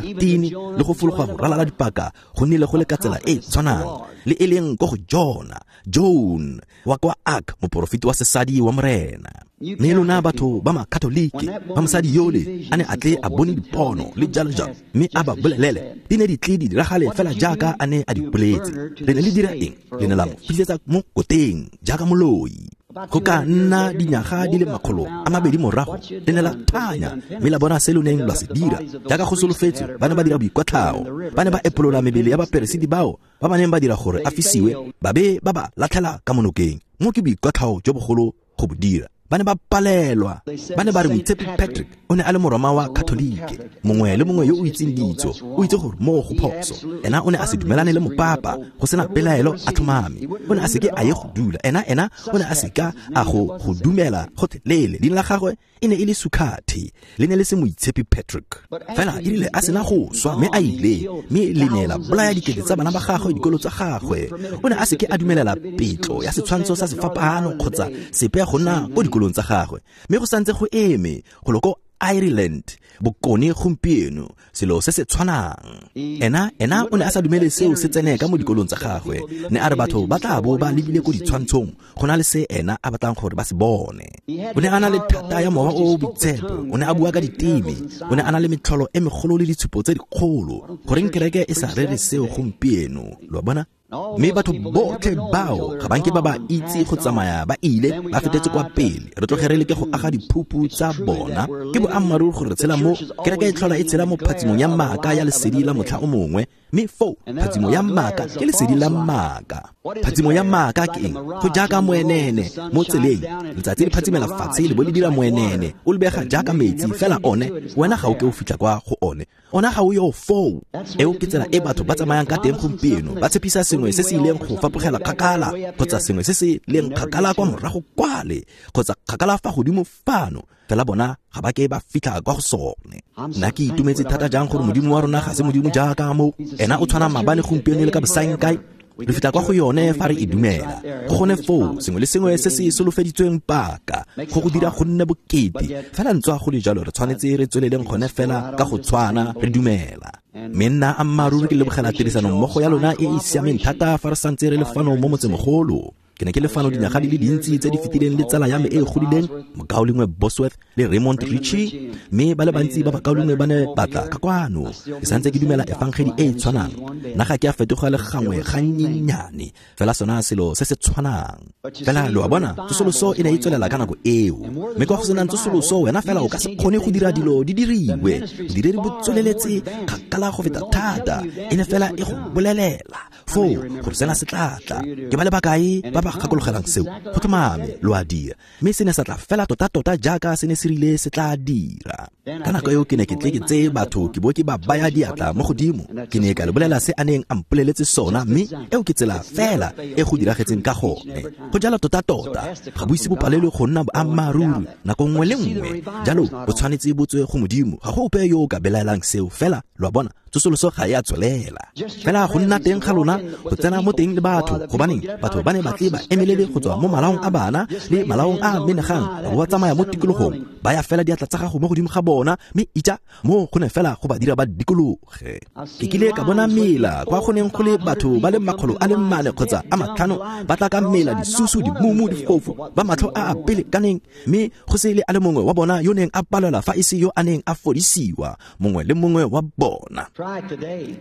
Martini, le go fologa go ralala dipaka, go nnile go le ka tsela e tshwanang, le e leng ko go Jona, Joan wa kwa Ark, moporofeti wa sesadi wa Morena. Mme lona batho ba Makatoliki, ba mosadi yole a ne a tle a bone dipono le jalo jalo, mme a ba bolelele, di ne di tle di diragale fela jaaka a ne a di boletse. Le ne le dira eng? Le ne la mo fisetsa mo koteng jaaka moloi. Go ka nna dinyaga di le 200 morago le ne la thanya mme la bona se lo neng lwa se dira. Jaaka go solofetswe, ba ne ba dira boikwatlhao, ba ne ba epolola mebele ya baperesiti bao ba ba neng ba dira gore a fisiwe, ba be ba ba latlhela ka mo nokeng. Mo ke boikwatlhao jo bogolo go bo dira. Ba ne ba palelwa. Ba ne ba re Moitshepi Patrick o ne a le Moroma wa Katolike. Mongwe le mongwe yo o itseng ditso o itse gore moo go phoso. Ena o ne a se dumelane le mopapa, go sena pelaelo a tlhomame. O ne a seke a ye go dula. Ena o ne a seka a go dumela gotlhelele. Leina la gagwe e ne e le Sukhathi, le ne le se Moitshepi Patrick. Fela e rile a sena go swa mme a ile, mme le ne la bolaya dikete tsa bana ba gagwe, dikolo tsa gagwe. O ne a seke a dumelela petlo ya setshwantsho sa sefapano kgotsa sepe go nna ko dikolong tsa gagwe. Mme go santse go eme go lo ko Ireland bokone gompieno, selo se se tshwanang. Ena o ne a sa dumele seo se tsene ka mo dikolong tsa gagwe. Ne a re batho ba tla bo ba lebile ko ditshwantshong go na le se ena a batlang gore ba se bone. O ne a na le thata ya mowa o o boitshepo, o ne a bua ka diteme, o ne a na le metlholo e megolo le ditshupo tse dikgolo. Goreng kereke e sa rere seo gompieno? Lo a bona? Mme batho botlhe bao ga banke ba ba itse go tsamaya ba ile ba fetetse kwa pele. Re tloge re leke go aga diphupu tsa bona. Ke boammaaruri gore re tshela mo kereke e tlhola e tshela mo phatsimong ya maaka ya lesedi la motlha o mongwe. Mme foo phatsimo ya maaka ke lesedi la maaka. Phatsimo ya maaka ke eng? Go jaaka moenene mo tseleng. Letsatsi le phatsimela fatshe le bo le dira moenene, o lebega jaaka metsi, fela one wena ga o ke o fitlha kwa go one. Ona ga o yo foo. Eo ke tsela e batho ba tsamayang ka teng gompieno. Ba tshepisa sengwe se se ileng go fapogela kgakala, kgotsa sengwe se se leng kgakala kwa morago kwale, kgotsa kgakala fa godimo fano. Fela bona ga ba ke ba fitlha kwa go sone. Nna ke itumetse thata jang gore Modimo wa rona ga se Modimo jaaka mo. Ena o tshwana maabane, gompieno le ka bosaengkae. Re fitlha kwa go yone fa re e dumela. Go gone foo sengwe le sengwe se se solofeditsweng paka go go dira go nne bokete. Fela ntswa go le jalo re tshwanetse re tsweleleng gone fela ka go tshwana re dumela. Mme nna ammaaruri ke lebogela tirisano mmogo ya lona e e siameng thata fa re santse re le fano mo motsemogolo. Ke ne ke le fano dinyaga di le dintsi tse di fetileng le tsala ya me e e godileng, Mokaulengwe Bosworth le Raymond Ritchie, mme ba le bantsi ba bakaulengwe ba ne batla ka kwano. Ke santse ke dumela efangedi e e tshwanang. Nna ga ke a fetoga le gangwe gannyenyane, fela sona selo se se tshwanang. Fela lo a bona, tsosoloso e ne e tswelela ka nako eo. Mme kwa go senang tsosoloso, wena fela o ka se kgone go dira dilo di diriwe. Bodiredi bo tsweleletse kgakala go feta thata, e ne fela e go bolelela foo gore sena se tla tla. Ke ba le bakae ba ba gakologelang seo? Go tlhomame lo a dira. Mme se ne sa tla fela tota-tota jaaka se ne se rile se tla dira. Ka nako eo ke ne ke tle ke tseye batho ke bo ke ba baya diatla mo godimo. Ke ne ka le bolela se a neng a mpoleletse sona, mme eo ke tsela fela e go diragetseng ka gone. Go jalo tota-tota, ga bo ise bo palelwe go nna boammaaruri nako nngwe le nngwe. Jalo bo tshwanetse bo tswe go Modimo. Ga go ope yo o ka belaelang seo. Fela lo a bona, tsosoloso ga e a tswelela. Fela go nna teng ga lona, go tsena mo teng le batho, gobaneng batho ba ne ba tle ba emelele go tswa mo malaong a bana le malaong a menegang, ba bo ba tsamaya mo tikologong, ba ya fela diatla tsa gago mo godimo ga bona, mme itja mo go ne fela go ba dira ba dikologe. Ke kile ka bona mela kwa go neng go le batho ba le 400 kgotsa a 5 ba tla ka mela, disusu, dimumu, difofu, ba matlho a a pelekaneng, mme go se le a le mongwe wa bona yo neng a palelwa fa e se yo a neng a fodisiwa, mongwe le mongwe wa bona.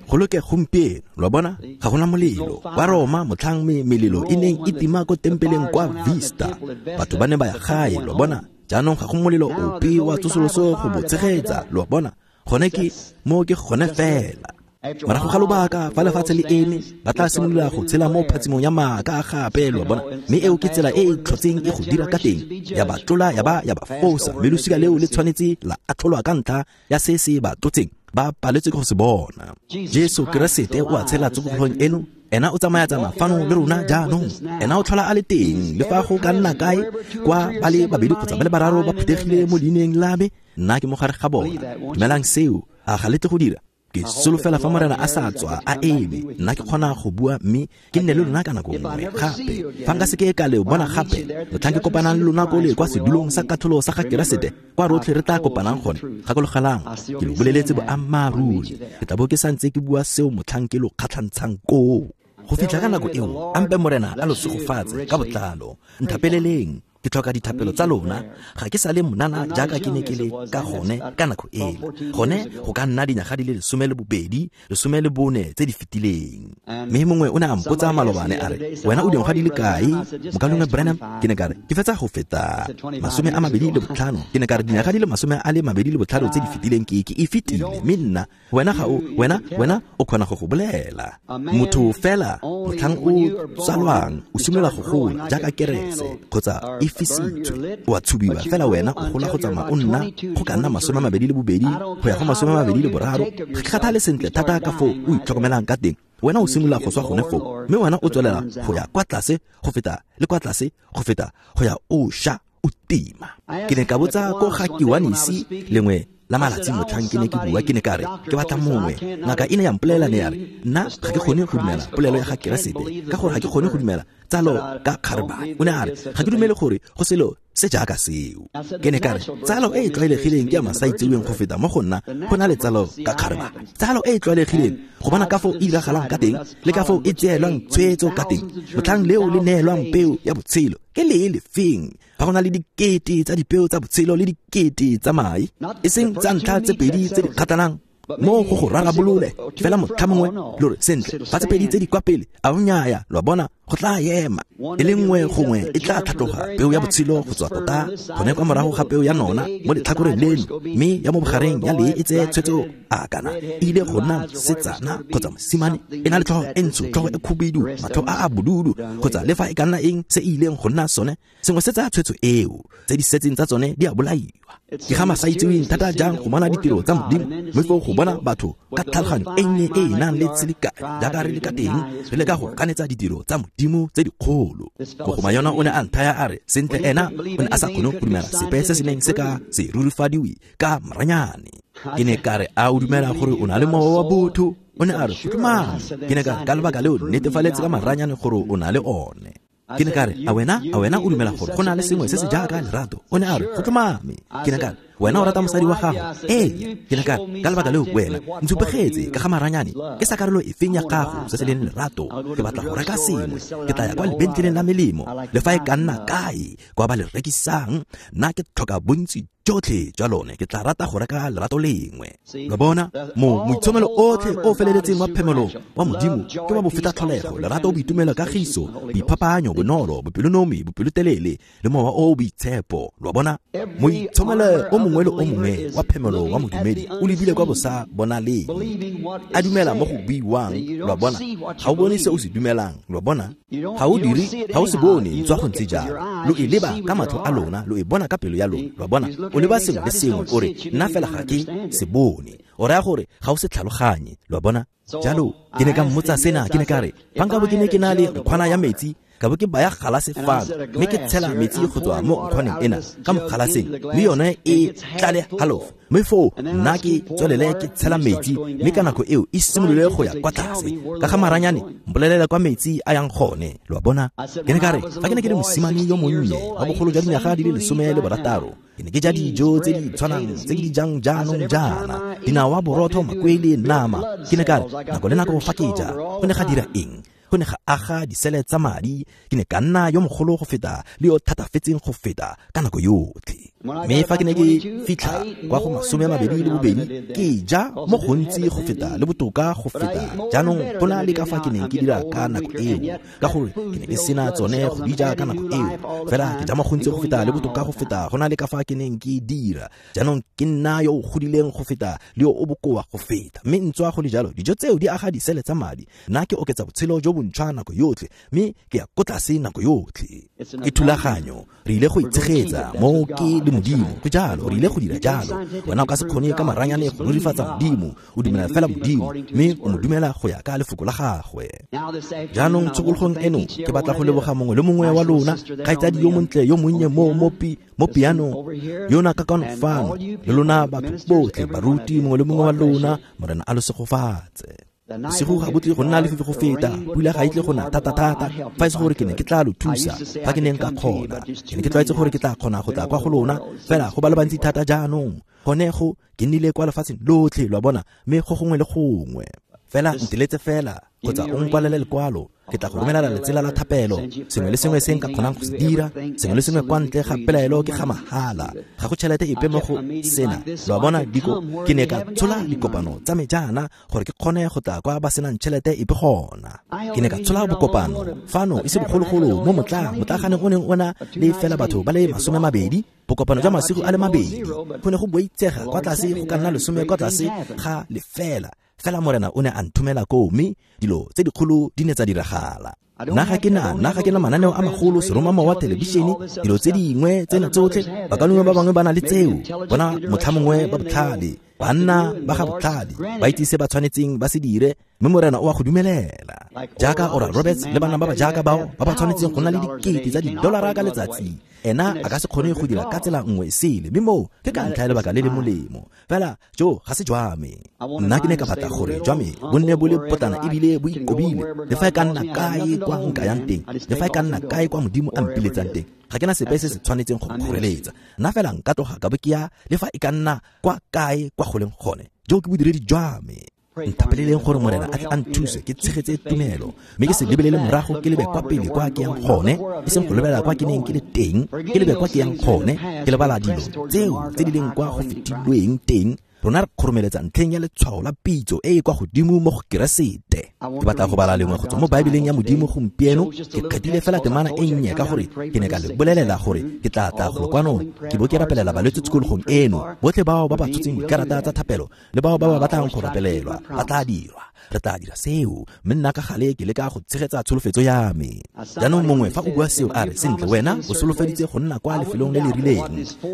Go loke gompieno, lo a bona, ga gona molelo. Kwa Roma motlhang melelo e neng e tima ko tempeleng kwa Vista, batho ba ne ba ya gae, lo a bona. Jaanong ga go molelo ope wa tsosoloso go bo tshegetsa, lo a bona. Gone ke mo ke gone fela. Morago ga lobaka fa lefatshe le eme, ba tla simolola go tshela mo phatsimong ya maaka gape, lo a bona. Mme eo ke tsela e e tlhotseng e go dira ka teng, ya ba tlola ya ba ya ba fosa, mme losika leo le tshwanetse la atlholwa ka ntlha ya se se ba tlotseng, ba paletswe ke go se bona. Jesu Keresete o a tshela tsogolong eno. Ena o tsamaya-tsamaya fano le rona jaanong. Ena o tlhola a le teng, le fa go ka nna kae kwa ba le babedi kgotsa ba le bararo ba phuthegile mo leineng la me, nna ke mo gare ga bona. Dumelang seo, a ga le tle go dira? Ke solofela fa Morena a sa tswa a eme, nna ke kgona go bua mme ke nne le lona ka nako nngwe gape. Fa nka seke ka le bona gape, motlhang ke kopanang le lona ko le kwa sedulong sa katlholo sa ga Keresete, kwa rotlhe re tla kopanang gone. Gakologelang, ke lo boleletse boammaaruri. Ke tla bo ke santse ke bua seo motlhang ke lo kgatlhantshang koo. Go fitlha ka nako eo, ampe Morena a lo segofatse ka botlalo. Nthapeleleng. Ke tlhoka dithapelo tsa lona. Ga ke sa le monana jaaka ke ne ke le ka gone ka nako ela. Gone go ka nna dinyaga di le 12, 14 tse di fetileng. Mme mongwe o ne a mpotsa malobane a re, wena o dingwaga di le kae? Mokaulengwe Branham, ke ne ka re, ke fetsa go feta 25. Ke ne ka re dinyaga di le 25 tse di fetileng ke e fetile. Mme nna, wena ga o, wena o kgona go bolela. Motho fela motlhang o tsalwang o simolola go gola jaaka kerese kgotsa e fisitswe, o a tshubiwa fela wena o gola go tsamaya o nna go ka nna 22 go ya go 23. Ga ke kgathale sentle thata ka foo o itlhokomelang ka teng, wena o simolola go swa gone foo, mme wena o tswelela go ya kwa tlase go feta le kwa tlase go feta go ya o sha o tima. Ke ne ka botsa ko ga Kiwanisi lengwe la malatsi motlhang ke ne ke bua, ke ne ka re ke batla mongwe. Ngaka e ne ya mpolelela ne ya re, nna ga ke kgone go dumela polelo ya ga Keresete ka gore ga ke kgone go dumela tsalo ka kgarebane. O ne a re ga ke dumele gore go selo se jaaka seo. Ke ne ka re tsalo e e tlwaelegileng ke ya masaitseweng go feta mo go nna go na le tsalo ka kgarebane. Tsalo e e tlwaelegileng go bona ka foo e diragalang ka teng le ka foo e tseelwang tshwetso ka teng, motlhang leo le neelwang peo ya botshelo ke le e lefeng. Fa go na le dikete tsa dipeo tsa botshelo le dikete tsa mae, e seng tsa ntlha tse pedi tse di kgathalang mo go rarabolole fela motlha mongwe lo re sentle fa tse pedi tse di kwa pele a o nnyaya, lo a bona go tla ema e le nngwe gongwe e tla tlhatloga peo ya botshelo go tswa tota gone kwa morago ga peo ya nona mo letlhakoreng leno, mme ya mo bogareng ya lee e tseye tshwetso a kana e ile go nna mosetsana kgotsa mosimane, e na le tlhogo e ntsho, tlhogo e khubidu, matlho a a bodudu, kgotsa le fa e ka nna eng se e ileng go nna sone, sengwe se tsaya tshwetso eo, tse di setseng tsa tsone di a bolaiwa. Ke ga masaitseweng thata jang go bona ditiro tsa Modimo, mme foo go bona batho ka tlhaloganyo e nnye e e nang le tshelekane jaaka re le ka teng, re leka go ganetsa ditiro tsa Modimo tse dikgolo. Mogoma yona o ne a nthaya a re sentle ena o ne a sa kgone go dumela sepe se se neng se ka se rurifadiwe ka maranyane. Ke ne ka re, a o dumela gore o na le mowa wa botho? O ne a re, go tlhomame. Ke ne ka re, ka lebaka leo netefaletse ka maranyane gore o na le one. Ke ne ka re, a wena o dumela gore go na le sengwe se se jaaka lerato? O ne a re, go tlhomame. Ke ne ka re, wena o rata mosadi wa gago? Ee. Ke ne ka re, ka lebaka leo wena ntshupegetse ka ga maranyane ke sa karolo efeng ya gago se se leng lerato. Ke batla go reka sengwe, ke tla ya kwa lebenkeleng la melemo le fa e ka nna kae kwa ba le rekisang, nna ke tlhoka bontsi jotlhe jwa lone, ke tla rata go reka lerato lengwe. Lo bona mo moitshomelo otlhe o feleletseng wa phemelo wa Modimo ke wa bofeta tlholego, lerato, boitumelo, kagiso, boiphapanyo, bonolo, bopelonomi, bopelotelele le mowa o boitshepo. Lo bona moitshomelo o mongwe le o mongwe wa phemelo wa modumedi o lebile kwa bosa bonaleng, a dumela mo go buiwang. Lo bona ga o bone se o se dumelang. Lo bona ga o dire, ga o se bone ntswa go ntse jalo. Lo e leba ka matlho a lona, lo e bona ka pelo ya lona. Lo bona o leba sengwe le sengwe o re, nna fela ga ke se bone, o raya gore ga o se tlhaloganye. Lo bona jalo ke ne ka mmotsa sena, ke ne ka re, fa nka bo ke ne ke na le nkgwana ya metsi, ka bo ke baya galase fano mme ke tshela metsi go tswa mo nkgwaneng ena ka mo galaseng, mme yone e tlale halofo, mme foo nna ke tswelele ke tshela metsi, mme ka nako eo e simolole go ya kwa tlase ka ga maranyane, mpolelela kwa metsi a yang gone. Lo a bona? Ke ne ka re, fa ke ne ke le mosimane yo monnye wa bogolo jwa dinyaga di le 16, ke ne ke ja dijo tse di tshwanang tse ke di jang jaanong jaana, dinawa, borotho, makwele, nama. Ke ne ka re, nako le nako fa ke ja, go ne ga dira eng? Go ne ga aga disele tsa madi. Ke ne ka nna yo mogolo go feta le yo thatafetseng go feta ka nako yotlhe. Mme fa ke ne ke fitlha kwa go 22, ke ja mo gontsi go feta le botoka go feta jaanong go na le ka fa ke neng ke dira ka nako eo, ka gore ke ne ke sena tsone go di ja ka nako eo. Fela ke ja mo gontsi go feta le botoka go feta go na le ka fa ke neng ke dira jaanong, ke nna yo o godileng go feta le yo o bokoa go feta. Mme ntswa go le jalo, dijo tseo di aga disele tsa madi, nna ke oketsa botshelo jo bontšhwa nako yotlhe, mme ke ya ko tlase nako yotlhe. Ke thulaganyo, re ile go itshegetsa mo ke le Modimo. Go jalo, re ile go dira jalo. Wena o ka se kgone ka maranyane go rurifatsa Modimo, o dumela fela Modimo, mme o mo dumela go ya ka lefoko la gagwe. Jaanong tshokologong eno ke batla go leboga mongwe le mongwe wa lona, kgaitsadi yo montle yo monnye mo pianong yona ka kwano fano, le lona batho botlhe, baruti, mongwe le mongwe wa lona, Morena a lo segofatse. Bosigo ga bo tle go nna lefifi go feta, pula ga e tle go na thata-thata, fa e se gore ke ne ke tla lo thusa fa ke neng ka kgona. Ke ne ke tlwaetse gore ke tla kgona go tla kwa go lona, fela go ba le bantsi thata jaanong. Gone go ke nnile kwa lefatsheng lotlhe, lo a bona, mme go gongwe le gongwe. Fela nteletse fela kgotsa o nkwalele lekwalo. Ke tla go romelela letsela la thapelo, sengwe le sengwe se nka kgonang go se dira, sengwe le sengwe kwa ntle ga pelaelo ke ga mahala. Ga go tšhelete epe mo go sena. Lo a bona, diko ke ne ka tshola dikopano tsa me jaana gore ke kgone go tla kwa ba senang tšhelete epe gona. Ke ne ka tshola bokopano fano e se bogologolo mo motlaganeng o neng o na le fela batho ba le 20, bokopano jwa masigo a le 2. Go ne go boitsega kwa tlase go ka nna 10 kwa tlase ga lefela. Fela Morena o ne a nthomela koo, mme dilo tse dikgolo di ne tsa diragala. Nna ga ke na mananeo a magolo, seromamowa, thelebišene, dilo tse dingwe tsena tsotlhe. Bakaulengwe ba bangwe ba na le tseo, bona motlhamongwe ba botlhale, banna ba ga botlhale, ba itse se ba tshwanetseng ba se dire, mme Morena o a go dumelela. Jaaka Oral Roberts le bana ba ba jaaka bao ba ba tshwanetseng go nna le dikete tsa didolara ka letsatsi, ena a ka se kgone go dira ka tsela nngwe e sele, mme moo ke ka ntlha ya lebaka le le molemo. Fela jo ga se jwa me. Nna ke ne ka batla gore jwa me bo nne bo le potlana ebile bo ikobile, le fa e ka nna kae kwa nka yang teng, le fa e ka nna kae kwa Modimo a mpiletsang teng. Ga ke na sepe se se tshwanetseng go kgoreletsa. Nna fela nka tloga ka bo ke ya le fa e ka nna kwa kae kwa go leng gone. Jo ke bodiredi jwa me. Nthapeleleng gore Morena a tle a nthuse ke tshegetse tumelo, mme ke se lebelele morago, ke lebe kwa pele kwa ke yang gone, e seng go lebelela kwa ke neng ke le teng, ke lebe kwa ke yang gone, ke lebala dilo tseo tse di leng kwa go fetilweng teng. Rona re kgoromeletsa ntlheng ya letshwao la pitso e e kwa godimo mo go Keresete. Ke batla go bala lengwe go tswa mo Baebeleng ya Modimo gompieno. Ke kgethile fela temana e nnye ka gore ke ne ka le bolelela gore ke tla tla golo kwano ke bo ke rapelela balwetse tshikologong eno. Botlhe bao ba ba tshotseng dikarata tsa thapelo le bao ba ba batlang go rapelelwa ba tla dirwa. Re tla dira seo, mme nna ka gale ke leka go tshegetsa tsholofetso ya me. Jaanong mongwe fa o bua seo a re, sentle wena o solofeditse go nna kwa lefelong le le rileng.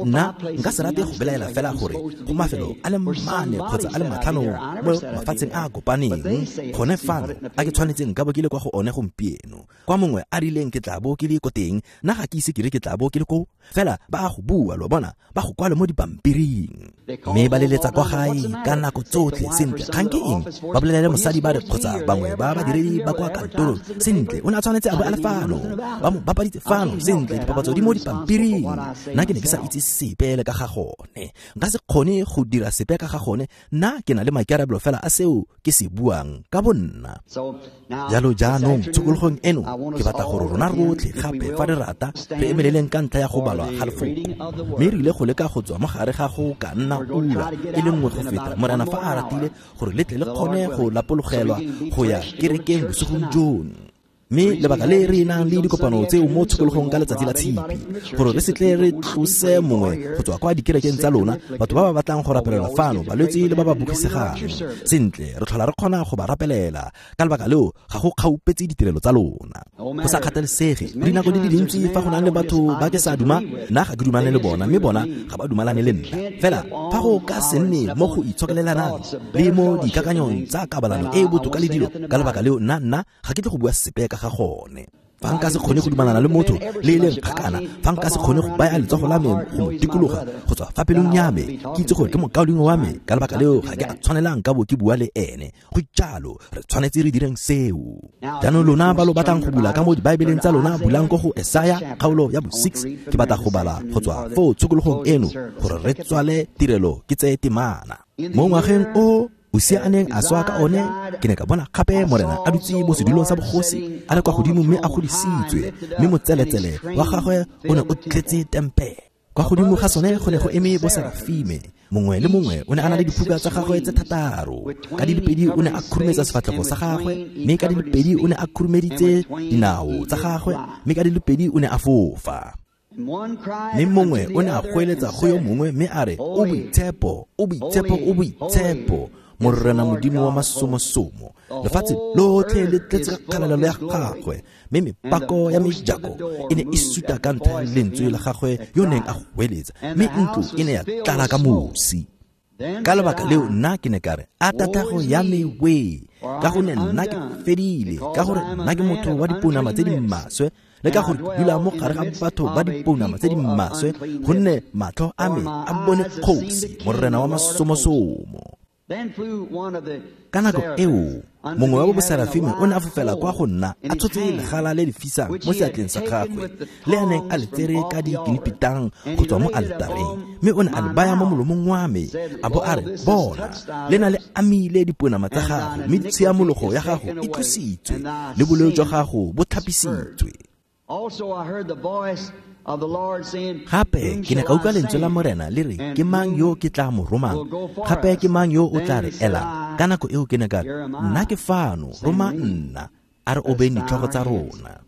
Nna nka se rate go belaela fela gore go mafelo a le 4 kgotsa a le 5 mo mafatsheng a a kopaneng gone fano a ke tshwanetseng nka bo ke le kwa go one gompieno. Kwa mongwe a rileng ke tla bo ke le ko teng, nna ga ke ise ke re ke tla bo ke le ko. Fela ba a go bua, lo bona, ba go kwale mo dipampiring. Mme ba leletsa kwa gae ka nako tsotlhe. Sentle, kgang ke eng? Ba bolelele mosadi ba re kgotsa bangwe ba badiredi ba kwa kantorong, sentle, o ne a tshwanetse a bo a le fano, ba mo bapaditse fano, sentle, dipapatso di mo dipampiring. Nna ke ne ke sa itse sepe le ka ga gone, nka se kgone go dira sepe ka ga gone. Nna ke na le maikarabelo fela a seo ke se buang ka bonna. Jalo jaanong tshokologong eno ke batla gore rona rotlhe gape fa re rata re emeleleng ka ntlha ya go balwa ga lefoko, mme re ile go leka go tswa mo gare ga go ka nna ura e le nngwe go feta, Morena fa a ratile, gore le tle le kgone go lapologelwa go ya kerekeng bosigong jono. Mme lebaka le re nang le dikopano tseo mo tshokologong ka letsatsi la Tshipi, gore re se tle re tlose mongwe go tswa kwa dikerekeng tsa lona, batho ba ba batlang go rapelelwa fano, balwetse le ba ba bogisegang. Sentle, re tlhola re kgona go ba rapelela. Ka lebaka leo ga go kgaupetse ditirelo tsa lona. Go sa kgathalesege, dinako di le dintsi fa go nang le batho ba ke sa duma, nna ga ke dumalane le bona, mme bona ga ba dumalane le nna. Fela fa go ka se nne mo go itshokelelanang le mo dikakanyong tsa kabalano e e botoka le dilo, ka lebaka leo nna ga ke tle go bua sepe ka ga gone. Fa nka se kgone go dumalana le motho le e leng kgakala, fa nka se kgone go baya letsogo la me go mo dikologa go tswa fa pelong ya me, ke itse gore ke mokaulengwe wa me, ka lebaka leo ga ke a tshwanelang ka bo ke bua le ene. Go jalo, re tshwanetse re direng seo. Jaanong lona ba lo batlang go bula ka mo dibaebeleng tsa lona, bulang ko go Esaya kgaolo ya bo 6. Ke batla go bala go tswa foo tshokologong eno gore re tswale tirelo ke tseye temana. Mo ngwageng o Usia a neng a swa ka one, ke ne ka bona gape Morena a dutse mo sedulong sa bogosi, a le kwa godimo mme a godisitswe, mme motseletsele wa gagwe o ne o tletse tempele. Kwa godimo ga sone go ne go eme boserafime, mongwe le mongwe o ne a na le diphuka tsa gagwe tse 6. Ka di le 2 o ne a khurumetsa sefatlhego sa gagwe, mme ka di le 2 o ne a khurumeditse dinao tsa gagwe, mme ka di le 2 o ne a fofa. Mme mongwe o ne a goeletsa go yo mongwe mme a re, o boitshepo, o boitshepo, o boitshepo, Morena Modimo wa masomosomo. Lefatshe lotlhe le tletse ka kgalalelo ya gagwe, mme mepako ya mejako e ne e suta ka ntlha ya lentswe la gagwe yo neng a goeletsa, mme ntlo e ne ya tlala ka mosi. Ka lebaka leo nna ke ne ka re, a tatago ya me we, ka gonne nna ke fedile, ka gore nna ke motho wa dipounama tse di maswe, le ka gore ke dula mo gare ga batho ba dipounama tse di maswe, gonne matlho a me a bone kgosi, Morena wa masomosomo. Ka nako eo mongwe wa boserafime o ne a fofela kwa go nna a tshotse legala le le fisang mo seatleng sa gagwe le a neng a le tsere ka dikinipitang go tswa mo aletareng, mme o ne a le baya mo molomong wa me a bo a re, bona, le na le amile diponama tsa gago, mme tshiamologo ya gago e tlositswe le boleo jwa gago bo tlhapisitswe. Gape ke ne ka utlwa lentswe la Morena le re, ke mang yo ke tla mo romang? Gape ke mang yo o tla re elang? Ka nako eo ke ne ka re, nna ke fano, roma nna. A re obeng ditlhogo tsa rona.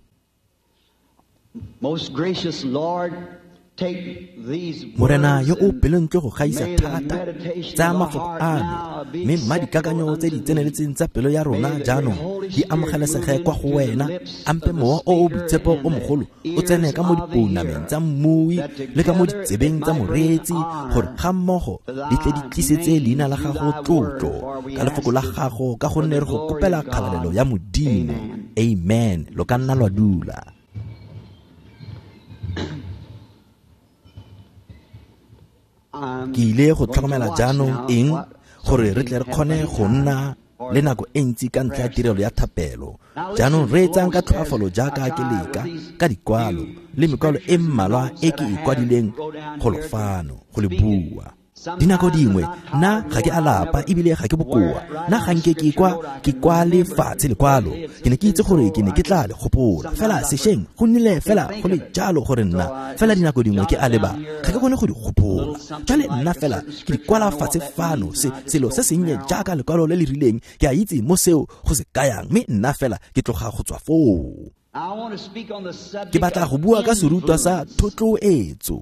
Morena yo o pelontle go gaisa thata, tsaya mafoko ano, mme mma dikakanyo tse di tseneletseng tsa pelo ya rona jaanong di amogelesege kwa go wena. Ampe mowa o o boitshepo o mogolo o tsene ka mo dipounameng tsa mmui le ka mo ditsebeng tsa moreetsi, gore ga mmogo di tle di tlisetse leina la gago tlotlo ka lefoko la gago, ka gonne re go kopela kgalalelo ya Modimo. Amen. Lo ka nna lwa dula. Ke ile go tlhokomela jaanong eng gore re tle re kgone go nna le nako e ntsi ka ntlha ya tirelo ya thapelo. Jaanong re etsang ka tlhoafalo jaaka ke leka ka dikwalo le mekwalo e mmalwa e ke e kwadileng golo fano go le bua. Dinako dingwe nna ga ke a lapa ebile ga ke bokoa, nna ga nke ke kwa ke kwale fatshe lekwalo. Ke ne ke itse gore ke ne ke tla le gopola, fela sešweng go nnile fela go le jalo gore nna fela dinako dingwe ke a leba ga ke kgone go di gopola. Jale nna fela ke di kwala fatshe fano, selo se sennye jaaka lekwalo le le rileng, ke a itse mo seo go se kayang, mme nna fela ke tloga go tswa foo. Ke batla go bua ka serutwa sa thotloetso.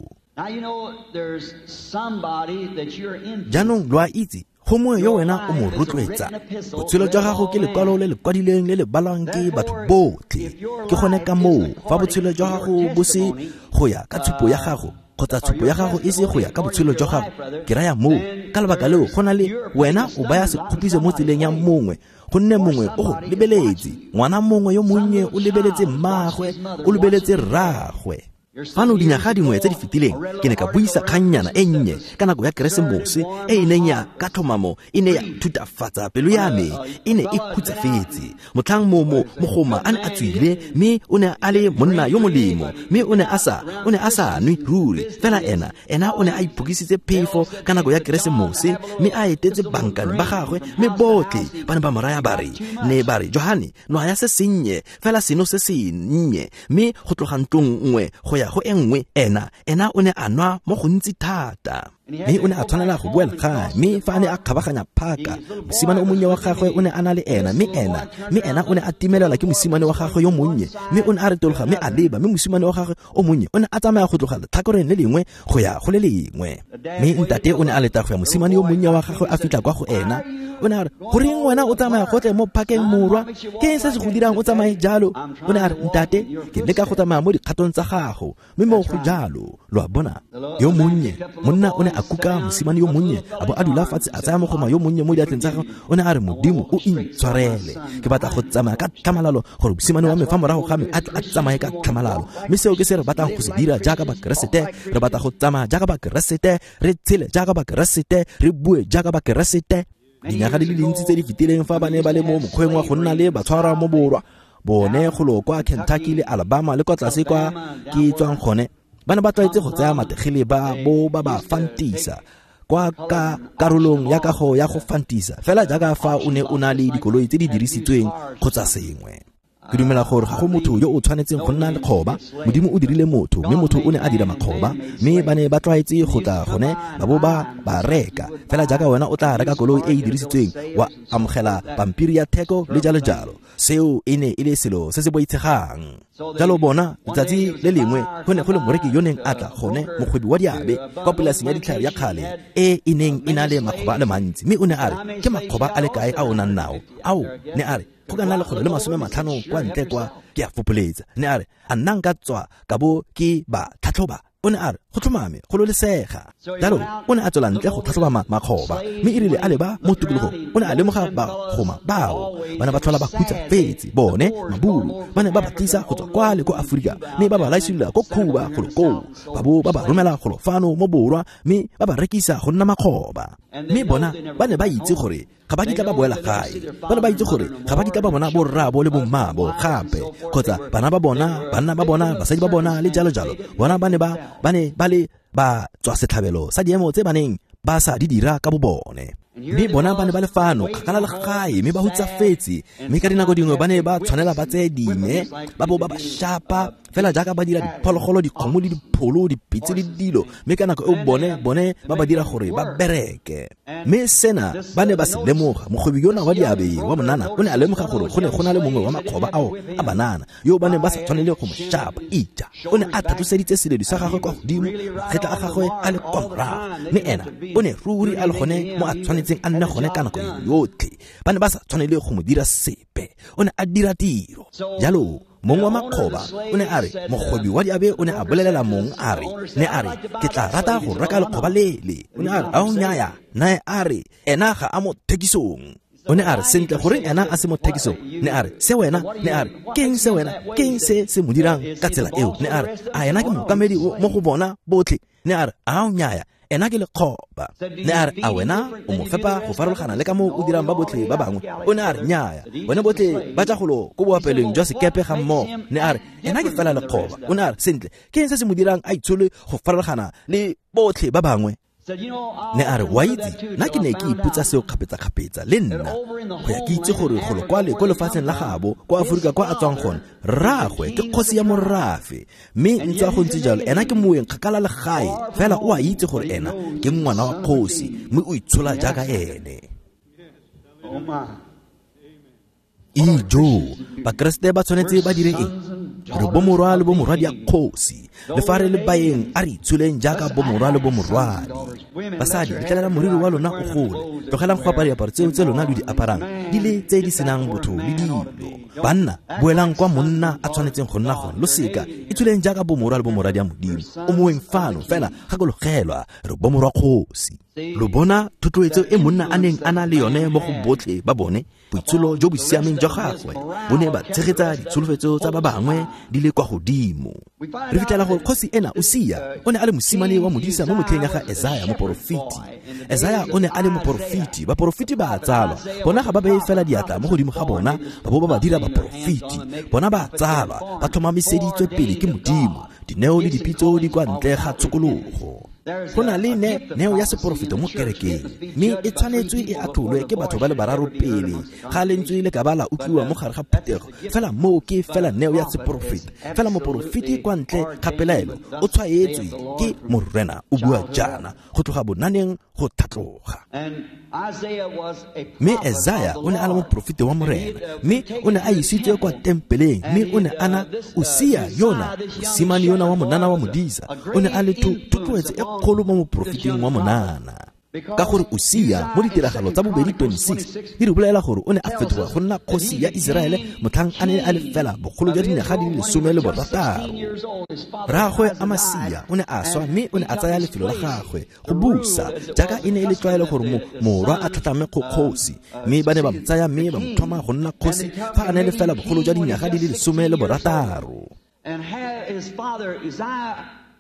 Jaanong lo a itse, gongwe yo wena o mo rotloetsa. Botshelo jwa gago ke lekwalo le le kwadilweng le le balwang ke batho botlhe. Ke gone ka moo fa botshelo jwa gago bo se go ya ka tshupo ya gago, kgotsa tshupo ya gago e se go ya ka botshelo jwa gago, ke raya moo ka lebaka leo go na le wena o baya sekgopiso mo tseleng ya mongwe, gonne mongwe o go lebeletse. Ngwana mongwe yo monnye o lebeletse mmaagwe, o lebeletse rraagwe. Fano dinyaga dingwe tse di fetileng ke ne ka buisa kgannyana e nnye ka nako ya Keresemose e e neng ya ka tlhomamo e ne ya thutafatsa pelo ya me, e ne e khutsafetse. Motlhang mogoma a ne a tswile, mme o ne a le monna yo molemo, mme o ne a sa nwe ruri, fela ena o ne a iphokisitse phefo ka nako ya Keresemose, mme a etetse bankane ba gagwe, mme botlhe ba ne ba mo raya ba re, ne ba re, Johane, nwa ya se sennye, fela seno se sennye, mme go tloga ntlong nngwe go ya go e nngwe, ena o ne a nwa mo gontsi thata. Mme o ne a tshwanela go boela gae, mme fa a ne a kgabaganya phaka, mosimane o monnye wa gagwe o ne a na le ena, mme ena o ne a timelelwa ke mosimane wa gagwe yo monnye, mme o ne a retologa mme a leba, mme mosimane wa gagwe o monnye o ne a tsamaya go tloga letlhakoreng le lengwe go ya go le lengwe. Mme ntate o ne a leta go ya mosimane yo monnye wa gagwe a fitlha kwa go ena. O ne a re, goreng wena o tsamaya gotlhe mo phakeng morwa? Ke eng se se go dirang o tsamaye jalo? O ne a re, ntate, ke leka go tsamaya mo dikgatong tsa gago, mme mo go jalo. Lo a bona, yo monnye monna o ne a kuka mosimane yo monnye, a bo a dula fatshe a tsaya mogoma yo monnye mo diatleng tsa gagwe. O ne a re, Modimo o intshwarele, ke batla go tsamaya ka tlhamalalo gore mosimane wa me fa morago ga me a tle a tsamaye ka tlhamalalo. Mme seo ke se re batlang go se dira jaaka Bakeresete. Re batla go tsamaya jaaka Bakeresete, re tshele jaaka Bakeresete, re bue jaaka Bakeresete. Dinyaga di le dintsi tse di fetileng fa ba ne ba le mo mokgweng wa go nna le batshwarwa mo borwa, bone golo kwa Kentucky le Alabama le kwa tlase kwa ke tswang gone, ba ne ba tlwaetse go tsaya mategele ba bo ba ba fantisa kwa ka karolong ya kago ya go fantisa, fela jaaka fa o ne o na le dikoloi tse di dirisitsweng kgotsa sengwe. Ke dumela gore ga go motho yo o tshwanetseng go nna lekgoba. Modimo o dirile motho, mme motho o ne a dira makgoba, mme ba ne ba tlwaetse go tla gone ba bo ba reka. Fela jaaka wena o tla reka koloi e e dirisitsweng, wa amogela pampiri ya theko le jalo jalo. Seo e ne e le selo se se boitshegang. Jalo bona, letsatsi le lengwe go ne go le moreki yo neng a tla gone, mokgwebi wa diabe kwa polaseng ya ditlhare ya kgale e e neng e na le makgoba a le mantsi, mme o ne a re, ke makgoba a le kae a o nang nao? Ao, ne a re, go ka nna 150 kwa ntle kwa, ke a fopoletsa. Ne a re, a nna nka tswa ka bo ke ba tlhatlhoba? O ne a re, Go tlhomame go lolesega. Jalo o ne a tswela ntle go tlhatlhoba makgoba, mme e rile a leba mo tikologong o ne a lemoga bagoma bao ba ne ba tlhola ba hutsafetse. Bone maburu ba ne ba ba tlisa go tswa kwa le ko Aforika, mme ba ba laisolola ko Cuba golo koo, ba bo ba ba romela golo fano mo borwa, mme ba ba rekisa go nna makgoba. Mme bona ba ne ba itse gore ga ba kitla ba boela gae, ba ne ba itse gore ga ba kitla ba bona borraabo le bommaabo gape, kgotsa bana ba bona, banna ba bona, basadi ba bona le jalo jalo. Bona ba ne ba le ba tswa setlhabelo sa diemo tse ba neng ba sa di dira ka bobone. Mme bona ba ne ba le fano kgakala le gae, mme ba hutsafetse, mme ka dinako dingwe ba ne ba tshwanela ba tseye dime ba bo ba ba shapa fela jaaka ba dira diphologolo, dikgomo le dipholo, dipitse le dilo, mme ka nako eo bone ba ba dira gore ba bereke. Mme sena ba ne ba se lemoga. Mokgwebi yona wa diabe wa monana o ne a lemoga gore go ne go na le mongwe wa makgoba ao a banana yo ba neng ba sa tshwanele go mo shapa. Ija o ne a tlhatloseditse seledu sa gagwe kwa godimo, magetla a gagwe a le kwa morago, mme ena o ne ruri a le gone mo a tshwanetseng a nne gone ka nako yotlhe. Ba ne ba sa tshwanele go mo dira sepe, o ne a dira tiro. Jalo mong wa makgoba o ne a re, mokgwebi wa diabe o ne a bolelela mong a re, ne a re, ke tla rata go reka lekgoba lele. O ne a re, ao nnyaya. Nae a re, ena ga a mo thekisong. O ne a re, sentle, goreng ena a se mo thekisong? Ne a re, se wena? Ne a re, keng se wena? Keng se se mo dirang ka tsela eo? Ne a re, a ena ke mookamedi mo go bona botlhe? Ne a re, ao nnyaya, ena ke lekgoba. Ne a re, a wena o mo fepa go farologana le ka moo o dirang ba botlhe ba bangwe? O ne a re, nnyaya, bone botlhe ba tla golo ko boapelong jwa sekepe ga mmogo. Ne a re, ena ke fela lekgoba. O ne a re, sentle, ke eng se se mo dirang a itshole go farologana le botlhe ba bangwe? Ne a re, wa itse, nna ke ne ke ipotsa seo kgapetsa-kgapetsa le nna, go ya ke itse gore golo kwale ko lefatsheng la gabo ko Aforika kwa a tswang gone, rraagwe ke kgosi ya morafe, mme ntswa go ntse jalo ena ke moeng kgakala le gae, fela o a itse gore ena ke ngwana wa kgosi, mme o itshola jaaka ene. Ijo, Bakeresete ba tshwanetse ba dire eng? Re bomorwa le bomorwadi ya kgosi, le fa re le baeng a re itsholeng jaaka bomorwa le bomorwadi. Basadi, letlelela moriri wa lona o gole, tlogelang go apara diaparo tseo tse lona lo di aparang di le tse di senang botho le dilo. Banna, boelang kwa monna a tshwanetseng go nna gone, lo seka itsholeng jaaka bomorwa le bomorwadi ya Modimo. O moeng fano, fela gakologelwa, re bomorwa kgosi. Lo bona thotloetso e monna a neng a na le yone mo go botlhe ba bone? Boitsholo jo bo siameng jwa gagwe bo ne ba tshegetsa ditsholofetso tsa ba bangwe di le kwa godimo. Re fitlhela gore kgosi ena Usia o ne a le mosimane wa modisa mo motlheng ya ga Esaya moporofeti. Esaya o ne a le moporofeti. Baporofeti ba a tsalwa, bona ga ba beye fela diatla mo godimo ga bona ba bo ba ba dira baporofeti. Bona ba a tsalwa, ba tlhomamiseditswe pele ke Modimo. Dineo le dipitso di kwa ntle ga tshokologo. Go na le neo ya seporofeto mo kerekeng, mme e tshwanetswe e atlholwe ke batho ba le bararo pele ga lentswe le ka ba la utlwiwa mo gare ga phuthego. Fela moo ke fela neo ya seporofeto. Fela moporofeti kwa ntle ga pelaelo o tshwaetswe ke Morena o bua jaana go tloga bonaneng go tlhatloga. Mme Esaya o ne a le moporofeti wa Morena, mme o ne a isitswe kwa tempeleng, mme o ne a na Usia yona, mosimane yona wa monana wa modisa, o ne a le thotloetso e kgolo mo moporofeting wa monana. Ka gore Usia mo ditiragalo tsa bobedi 26 di re bolela gore o ne a fetoga go nna kgosi ya Iseraele motlhang a ne a le fela bogolo jwa dinyaga di le 16. Rraagwe Amasia o ne a swa, mme o ne a tsaya lefelo la gagwe go busa, jaaka e ne e le tlwaelo gore morwa a tlhatlame go kgosi. Mme ba ne ba mo tsaya mme ba mo tlhoma go nna kgosi fa a ne le fela bogolo jwa dinyaga di le 16.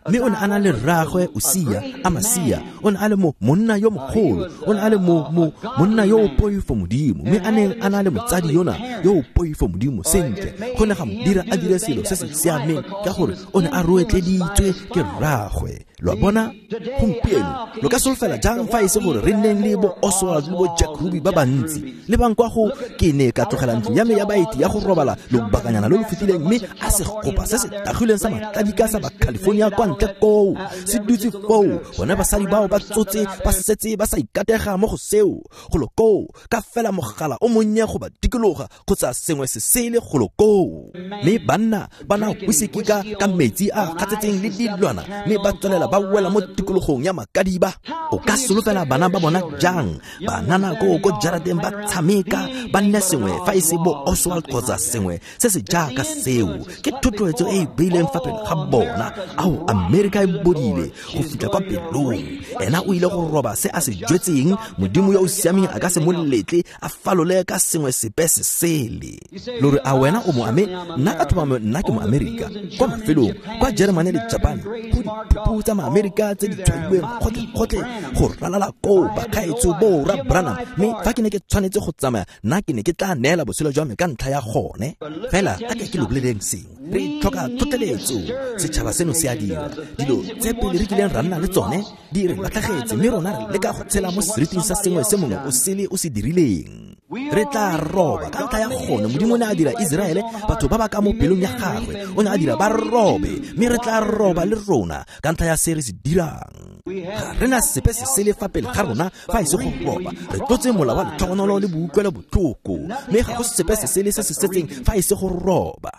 Mme o ne a na le rraagwe Usia, Amasia, o ne a le monna yo mogolo, o ne a le monna yo o poifo Modimo, mme a neng a na le motsadi yona yo o poifo Modimo. Sentle, go ne ga mo dira a dire selo se se siameng ka gore o ne a roetleditswe ke rraagwe. Lo a bona gompieno lo ka solofela jang fa e se gore re nneng le bo Oswald le bo Jack Ruby ba bantsi? Le bang kwa go ke ne ka tlogela ntlo ya me ya baeti ya go robala lobakanyana lo lo fetileng, mme a segopa se se tagileng sa matladika sa ba California kwa ntle koo se dutse foo. Bone basadi bao ba tsotse ba setse ba sa ikatega mo go seo golo koo, ka fela mogala o monnye go ba dikologa kgotsa sengwe se sele golo koo. Mme banna ba na whisky ka metsi a gatsetseng le dilwana, mme ba tswelela ba wela mo tikologong ya makadiba. O ka solofela bana ba bona jang? Banana ko jarateng ba tshameka, ba nne sengwe fa e se bo Oswald kgotsa sengwe se se jaaka seo. Ke thotloetso e e beileng fa pele ga bona. Ao, Amerika e bodile go fitlha kwa pelong. Ena o ile go roba se a se jwetseng. Modimo yo o siameng a ka se mo letle a falole ka sengwe sepe se sele. Lo re a wena o mo nna ka tlhomamo nna ke mo Amerika. Kwa mafelong kwa Germany le Japan go diphuphu tsa Maamerika tse di tshwailweng gotlhe go ralala koo bakgaetsho bo ra Branham. Mme fa ke ne ke tshwanetse go tsamaya nna ke ne ke tla neela botshelo jwa me ka ntlha ya gone. Fela a ke lo boleleng sengwe, re tlhoka tlhotlheletso. Setšhaba seno se a dira dilo tse pele re kileng ra nna le tsone di re latlhagetse, mme rona re leka go tshela mo seriting sa sengwe se mongwe o sele o se dirileng. Re tla roba ka ntlha ya gone. Modimo o ne a dira Iseraele batho ba ba ka mo pelong ya gagwe, o ne a dira ba robe, mme re tla roba le rona ka ntlha ya se re se dirang. Ga re na sepe se sele fa pele ga rona fa e se go roba. Re tlotse mola wa letlhogonolo le boutlwelo botlhoko, mme ga go sepe se sele se se setseng fa e se go roba.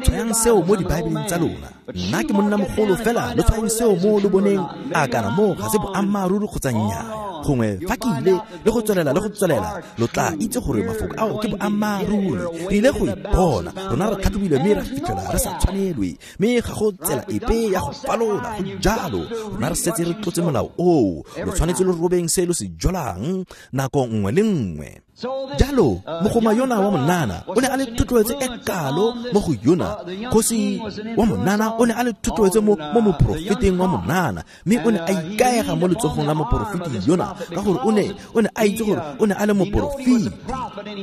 Tshwayang seo mo dibaebeleng tsa lona. Nna ke monna mogolo fela, lo tshwayang seo mo lo boneng a kana mo ga se boammaaruri kgotsa nnyaa. Gongwe fa ke ile le go tswelela le go tswelela, lo tla itse gore mafoko ao ke boammaaruri. Re ile go ipona rona re tlhatlhobilwe mme ra fitlhela re sa tshwanelwe, mme ga go tsela epe ya go falola. Go jalo, rona re setse re tlotse molao oo. Lo tshwanetse lo robeng se lo se jolang nako nngwe le nngwe. Jalo mogoma yona wa monana o ne a le thotloetso e kalo mo go yona. Kgosi wa monana o ne a le thotloetso mo moporofeteng wa monana, mme o ne a ikaega mo letsogong la moporofeti yona ka gore o ne a itse gore o ne a le moporofeti,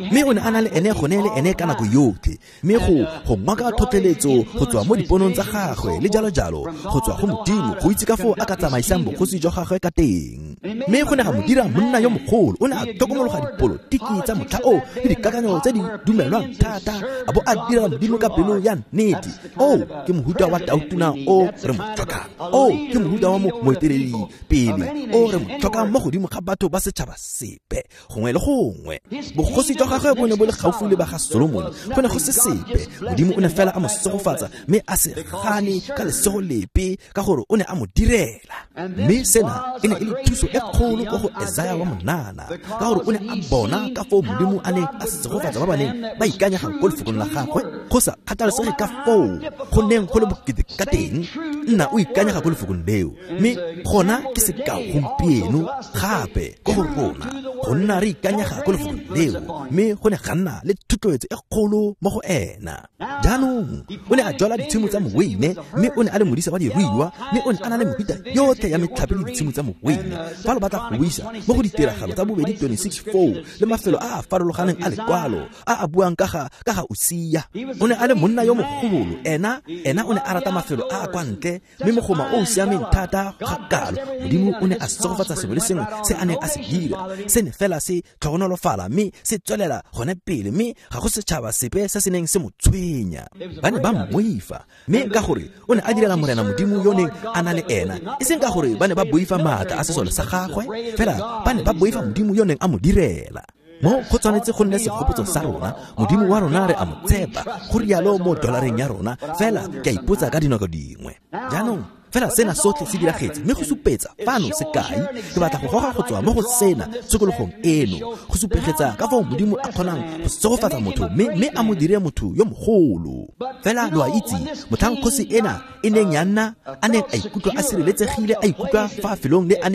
mme o ne a na le ene gone le ene ka nako yotlhe. Mme go ngoka tlhotlheletso go tswa mo diponong tsa gagwe le jalo jalo go tswa go Modimo go itse ka foo a ka tsamaisang bogosi jwa gagwe ka teng. Mme go ne ga mo dira monna yo mogolo. O ne a tlhokomologa dipolotiki tsa motlha o le dikakanyo tse di dumelwang thata, a bo a dira Modimo ka pelo ya nnete. O ke mohuta wa tautona o re mo tlhokang, o ke mohuta wa moeteledi pele o re mo tlhokang mo godimo ga batho ba setšhaba sepe gongwe le gongwe. Bogosi jwa gagwe bo ne bo le gaufi le ba ga Solomon, go ne go se sepe. Modimo o ne fela a mo segofatsa mme a se gane ka lesego lepe ka gore o ne a mo direla. Mme sena e ne e le thuso e kgolo ko go Esaya wa monana ka gore o ne a bona ka foo Modimo a neng a segofatsa ba ba neng ba ikanyega ko lefokong la gagwe go sa kgathalesege ka foo go neng go le bokete ka teng. Nna o ikanyega ko lefokong leo, mme gona ke sekao gompieno gape ko go rona go nna re ikanyega ko lefokong leo. Mme go ne ga nna le thotloetso e kgolo mo go ena. Jaanong o ne a jwala ditshimo tsa moweine, mme o ne a le modisa wa diruiwa, mme o ne a na le mehuta yotlhe ya metlhape le ditshimo tsa moweine. Fa lo batla go buisa mo go ditiragalo tsa bobedi 26:4 le mafelo a a farologaneng a lekwalo a a buang ka ga Usia, o ne a le monna yo mogolo. Ena o ne a rata mafelo a a kwa ntle, mme mogoma o o siameng thata ga kalo. Modimo o ne a segofatsa sengwe le sengwe se a neng a se dira, se ne fela se tlhogonolofala mme se tswelela gone pele, mme ga go setšhaba sepe se se neng se mo tshwenya. Ba ne ba mmoifa, mme ka gore o ne a direla Morena Modimo yo neng a na le ena, e seng ka gore ba ne ba boifa maatla a sesole sa gagwe, fela ba ne ba boifa Modimo yo neng a mo direla. Mo go tshwanetse go nne segopotso sa rona. Modimo wa rona re a mo tshepa, go rialo mo dolareng ya rona. Fela ke a ipotsa ka dinako dingwe. Jaanong fela sena sotlhe se diragetse, mme go supetsa fano sekai. Ke batla go goga go tswa mo go sena tshokologong eno go supegetsa ka foo Modimo a kgonang go segofatsa motho mme a mo dire motho yo mogolo. Fela lo a itse motlhang kgosi ena e neng ya nna a neng a ikutlwa a sireletsegile, a ikutlwa fa felong le a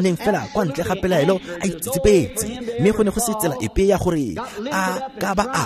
neng fela kwa ntle ga pelaelo a itsetsepetse, mme go ne go se tsela epe ya gore a ka ba a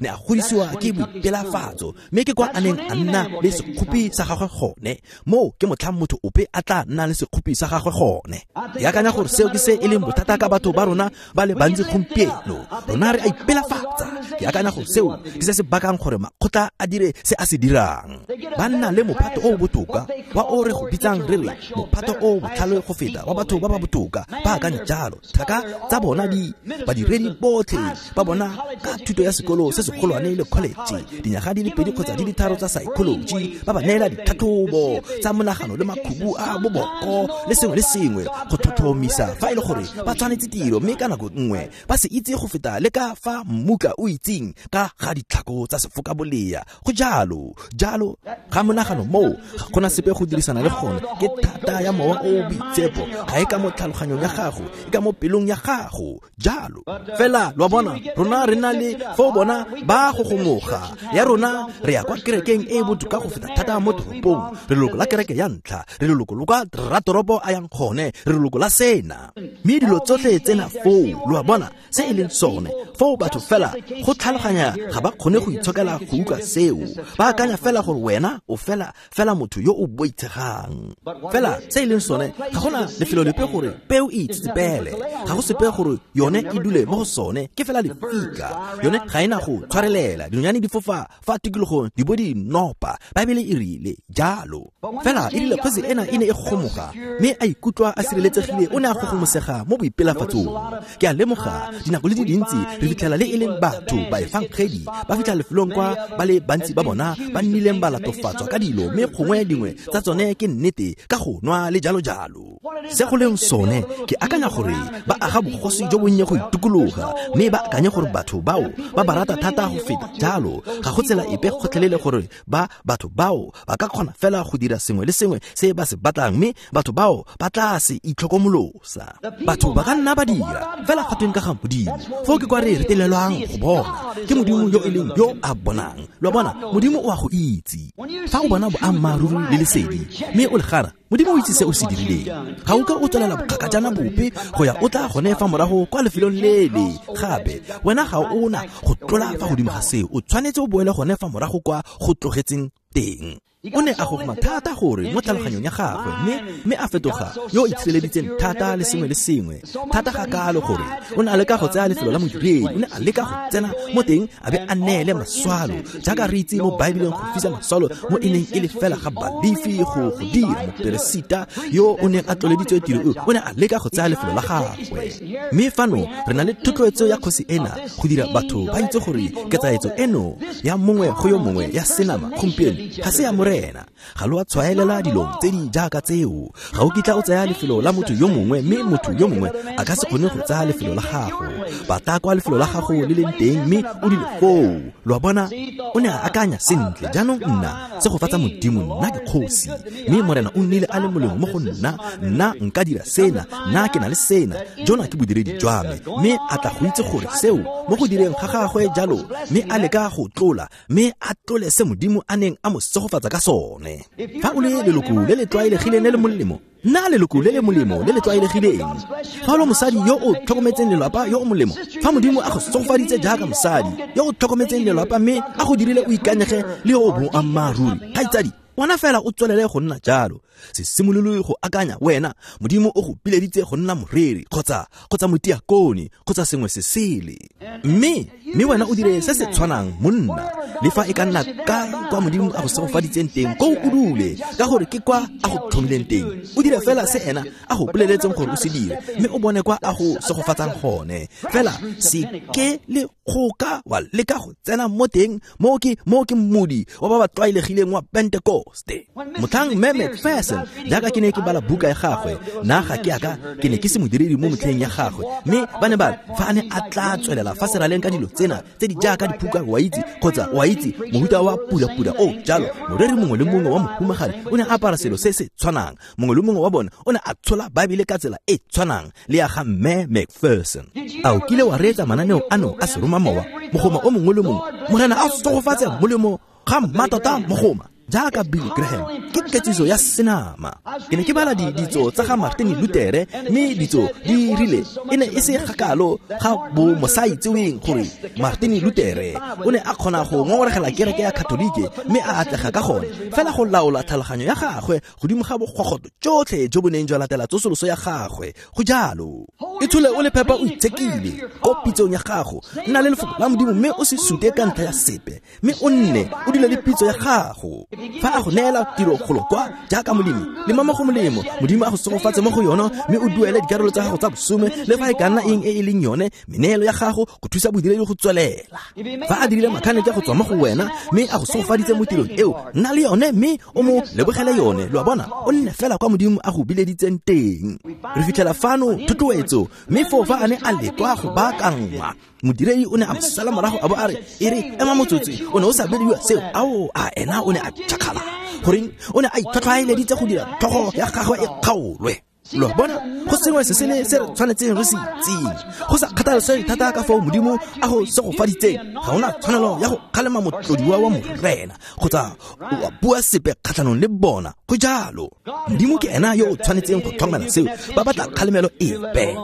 ne a godisiwa ke boipelafatso, mme ke kwa a neng a nna le sekgopi sa gagwe gone. Mo ke motlhang motho ope a tla nna le sekgopi sa gagwe gone. Ke akanya gore seo ke se e leng bothata ka batho ba rona ba le bantsi gompieno. Rona re a ipelafatsa. Ke akanya gore seo ke se se bakang gore makgotla a dire se a se dirang. Ba nna le mophato o botoka wa o re go bitsang re re mophato o botlhale go feta wa batho ba ba botoka. Ba akanya jalo. Thaka tsa bona di badiredi botlhe ba bona ka thuto ya sekolo se segolwane le college, dinyaga di le 2 kgotsa di le 3 tsa psychology, ba ba neela ditlhatlhobo tsa monagano le makhubu a boboko le sengwe le sengwe go tlhotlhomisa fa e le gore ba tshwanetse tiro, mme ka nako nngwe ba se itse go feta le ka fa mmutla o itseng ka ga ditlhako tsa sefokabolea. Go jalo jalo ga monagano moo ga gona sepe go dirisana le gone. Ke thata ya mowa o boitshepo, ga e ka mo tlhaloganyong ya gago, e ka mo pelong ya gago. Jalo fela lo bona rona re na le fo bona ba go gomoga ya rona re ya kwa kerekeng e botoka go feta thata mo toropong, re leloko la kereke kereke ya ntlha, re leloko lo kwa ratoropo a yang gone, re leloko la sena. Mme dilo tsotlhe tsena foo, lo a bona se e leng sone. Foo batho fela go tlhaloganya ga ba kgone go itshokela go utlwa seo. Ba akanya fela gore wena o fela motho yo o boitshegang. Fela se e leng sone, ga gona lefelo lepe gore peo e itsetsepele, ga go sepe gore yone e dule mo go sone, ke fela lefika. Yone ga ena go tshwarelela, dinonyane di fofa fa tikologong di bo di nopa. Baebele e rile jalo. Fela e rile kgosi ena e ne e gomoga, mme a ikutlwa a sireletsegile, o ne a gogomosega mo boipelafatsong. Ke a lemoga dinako le di dintsi re fitlhela le e leng batho ba efangedi ba fitlha lefelong kwa ba le bantsi ba bona ba nnileng ba latofatswa ka dilo, mme gongwe dingwe tsa tsone ke nnete ka go nwa le jalo jalo. Se go leng sone, ke akanya gore ba aga bogosi jo bonnye go itukologa, mme ba akanye gore batho bao ba ba rata thata go feta jalo. Ga go tsela epe gotlhelele gore ba batho bao ba ka kgona fela go dira sengwe le sengwe se ba se batlang, mme batho bao ba tla se itlhokomolosa. Batho ba ka nna ba dira fela ga tweng ka ga Modimo. Foo ke kwa re retelelwang go bona ke Modimo yo e leng yo a bonang. Lo a bona, Modimo o a go itse. Fa o bona boammaaruri le lesedi mme o le gana, Modimo o itse se o se dirileng. Ga o ka o tswelela bokgakajana bope go ya o tla gone fa morago kwa lefelong lele gape. Wena ga o na go tlola fa godimo ga seo, o tshwanetse o boele gone fa morago kwa go tlogetseng teng. O ne a gogoma thata gore mo tlhaloganyong ya gagwe, mme a fetoga yo o itshireleditseng thata le sengwe le sengwe thata ga kalo gore o ne a leka go tsaya lefelo la modiredi, o ne a leka go tsena mo teng a be a neele maswalo, jaaka re itse mo Baebeleng go fisa maswalo mo e neng e le fela ga Balefi go dira. Moperesita yo o neng a tloleditswe tiro eo o ne a leka go tsaya lefelo la gagwe. Mme fano re na le thotloetso ya kgosi ena go dira batho ba itse gore ketsaetso eno ya mongwe go yo mongwe ya senama gompieno ga se ya Morena. Ga lo a tshwaelela dilong tse di jaaka tseo. Ga o kitla o tsaya lefelo la motho yo mongwe, mme motho yo mongwe a ka se kgone go tsaya lefelo la gago. Batla kwa lefelo la gago le leng teng, mme o dule foo. Lo a bona, o ne a akanya sentle, jaanong nna segofatsa Modimo, nna ke kgosi, mme Morena o nnile a le molemo mo go nna, nna nka dira sena, nna ke na le sena, jona ke bodiredi jwa me. Mme a tla go itse gore seo mo go direng ga gagwe jalo, mme a leka go tlola, mme a tlole se Modimo a neng a mo segofatsa ka sone. Fa o le leloko le le tlwaelegileng le le molemo, nna leloko le le molemo le le tlwaelegileng. Fa o le mosadi yo o tlhokometseng lelapa yo o molemo, fa Modimo a go segofaditse jaaka mosadi yo o tlhokometseng lelapa mme a go dirile o ikanyege le yo o boammaaruri, kgaitsadi, wena fela o tswelele go nna jalo. Se simolole go akanya wena Modimo o go pileditse go nna moreri kgotsa motiakone kgotsa sengwe se sele, mme wena o dire se se tshwanang monna. Le fa e ka nna kae kwa Modimo a go segofaditseng teng, ko o dule, ka gore ke kwa a go tlhomileng teng. O dire fela se ena a go boleletseng gore o se dire, mme o bone kwa a go segofatsang gone. Fela se ke le kgoka wa leka go tsena mo teng mo ke mmodi wa ba ba tlwaelegileng wa Pentekoste. Motlhang Mme McPherson, jaaka ke ne ke bala buka ya gagwe, nna ga ke aka ke ne ke se modiredi mo motlheng ya gagwe, mme ba ne ba fa a ne a tla tswelela fa seraleng ka dilo tsena tse di jaaka diphuka, wa itse, kgotsa wa itse mohuta wa pula-pula o jalo, moreri mongwe le mongwe wa mohumagadi o ne a apara selo se se tshwanang, mongwe le mongwe wa bone o ne a tshola Baebele ka tsela e tshwanang le ya ga Mme McPherson. A o kile wa reetsa mananeo ano a seromamowa? Mogoma o mongwe le mongwe, Morena a segofatse molemo ga mmatota mogoma jaaka Billy Graham, ke ketsiso ya senama. Ke ne ke bala ditso tsa ga Martin Luther, mme ditso di rile e ne e se kgakalo ga bo mosaitseweng gore Martin Luther o ne a kgona go ngongoregela kereke ya Katolike mme a atlega ka gone fela go laola tlhaloganyo ya gagwe godimo ga bogogotlo tsotlhe jo bo neng jwa latela tsosoloso ya gagwe. Go jalo, e tshole o le phepa o itshekile ko pitsong ya gago, nna le lefoko la Modimo mme o se sute ka ntlha ya sepe, mme o nne o dule le pitso ya gago. Fa a go neela tiro golo kwa jaaka molemi, lema mo go molemo, Modimo a go segofatse mo go yone, mme o duele dikarolo tsa gago tsa bosome le fa e ka nna eng e e leng yone meneelo ya gago go thusa bodiredi go tswelela. Fa a dirile makhanete go tswa mo go wena mme a go segofaditse mo tirong eo, nna le yone mme o mo lebogele yone. Lo a bona, o nne fela kwa Modimo a go bileditseng teng. Re fitlhela fano thotloetso, mme foo fa a ne a lekwa go baakangwa, modiredi o ne a mo sala morago a bo a re, e re ema motsotso, o ne o sa bidiwa seo. Ao, a ena o ne a tšhakgala. Goreng o ne a itlhwatlhwaeleditse go dira tlhogo ya gagwe e kgaolwe. Lo bona, go sengwe se sele se re tshwanetseng re se itseng. Go sa kgathalesege thata ka foo Modimo a go segofaditseng, ga ona tshwanelo ya go kgalema motlodiwa wa Morena kgotsa wa bua sepe kgatlhanong le bona. Go jalo. Modimo ke ena yo o tshwanetseng go tlhokomela seo. Ba batla kgalemelo epe.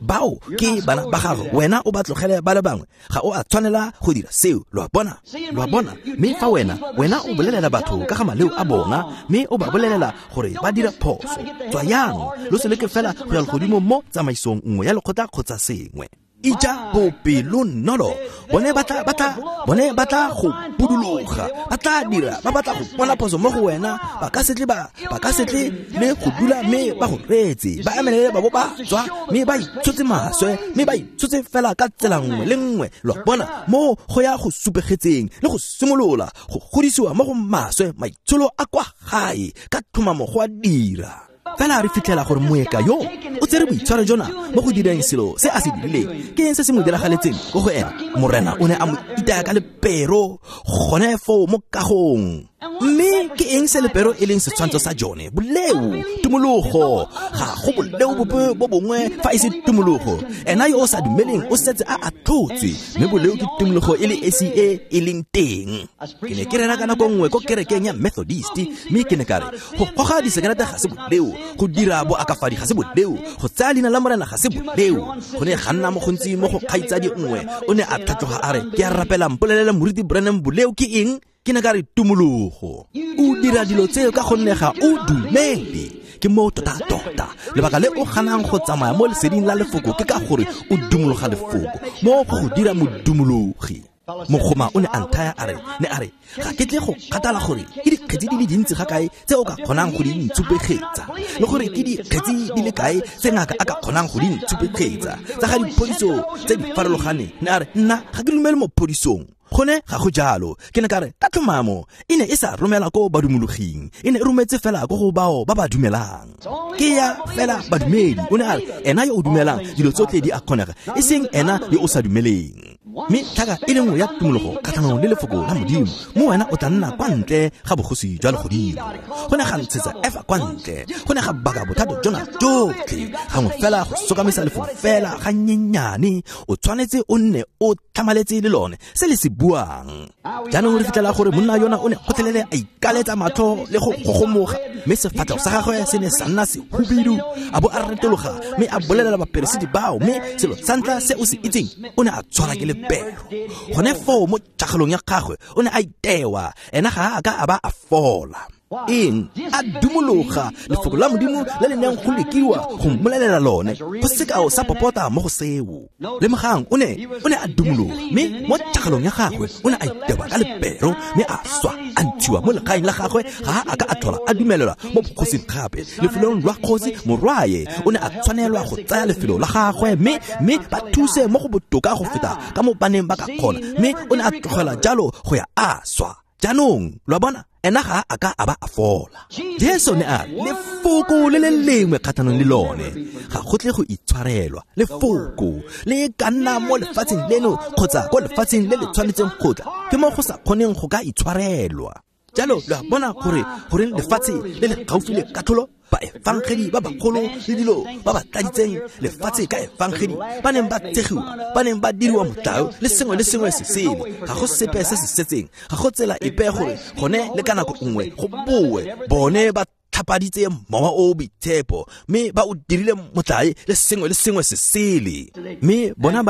Bao ke bana ba gago, wena o ba tlogele ba le bangwe. Ga o a tshwanela go dira seo, lo a bona. Lo a bona. Mme fa wena o bolelela batho ka ga maleo a bona, mme o ba bolelela gore ba dira phoso, tswayang lo se leke fela go ya legodimo mo tsamaisong nngwe ya lekgotla kgotsa sengwe. Ija bopelonolo. Bone ba tla go buduloga, ba tla dira, ba batla go bona phoso mo go wena. Ba ka se tle le go dula mme ba go reetse, ba emelele ba bo ba tswa, mme ba itshotse maswe, mme ba itshotse fela ka tsela nngwe le nngwe. Lo a bona, mo go ya go supegetseng le go simolola go godisiwa mo go maswe, maitsholo a kwa gae ka tlhomamo go a dira. Fela re fitlhela gore moeka yo o tsere boitshwaro jona mo go direng selo se a se dirileng. Ke eng se se mo diragaletseng ko go ena? Morena o ne a mo itaya ka lepero gone foo mo kagong. Mme ke eng se lepero e leng setshwantsho sa jone? Boleo, tumologo. Ga go boleo bope bo bongwe fa e se tumologo. Ena yo o sa dumeleng o setse a atlhotswe, mme boleo ke tumologo e le esi e e leng teng. Ke ne ke rera ka nako nngwe ko kerekeng ya Methodist, mme ke ne ka re go goga disekerete ga se boleo, go dira boakafadi ga se boleo, go tsaya leina la Morena ga se boleo. Go ne ga nna mo gontsi mo go kgaitsadi nngwe, o ne a tlhatloga a re, ke a rapela, mpolelele Moruti Branham, boleo ke eng? Ke ne ka re tumologo. O dira dilo tseo ka gonne ga o dumele. Ke moo tota-tota lebaka le o ganang go tsamaya mo leseding la lefoko ke ka gore o dumologa lefoko, mo go go dira modumologi. Mogoma o ne a nthaya a re, ne a re, ga ke tle go kgathala gore ke dikgetsi di le dintsi ga kae tse o ka kgonang go di ntshupegetsa, le gore ke dikgetsi di le kae tse ngaka a ka kgonang go di ntshupegetsa tsa ga diphodiso tse di farologaneng. Ne a re, nna ga ke dumele mo phodisong. Gone ga go jalo. Ke ne ka re, ka tlhomamo e ne e sa romela ko badumologing, e ne e rometse fela ko go bao ba ba dumelang. Ke ya fela badumedi. O ne a re, ena yo o dumelang dilo tsotlhe di a kgonega, e seng ena yo o sa dumeleng. Mme tlhaka e le nngwe ya tumologo kgatlhanong le lefoko la Modimo, mo wena o tla nna kwa ntle ga bogosi jwa legodimo. Go ne ga ntshetsa Efa kwa ntle, go ne ga baka bothata jona jotlhe. Gangwe fela go sokamisa lefoko fela ga nyenyane, o tshwanetse o nne o tlhamaletse le lone se le se buang. Jaanong re fitlhela gore monna yona o ne gotlhelele a ikaletsa matlho le go gogomoga, mme sefatlhego sa gagwe se ne sa nna sehubidu. A bo a retologa mme a bolelela baperesiti bao, mme selo sa ntlha se o se itseng, o ne a tshwara ke lepero. Gone foo mo tšhagalong ya gagwe o ne a itewa, ena ga a ka a ba a fola. Eng? A dumologa lefoko la Modimo le le neng go lekiwa go mmolelela lone, go sekao sa popota mo go seo. Lemogang, o ne a dumologa, mme mo tšhagalong ya gagwe o ne a itewa ka lepero, mme a swa, a ntshiwa mo legaeng la gagwe. Ga a ka a tlhola a dumelelwa mo bogosing gape. Lefelong lwa kgosi morwae o ne a tshwanelwa go tsaya lefelo la gagwe, mme ba thuse mo go botoka go feta ka mo baneng ba ka kgona, mme o ne a tlogela jalo go ya a swa. Jaanong lo a bona, ena ga a ka a ba a fola. Jesu ne a re, lefoko le le lengwe kgatlhanong le lone ga go tle go itshwarelwa. Lefoko le ka nna mo lefatsheng leno kgotsa ko lefatsheng le le tshwanetseng go tla, ke mo go sa kgoneng go ka itshwarelwa. Jalo lo a bona gore goreng lefatshe le le gaufi le katlholo, baefangedi ba bagolo le dilo ba ba tladitseng lefatshe ka efangedi ba neng ba tsegiwa, ba neng ba diriwa motlao le sengwe le sengwe se sele. Ga go sepe se se setseng, ga go tsela epe gore gone le ka nako nngwe go boe. Bone ba tlhapaditse mowa o boitshepo, mme ba o dirile motlae le sengwe le sengwe se sele. Mme bona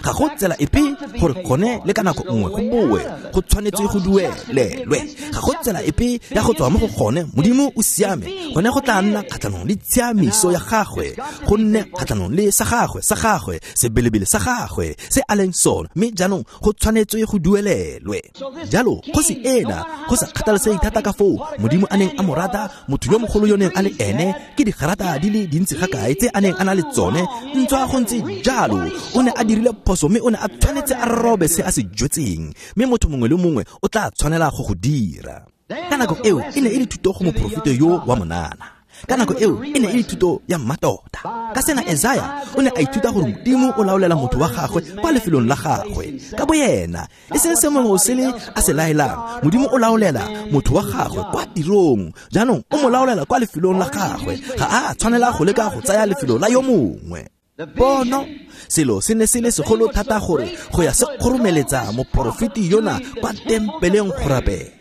ga go tsela epe gore gone le ka nako nngwe go boe, go tshwanetse go duelelwe. Ga go tsela epe ya go tswa mo go gone. Modimo o siame, gone go tla nna kgatlhanong le tshiamiso ya gagwe, go nne kgatlhanong le sa gagwe, sebelebele sa gagwe se a leng sone, mme jaanong go tshwanetse go duelelwe. Jalo kgosi ena, go sa kgathalesege thata ka foo Modimo a neng a mo rata, motho yo mogolo yo neng a le ene, ke digarata di le dintsi ga kae tse a neng a na le tsone, ntswa go ntse jalo o ne a dirile phoso, mme o ne a tshwanetse a robe se a se jwetseng, mme motho mongwe le mongwe o tla tshwanela go go dira. Ka nako eo e ne e le thuto go moporofeta yo wa monana. Ka nako eo e ne e le thuto ya mmatota. Ka sena Esaya o ne a ithuta gore Modimo o laolela motho wa gagwe kwa lefelong la gagwe ka boyena, e seng se mongwe o sele a se laelang. Modimo o laolela motho wa gagwe kwa tirong, jaanong o mo laolela kwa lefelong la gagwe. Ga a tshwanela go leka go tsaya lefelo la yo mongwe. Pono, selo se ne se le segolo thata gore go ya se kgoromeletsa moporofeti yona kwa tempeleng go rapela.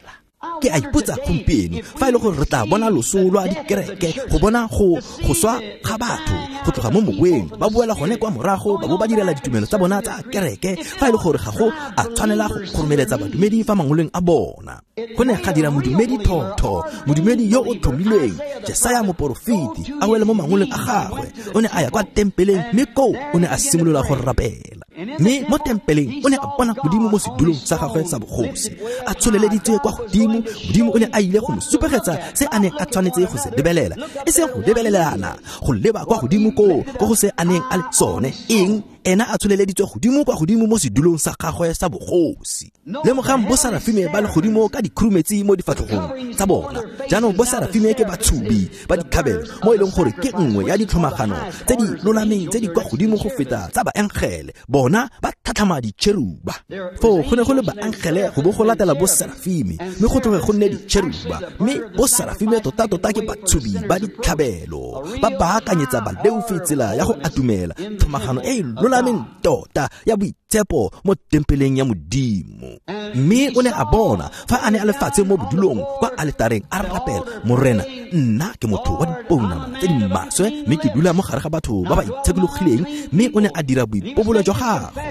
Ke a ipotsa gompieno fa e le gore re tla bona loso lwa dikereke, go bona go swa ga batho go tloga mo moweng, ba boela gone kwa morago ba bo ba direla ditumelo tsa bona tsa kereke, fa e le gore ga go a tshwanela go kgoromeletsa badumedi fa mangoleng a bona. Go ne ga dira modumedi thotho, modumedi yo o tlhomilweng, Jesaya moporofeti, a wele mo mangoleng a gagwe. O ne a ya kwa tempeleng, mme koo o ne a simolola go rapela. Mme mo tempeleng o ne a bona Modimo mo sedulong sa gagwe sa bogosi, a tsholeleditswe kwa godimo. Modimo o ne a ile go mo supegetsa se a neng a tshwanetse go se lebelela, e seng go lebelelana, go leba kwa godimo koo ko go se a neng a le sone. Eng? Ena a tsholeleditswe godimo kwa godimo mo sedulong sa gagwe sa bogosi. Lemogang bo Serafime ba legodimo ka dikhurumetsi mo difatlhogong tsa bona. Jaanong bo Serafime ke batshubi ba ditlhabelo, mo e leng gore ke nngwe ya ditlhomagano tse di lolameng tse di kwa godimo go feta tsa baengele. Bona ba tlhatlhama ditšheruba. Foo go ne go le baengele go bo go latela bo Serafime, mme go tloge go nne ditšheruba. Mme bo Serafime tota-tota ke batshubi ba ditlhabelo, ba baakanyetsa baleofi tsela ya go atumela tlhomagano e e lolameng tota ya boitshepo mo tempeleng ya Modimo. Mme o ne a bona fa a ne a le fatshe mo bodulong kwa aletareng a rapela, Morena, nna ke motho wa dipounama tse di maswe, mme ke dula mo gare ga batho ba ba itshekologileng. Mme o ne a dira boipobolo jwa gagwe.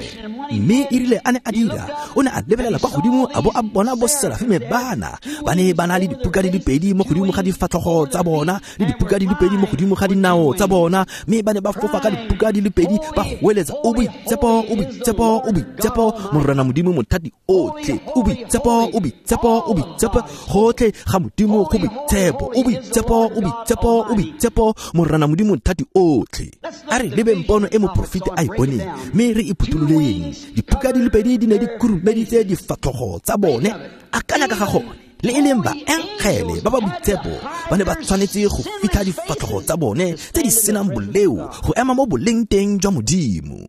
Mme erile a ne a dira, o ne a lebelela kwa godimo a bo a bona bo Serafime bana ba ne ba na le dipuka di le pedi mo godimo ga difatlhogo tsa bona, le dipuka di le pedi mo godimo ga dinao tsa bona, mme ba ne ba fofa ka dipuka di le pedi, ba goeletsa, o boitshepo, o boitshepo, o boitshepo, Morena Modimo mothati otlhe, o boitshepo, o boitshepo, o boitshepo, gotlhe ga Modimo go boitshepo, o boitshepo, o boitshepo, o boitshepo, Morena Modimo mothati otlhe. A re lebeng pono e moporofeti a e boneng, mme re e phuthololeng. Dipuka di le pedi di ne di khurumeditse difatlhogo tsa bone. Akanya ka ga gone. Le e leng baengele ba ba boitshepo ba ne ba tshwanetse go fitlha difatlhogo tsa bone tse di senang boleo go ema mo boleng teng jwa Modimo.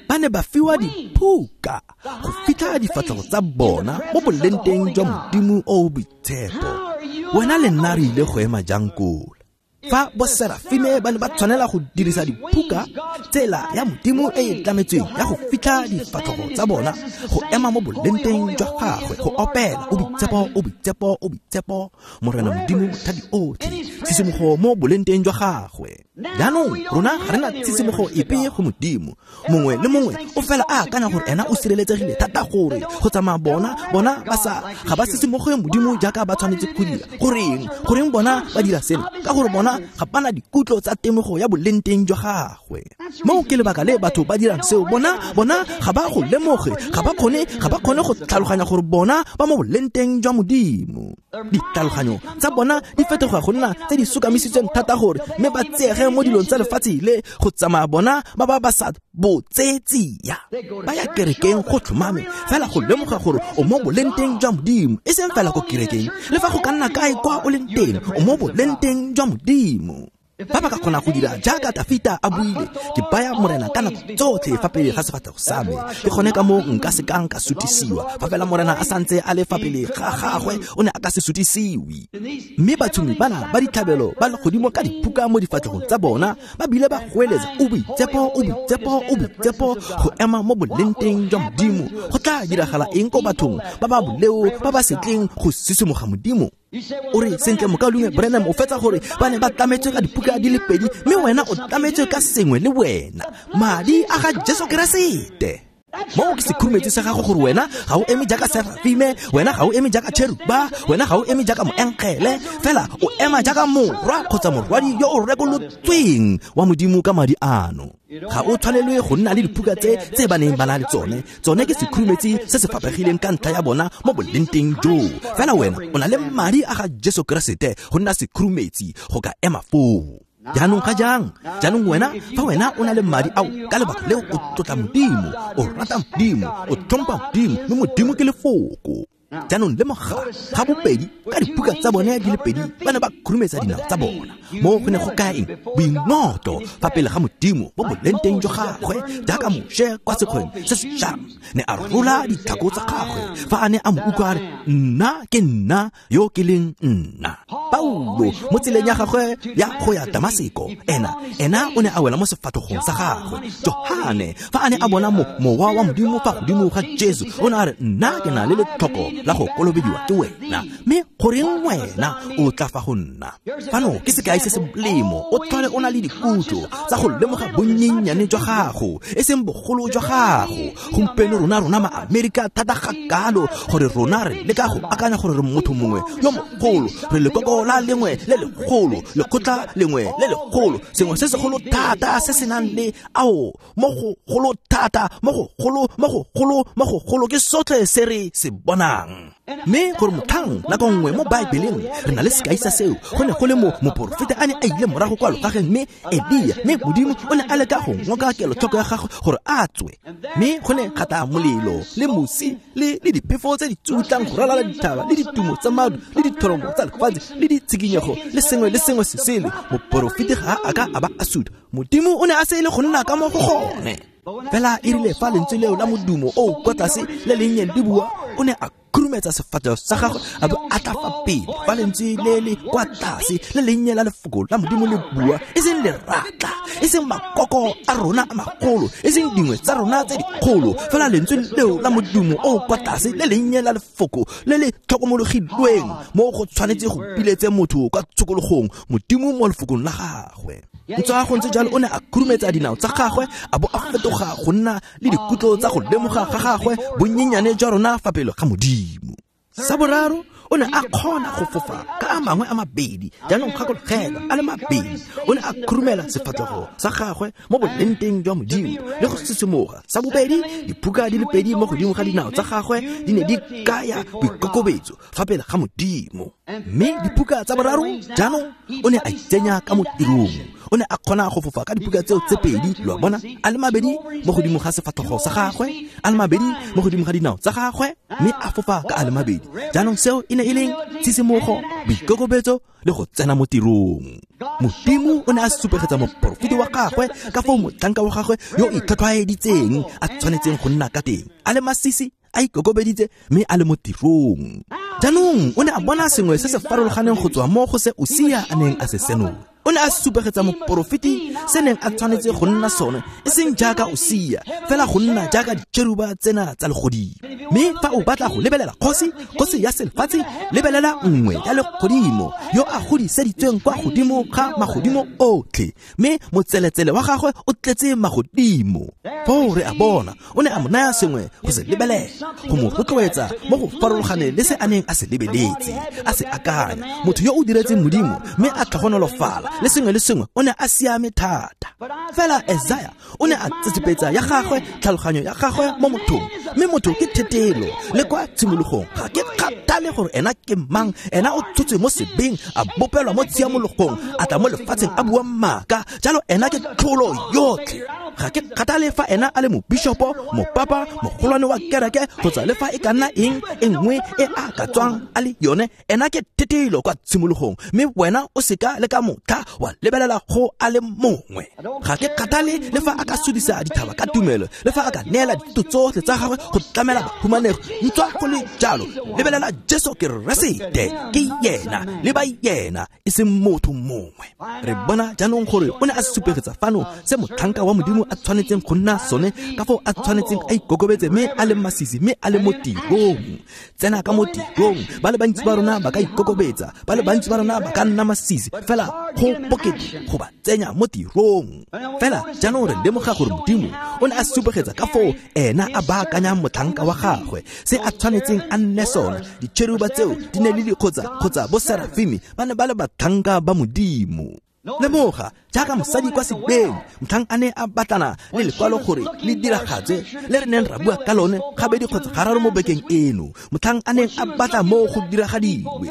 Ba ne ba fiwa diphuka go fitlha difatlhogo tsa bona mo boleng teng jwa Modimo o o boitshepo. Wena le nna re ile go ema jang koo? Fa bo Serafime ba ne ba tshwanela go dirisa diphuka, tsela ya Modimo e e tlametsweng ya go fitlha difatlhogo tsa bona go ema mo bolenteng jwa gagwe, go opela, o boitshepo, o boitshepo, o boitshepo, Morena Modimo mothati otlhe, tshisimogo mo bolenteng jwa gagwe. Jaanong rona ga re na tshisimogo epe go Modimo. Mongwe le mongwe o fela a akanya gore ena o sireletsegile thata gore go tsamaya bona ba sa ga ba sisimoge Modimo jaaka ba tshwanetse go dira. Goreng bona ba dira seno? Ka gore bona ga ba na dikutlo tsa temogo ya bolenteng jwa gagwe. Moo ke lebaka le batho ba dirang seo. Bona ga ba go lemoge, ga ba kgone go tlhaloganya gore bona ba mo bolenteng jwa Modimo. Ditlhaloganyo tsa bona di fetoga go nna tse di sokamisitsweng thata gore mme ba tseege mo dilong tsa lefatshe le go tsamaya bona ba ba sa botsetsia. Ba ya kerekeng go tlhomame fela go lemoga gore o mo bolenteng jwa Modimo, e seng fela ko kerekeng. Le fa go ka nna kae kwa o leng teng, o mo bolenteng jwa Modimo. Ba ba ka kgona go dira jaaka Tafita a buile, ke baya Morena ka nako tsotlhe fa pele ga sefatlhego sa me, ke gone ka moo nka se kang ka sutisiwa. Fa fela Morena a santse a le fa pele ga gagwe, o ne a ka se sutisiwe. Mme batshomi bana ba ditlhabelo ba legodimo ka diphuka mo difatlhegong tsa bona, ba bile ba goeletsa, o boitshepo, o boitshepo, o boitshepo, go ema mo bolenteng jwa Modimo. Go tla diragala eng ko bathong ba ba boleo ba ba setleng go sisimoga Modimo? O re, sentle mokaulengwe Branham, o fetsa gore ba ne ba tlametswe ka dipuka di le pedi, mme wena o tlametswe ka sengwe le wena, madi a ga Jesu Keresete. Moo ke sekhurumetsi sa gago gore wena ga o eme jaaka Serafime, wena ga o eme jaaka Cheruba, wena ga o eme jaaka moengele, fela o ema jaaka morwa kgotsa morwadi yo o rekolotsweng wa Modimo ka madi ano. Ga o tshwanelwe go nna le diphuka tse ba neng ba na le tsone. Tsone ke sekhurumetsi se se fapegileng ka ntlha ya bona mo bolenteng joo. Fela wena o na le madi a ga Jesu Keresete go nna sekhurumetsi go ka ema foo. Jaanong ga jang? Jaanong wena, fa wena o na le madi ao, ka lebaka leo o tlotla Modimo, o rata Modimo, o tlhompha Modimo, mme Modimo ke lefoko. Jaanong lemoga ga bobedi ka dipuka tsa bone di le pedi ba ne ba khurumetsa dinao tsa bona. Mo go ne go kaeng boingotlo fa pele ga Modimo bo bolenteng jwa gagwe, jaaka Moshe kwa sekgweng se se jang ne a rola ditlhako tsa gagwe fa a ne a mo utlwa a re, nna ke nna yo ke leng nna. Paulo mo tseleng ya gagwe ya go ya Damaseko, ena o ne a wela mo sefatlhogong sa gagwe. Johane fa a ne a bona mowa wa Modimo fa godimo ga Jesu, o ne a re, nna ke na le letlhoko la go kolobediwa ke wena, mme goreng wena o tla fa go nna? Fano ke sekai se se molemo, o tlhole o na le dikutlo tsa go lemoga bonnyennyane jwa gago, e seng bogolo jwa gago. Gompieno rona ma-Amerika thata ga kalo gore rona re leka go akanya gore re motho mongwe yo mogolo, re lekoko la lengwe le legolo, lekgotla lengwe le legolo, sengwe se segolo thata se se nang le ao mo go golo thata, mo go golo, mo go golo, mo go golo, ke sotlhe se re se bonang. Mme gore motlhang nako nngwe mo Baebeleng re na le sekai sa seo, go ne go le moporofeta a ne a ile morago kwa logageng, mme Elia, mme Modimo o ne a leka go ngoka kelotlhoko ya gagwe gore a tswe, mme go ne ga tla molelo le mosi le diphefo tse di tsutlang go ralala dithaba le ditumo tsa maru le dithoromo tsa lefatshe le ditshikinyego le sengwe le sengwe se sele. Moporofeti ga a ka a ba a suta. Modimo o ne a se ile go nna ka mo go gone. Fela e rile fa lentswe leo la modumo o kwa tlase le lennye le bua, o ne a khurumetsa sefatlhego sa gagwe a bo a tla fa pele. Fa lentswe le le kwa tlase le lennye la lefoko la Modimo le bua, e seng leratla, e seng makoko a rona a magolo, e seng dingwe tsa rona tse dikgolo, fela lentswe leo la modumo o kwa tlase le lennye la lefoko le le tlhokomologilweng, mo go tshwanetse go biletse motho kwa tshokologong Modimo mo lefokong la gagwe. Ntswa go ntse jalo, o ne a khurumetsa dinao tsa gagwe a bo a fetoga go nna le dikutlo tsa go lemoga ga gagwe bonnyenyane jwa rona fa pele ga Modimo. Sa boraro, o ne a kgona go fofa ka a mangwe a mabedi, jaanong gakologelwa a le mabedi. O ne a khurumela sefatlhego sa gagwe mo bolenteng jwa Modimo le go sisimoga. Sa bobedi, diphuka di le pedi mo godimo ga dinao tsa gagwe di ne di kaya boikokobetso fa pele ga Modimo. Mme diphuka tsa boraro, jaanong o ne a itsenya ka mo tirong. O ne a kgona go fofa ka diphuka tseo tse pedi, lo a bona, a le mabedi mo godimo ga sefatlhego sa gagwe, a le mabedi mo godimo ga dinao tsa gagwe, mme a fofa ka a le mabedi. Jaanong seo e ne e leng tshisimogo, boikokobetso le go tsena mo tirong. Modimo o ne a supegetsa moporofeti wa gagwe ka foo motlhanka wa gagwe yo o itlhwatlhwaeditseng a tshwanetseng go nna ka teng, a le masisi, a ikokobeditse, mme a le mo tirong. Jaanong o ne a bona sengwe se se farologaneng go tswa mo go se Usia a neng a se senola. O ne a supegetsa moporofeti se neng a tshwanetse go nna sone, e seng jaaka Usia, fela go nna jaaka ditšheruba tsena tsa legodimo. Mme fa o batla go lebelela kgosi ya selefatshe, lebelela nngwe ya legodimo yo a godiseditsweng kwa godimo ga magodimo otlhe, mme motseletsele wa gagwe o tletse magodimo. Foo re a bona o ne a mo naya sengwe go se lebelela, go mo rotloetsa mo go farologaneng le se a neng a se lebeletse, a se akanya. Motho yo o diretseng Modimo mme a tlhogonolofala le sengwe le sengwe, o ne a siame thata. Fela Isaiah o ne a tsetsepetsa ya gagwe tlhaloganyo ya gagwe mo mothong, mme motho ke thetelo le kwa tshimologong. Ga ke kgathale gore ena ke mang, ena o tshotswe mo sebeng, a bopelwa mo tshiamologong, a tla mo lefatsheng a bua maaka, jalo ena ke tlholo yotlhe. Ga ke kgathale fa ena a le mobishopo, mopapa, mogolwane wa kereke, kgotsa le fa e ka nna eng e nngwe e a ka tswang a le yone, ena ke thetelo kwa tshimologong, mme wena o seka le ka motlha wa lebelela go a le mongwe. Ga ke kgathale le fa a ka sudisa dithaba ka tumelo, le fa a ka neela dithuto tsotlhe tsa gagwe go tlamela bahumanegi, ntswa go le jalo, lebelela Jesu Keresete, ke yena, le ba yena, e seng motho mongwe. Re bona jaanong gore o ne a supegetsa fano se motlhanka wa Modimo a tshwanetseng go nna sone, ka foo a tshwanetseng a ikokobetse mme a le masisi mme a le mo tirong. Tsena ka mo tirong. Ba le bantsi ba rona ba ka ikokobetsa, ba le bantsi ba rona ba ka nna masisi, fela go bokete go ba tsenya mo tirong. Fela jaanong re lemoga gore Modimo o ne a supegetsa ka foo ena a baakanyang motlhanka wa gagwe, se a tshwanetseng a nne sone. Ditšheruba tseo di ne le dikgotsa bo serafimi ba ne ba le batlhanka ba Modimo. Lemoga jaaka mosadi kwa sebeng, motlhang a ne a batlana le lekwalo gore le diragatswe le re neng ra bua ka lone gabedi kgotsa gararo mo bekeng eno, motlhang a neng a batla mo go diragadiwe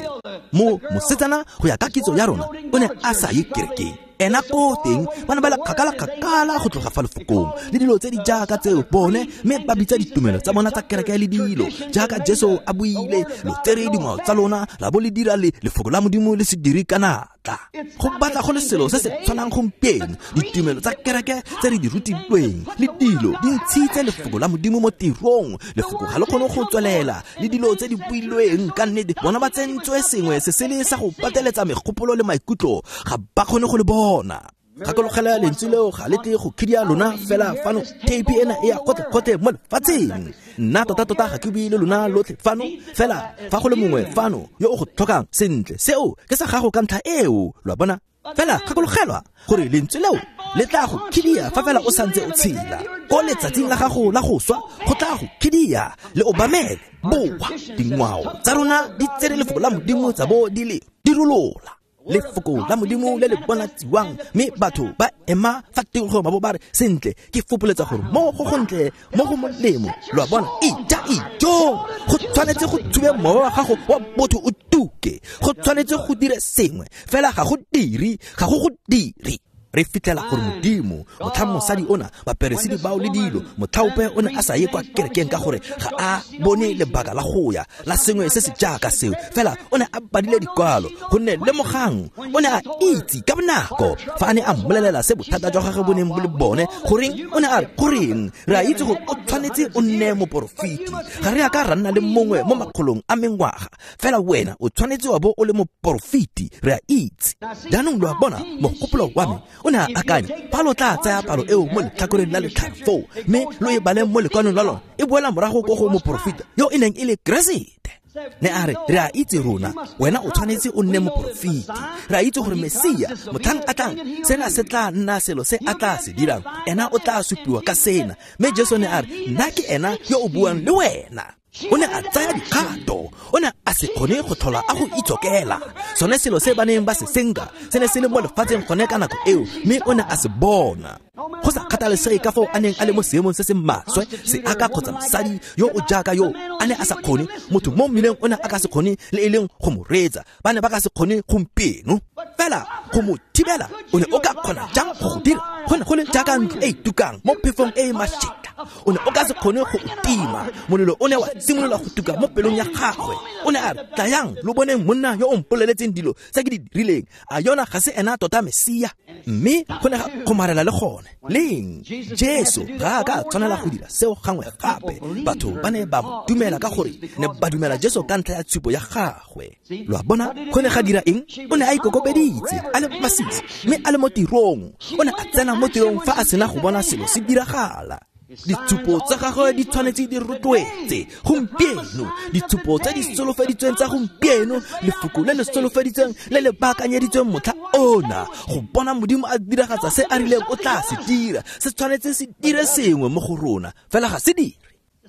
mo mosetsana go ya ka kitso ya rona, o ne a sa ye kerekeng. Ena ko teng ba ne ba le kgakala-kgakala go tloga fa lefokong le dilo tse di jaaka tseo bone, mme ba bitsa ditumelo tsa bona tsa kereke le dilo jaaka Jesu a buile, lo tsere dingwao tsa lona la bo le dira le lefoko la Modimo le se dire ka natla. tla. Go batla go le selo se se tshwanang gompieno, ditumelo tsa kereke tse re di rutilweng le dilo di ntshitse lefoko la Modimo mo tirong. Lefoko ga le kgone go tswelela le dilo tse di builweng ka nnete. Bona ba tsentswe sengwe se sele sa go pateletsa megopolo le maikutlo, ga ba kgone go le bona. Gakologela lentswe leo ga le tle go khidia lona fela fano. Tape ena e ya gotlhe-gotlhe mo lefatsheng. Nna tota-tota ga ke bue le lona lotlhe fano, fela fa go le mongwe fano yo o go tlhokang sentle, seo ke sa gago ka ntlha eo, lo a bona. Fela gakologelwa gore lentswe leo le tla go khidia fa fela o santse o tshela. Ko letsatsing la gago la go swa go tla go khidia, le obamele. Boa, dingwao tsa rona di tsere lefoko la Modimo tsa bo di le dirolola. Lefoko la Modimo le le bonatsiwang, mme batho ba ema fa tikologong ba bo ba re, sentle, ke fopoletsa gore mo go gontle, mo go molemo. Lo a bona, ija ijo. Go tshwanetse go thube mowa wa gago wa botho o tuke. Go tshwanetse go dire sengwe, fela ga go dire, ga go go dire. Re fitlhela gore Modimo, motlhang mosadi ona, baperesiti bao le dilo, motlhaope o ne a sa ye kwa kerekeng ka gore ga a bone lebaka la go ya la sengwe se se jaaka seo, fela o ne a badile dikwalo, gonne lemogang o ne a itse ka bonako fa a ne a mmolelela se bothata jwa gagwe bo neng bo le bone. Goreng o ne a re, goreng re a itse gore o tshwanetse o nne moporofeti, ga re a ka ra nna le mongwe mo makgolong a mengwaga, fela wena o tshwanetse wa bo o le moporofeti, re a itse. Jaanong lo a bona, mogopolo wa me o ne a akanya, fa lo tla tsaya palo eo mo letlhakoreng la letlhare foo, mme lo e baleng mo lekwalong la lona, e boela morago ko go moporofeta yo e neng e le Keresete. Ne a re, re a itse rona, wena o tshwanetse o nne moporofeti. Re a itse gore Mesia, motlhang a tlang, sena se tla nna selo se a tla se dirang, ena o tla supiwa ka sena. Mme Jesu ne a re, nna ke ena yo o buang le wena. O ne a tsaya dikgato, o ne a se kgone go tlhola a go itsokela. Sone selo se ba neng ba se senka se ne se le mo lefatsheng gone ka nako eo, mme o ne a se bona. Go sa kgathalesege ka foo a neng a le mo seemong se se maswe, seaka kgotsa mosadi yo o jaaka yo a ne a sa kgone, motho mo mmileng o ne a ka se kgone le e leng go mo reetsa, ba ne ba ka se kgone gompieno. Fela go mo thibela, o ne o ka kgona jang go go dira? Go ne go le jaaka ntlo e e tukang mo phefong e e mašetla, o ne o ka se kgone go o tima. Molelo o ne wa simolola go tuka mo pelong ya gagwe. O ne a re, tlayang lo boneng monna yo o mpoleletseng dilo tse ke di dirileng, a yona ga se ena tota Mesia? Mme go ne ga kgomarela le gone. Leng Jesu ga a ka tshwanela go dira seo gangwe gape. Batho ba ne ba mo dumela ka gore ne ba dumela Jesu ka ntlha ya tshupo ya gagwe. Lo a bona, go ne ga dira eng? O ne a ikokobeditse, a le masisi, mme a le mo tirong. O ne a tsena mo tirong fa a sena go bona selo se diragala. Ditshupo tsa gagwe di tshwanetse di rotloetse gompieno, ditshupo tse di solofeditsweng tsa gompieno, lefoko le le solofeditsweng le le baakanyeditsweng motlha ona, go bona Modimo a diragatsa se a rileng o tla se dira, se tshwanetse se dire sengwe mo go rona, fela ga se dire.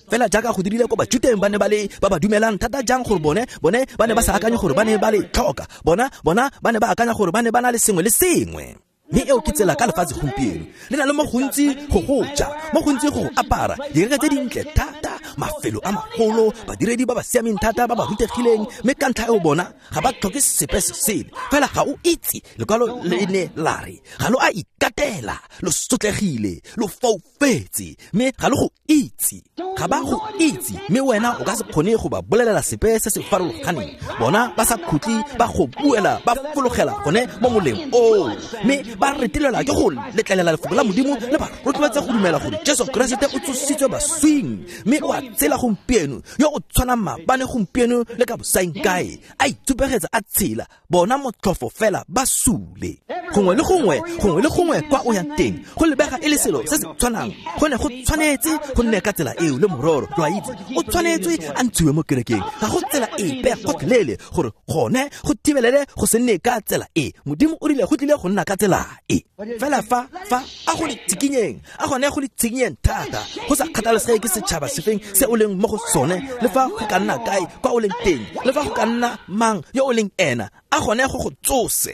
Fela jaaka go dirile ko Bajuteng ba ne ba le ba ba dumelang thata jang gore bone ba ne ba sa akanye gore ba ne ba le tlhoka, bona ba ne ba akanya gore ba ne ba na le sengwe le sengwe. Mme eo ke tsela ka lefatshe gompieno, le na le mo gontsi go go ja, mo gontsi go go apara, dikereke tse dintle thata, mafelo a magolo, badiredi ba ba siameng thata ba ba rutegileng, mme ka ntlha eo bona ga ba tlhoke sepe se sele. Fela ga o itse, lekwalo le ne la re, ga lo a ikatela, lo sotlegile, lo foufetse, mme ga lo go itse. Ga ba go itse, mme wena o ka se kgone go ba bolelela sepe se se farologaneng. Bona ba sa khutle ba go buela, ba fologela gone mo moleng oo, mme ba retelelwa ke go letlelela lefoko la Modimo le ba rotloetsa go dumela gore Jesu Keresete o tsositswe baswing, mme o a tsela gompieno, yo o tshwanang maabane gompieno le ka bosaengkae, a itsupegetsa a tshela. Bona motlhofo fela ba sule. Gongwe le gongwe kwa o yang teng, go lebega e le selo se se tshwanang. Go ne go tshwanetse go nne ka tsela eo le mororo, lo a itse, o tshwanetswe a ntshiwe mo kerekeng. Ga go tsela epe gotlhelele gore gone go thibelele go se nne ka tsela e. Modimo o rile go tlile go nna ka tsela e. Fela fa a go le tshikinyeng, a gone go le tshikinyeng thata, go sa kgathalesege ke setšhaba sefeng se o leng mo go sone, le fa go ka nna kae kwa o leng teng, le fa go ka nna mang yo o leng ena, a gone go go tsose.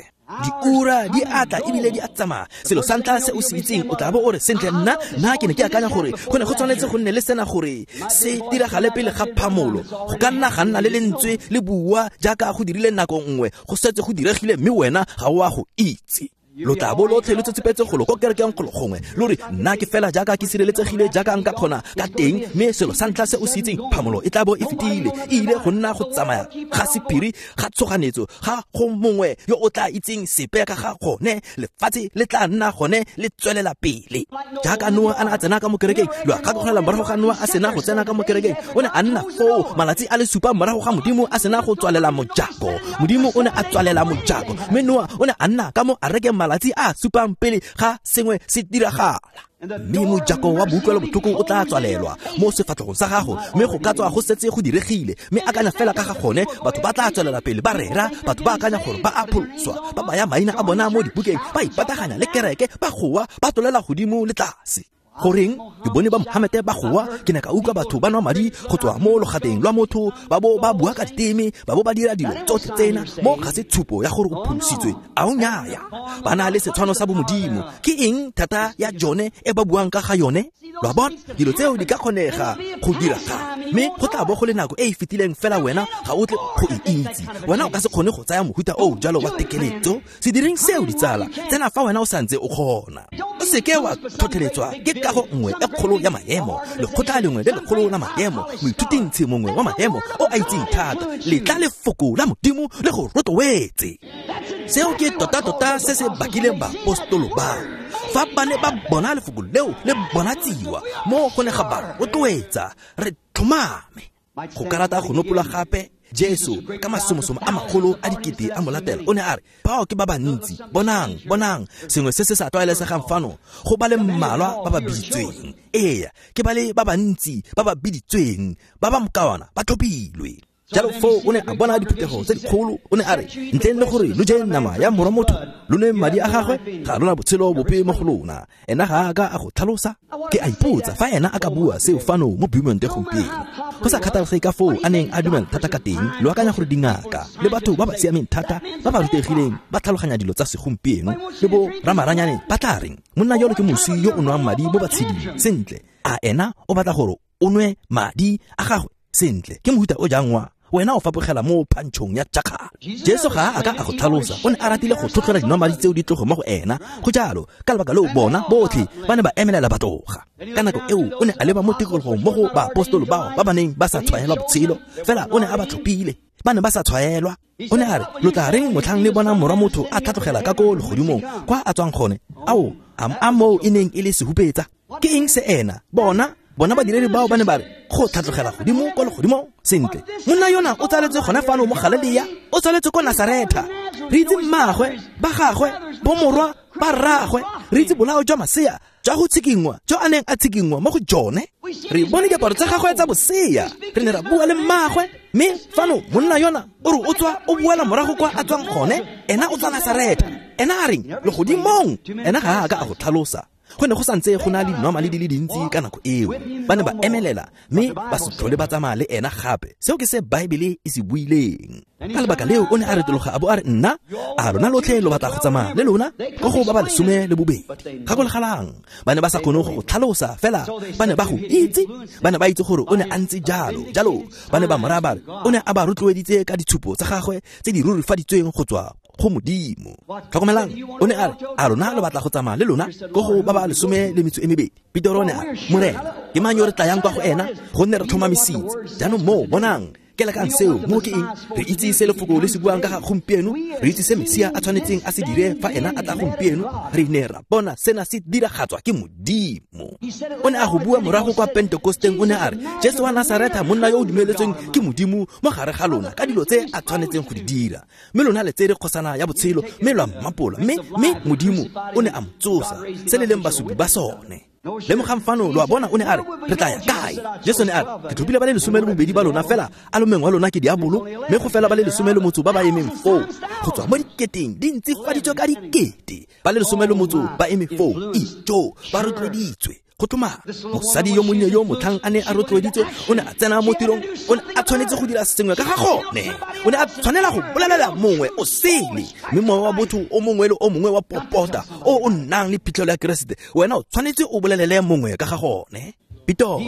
Diura di atla ebile di a tsamaya. Selo sa ntlha se o se itseng, o tla bo o re, sentle, nna ke ne ke akanya gore go ne go tshwanetse go nne le sena gore se diragale pele ga phamolo. Go ka nna ga nna le lentswe le bua jaaka go dirile nako nngwe, go setse go diregile, mme wena ga o a go itse. Lo tla bo lotlhe lo tsetsepetse golo ko kerekeng golo gongwe, lo re nna ke fela jaaka ke sireletsegile jaaka nka kgona ka teng, mme selo sa ntlha se o se itseng, phamolo e tla bo e fetile, e ile go nna go tsamaya ga sephiri ga tshoganetso, ga go mongwe yo o tla itseng sepe ka ga gone. Lefatshe le tla nna gone le tswelela pele. Jaaka Noa a ne a tsena ka mo kerekeng, lo a gakologelwa morago ga Noa a sena go tsena ka mo kerekeng, o ne a nna foo malatsi a le supa morago ga Modimo a sena go tswalela mojako. Modimo o ne a tswalela mojako, mme Noa o ne a nna ka mo arekeng malatsi a supang pele ga sengwe se diragala. Mme mojako wa boutlwelo botlhoko o tla tswalelwa mo sefatlhegong sa gago, mme go ka tswa go setse go diregile. Mme akanya fela ka ga gone, batho ba tla tswelela pele ba rera, batho ba akanya gore ba a pholoswa, ba baya maina a bona mo dibukeng, ba ipataganya le kereke, ba goa, ba tlolela godimo le tlase. Goreng ke bone ba Mohamete ba goa, ke ne ka utlwa batho ba nwa madi go tswa mo logateng lwa motho, ba bo ba bua ka diteme, ba bo ba dira dilo tsotlhe tsena. Mo ga se tshupo ya gore o pholositswe, a o nyaya. Ba na le setshwano sa bomodimo. Ke eng thata ya jone e ba buang ka ga yone? Lo a bona, dilo tseo di ka kgonega go diragala, mme go tla bo go le nako e e fetileng fela wena ga o tle go e itse. Wena o ka se kgone go tsaya mohuta o jalo wa tekeletso. Se direng seo, ditsala, tsena fa wena o santse o kgona. O seke wa tlhotlheletswa ke kago nngwe e kgolo ya maemo, lekgotla lengwe le lekgolo la maemo, moithutintshi mongwe wa maemo o a itseng thata. Letla lefoko la Modimo le go rotloetse. Seo ke tota-tota se se bakileng baapostolo ba. Fa ba ne ba bona lefoko leo le bonatsiwa, mo go ne ga ba rotloetsa, re tlhomame. Go ka rata go nopola gape Jesu ka masomosomo a magolo a dikete a mo latela, o ne a re, bao ke ba bantsi, bonang, bonang, sengwe se se sa tlwaelesegang fano, go ba le mmalwa ba ba biditsweng. Ee, ke ba le ba bantsi ba ba biditsweng, ba ba mokawana ba tlhophilwe. Jalo foo o ne a bona diphuthego tse dikgolo, o ne a re, ntleng le gore lo je nama ya morwa motho, lo nwe madi a gagwe, ga lona botshelo bope mo go lona. Ena ga a ka a go tlhalosa. Ke a ipotsa fa ena a ka bua seo fano mo Beaumont gompieno. Go sa kgathalesege ka foo a neng a dumela thata ka teng, lo akanya gore dingaka le batho ba ba siameng thata ba ba rutegileng ba tlhaloganya dilo tsa segompieno le bo ramaranyane ba tla reng, monna yolo ke moswi yo o nwang madi mo batsheding. Sentle, a ena o batla gore o nwe madi a gagwe? Sentle, ke mohuta o jang wa wena o fapogela mo phantšhong ya tšakgala. Jesu ga a ka a go tlhalosa, o ne a ratile go tlhotlhela dinomadi tseo di tloge mo go ena. Go jalo, ka lebaka leo bona botlhe ba ne ba emelela ba tloga. Ka nako eo o ne a leba mo tikologong mo go baapostolo bao ba ba neng ba sa tshwaelwa botshelo, fela o ne a ba tlhophile, ba ne ba sa tshwaelwa. O ne a re, lo tla reng motlhang le bona morwa motho a tlhatlogela ka ko legodimong kwa a tswang gone? Ao, a moo e neng e le sehupetsa. Ke eng se ena? Bona badiredi bao ba ne ba re, go tlhatlogela godimo kwa legodimong. Sentle, monna yona o tsaletswe gone fano mo Galilea, o tsaletswe ko Nasaretha. Re itse mmaagwe, ba gagwe, bomorwa, ba rraagwe, re itse bolao jwa masea jwa go tshikinngwa jo a neng a tshikinngwa mo go jone. Re bone diaparo tsa gagwe tsa bosea, re ne ra bua le mmaagwe. Mme fano monna yona o re o tswa o boela morago kwa a tswang gone, ena o tswa Nasaretha. Ena a reng legodimong? Ena ga a ka a go tlhalosa. Go ne go santse go na le dinomale di le dintsi ka nako eo. Ba ne ba emelela mme ba se tlhole ba tsamaya le ena gape. Seo ke se Baebele e se buileng. Ka lebaka leo o ne a retologa a bo a re, nna a lona lotlhe lo batla go tsamaya le lona ko go ba ba 12. Gakologelang, ba ne ba sa kgone go go tlhalosa, fela ba ne ba go itse. Ba ne ba itse gore o ne a ntse jalo. Jalo ba ne ba mo raya ba re o ne a ba rotloeditse ka ditshupo tsa gagwe tse di rurifaditsweng go tswa go Modimo. Tlhokomelang, o ne a re, a lona lo batla go tsamaya le lona ko go ba ba 12? Petero o ne a re, Morena, ke mang yo re tlayang kwa go ena? Gonne re tlhomamisitse. Jaanong moo, bonang, ke lekang seo, mo ke eng? Re itse se lefoko le se buang ka ga gompieno, re itse se Mesia a tshwanetseng a se dire fa ena a tla gompieno. Re ne ra bona sena se diragatswa ke Modimo. O ne a go bua morago kwa Pentekosteng, o ne a re, Jesu wa Nasaretha, monna yo o dumeletsweng ke Modimo mo gare ga lona ka dilo tse a tshwanetseng go di dira. Mme lona le tsere kgosana ya botshelo, mme lwa mmapola, mme Modimo o ne a mo tsosa, se le leng basupi ba sone. Lemogang fano, lo a bona, o ne a re, re tla ya kae? Jesu ne a re, ke tlhophile ba le 12 ba lona, fela a le mongwe wa lona ke diabolo, mme go fela ba le 18 ba ba emeng foo. Go tswa mo diketeng di ntsifaditswe ka dikete, ba le 18 ba eme foo, ijo, ba rotloeditswe. Go tlhomama, mosadi yo monnye yo motlhang a ne a rotloeditswe, o ne a tsena mo tirong, o ne a tshwanetse go dira sengwe ka ga gone. O ne a tshwanela go bolelela mongwe o sele, mme mowa wa botho o mongwe le o mongwe wa popota o o nnang le phitlhelo ya Keresete, wena o tshwanetse o bolelele mongwe ka ga gone. Pitoro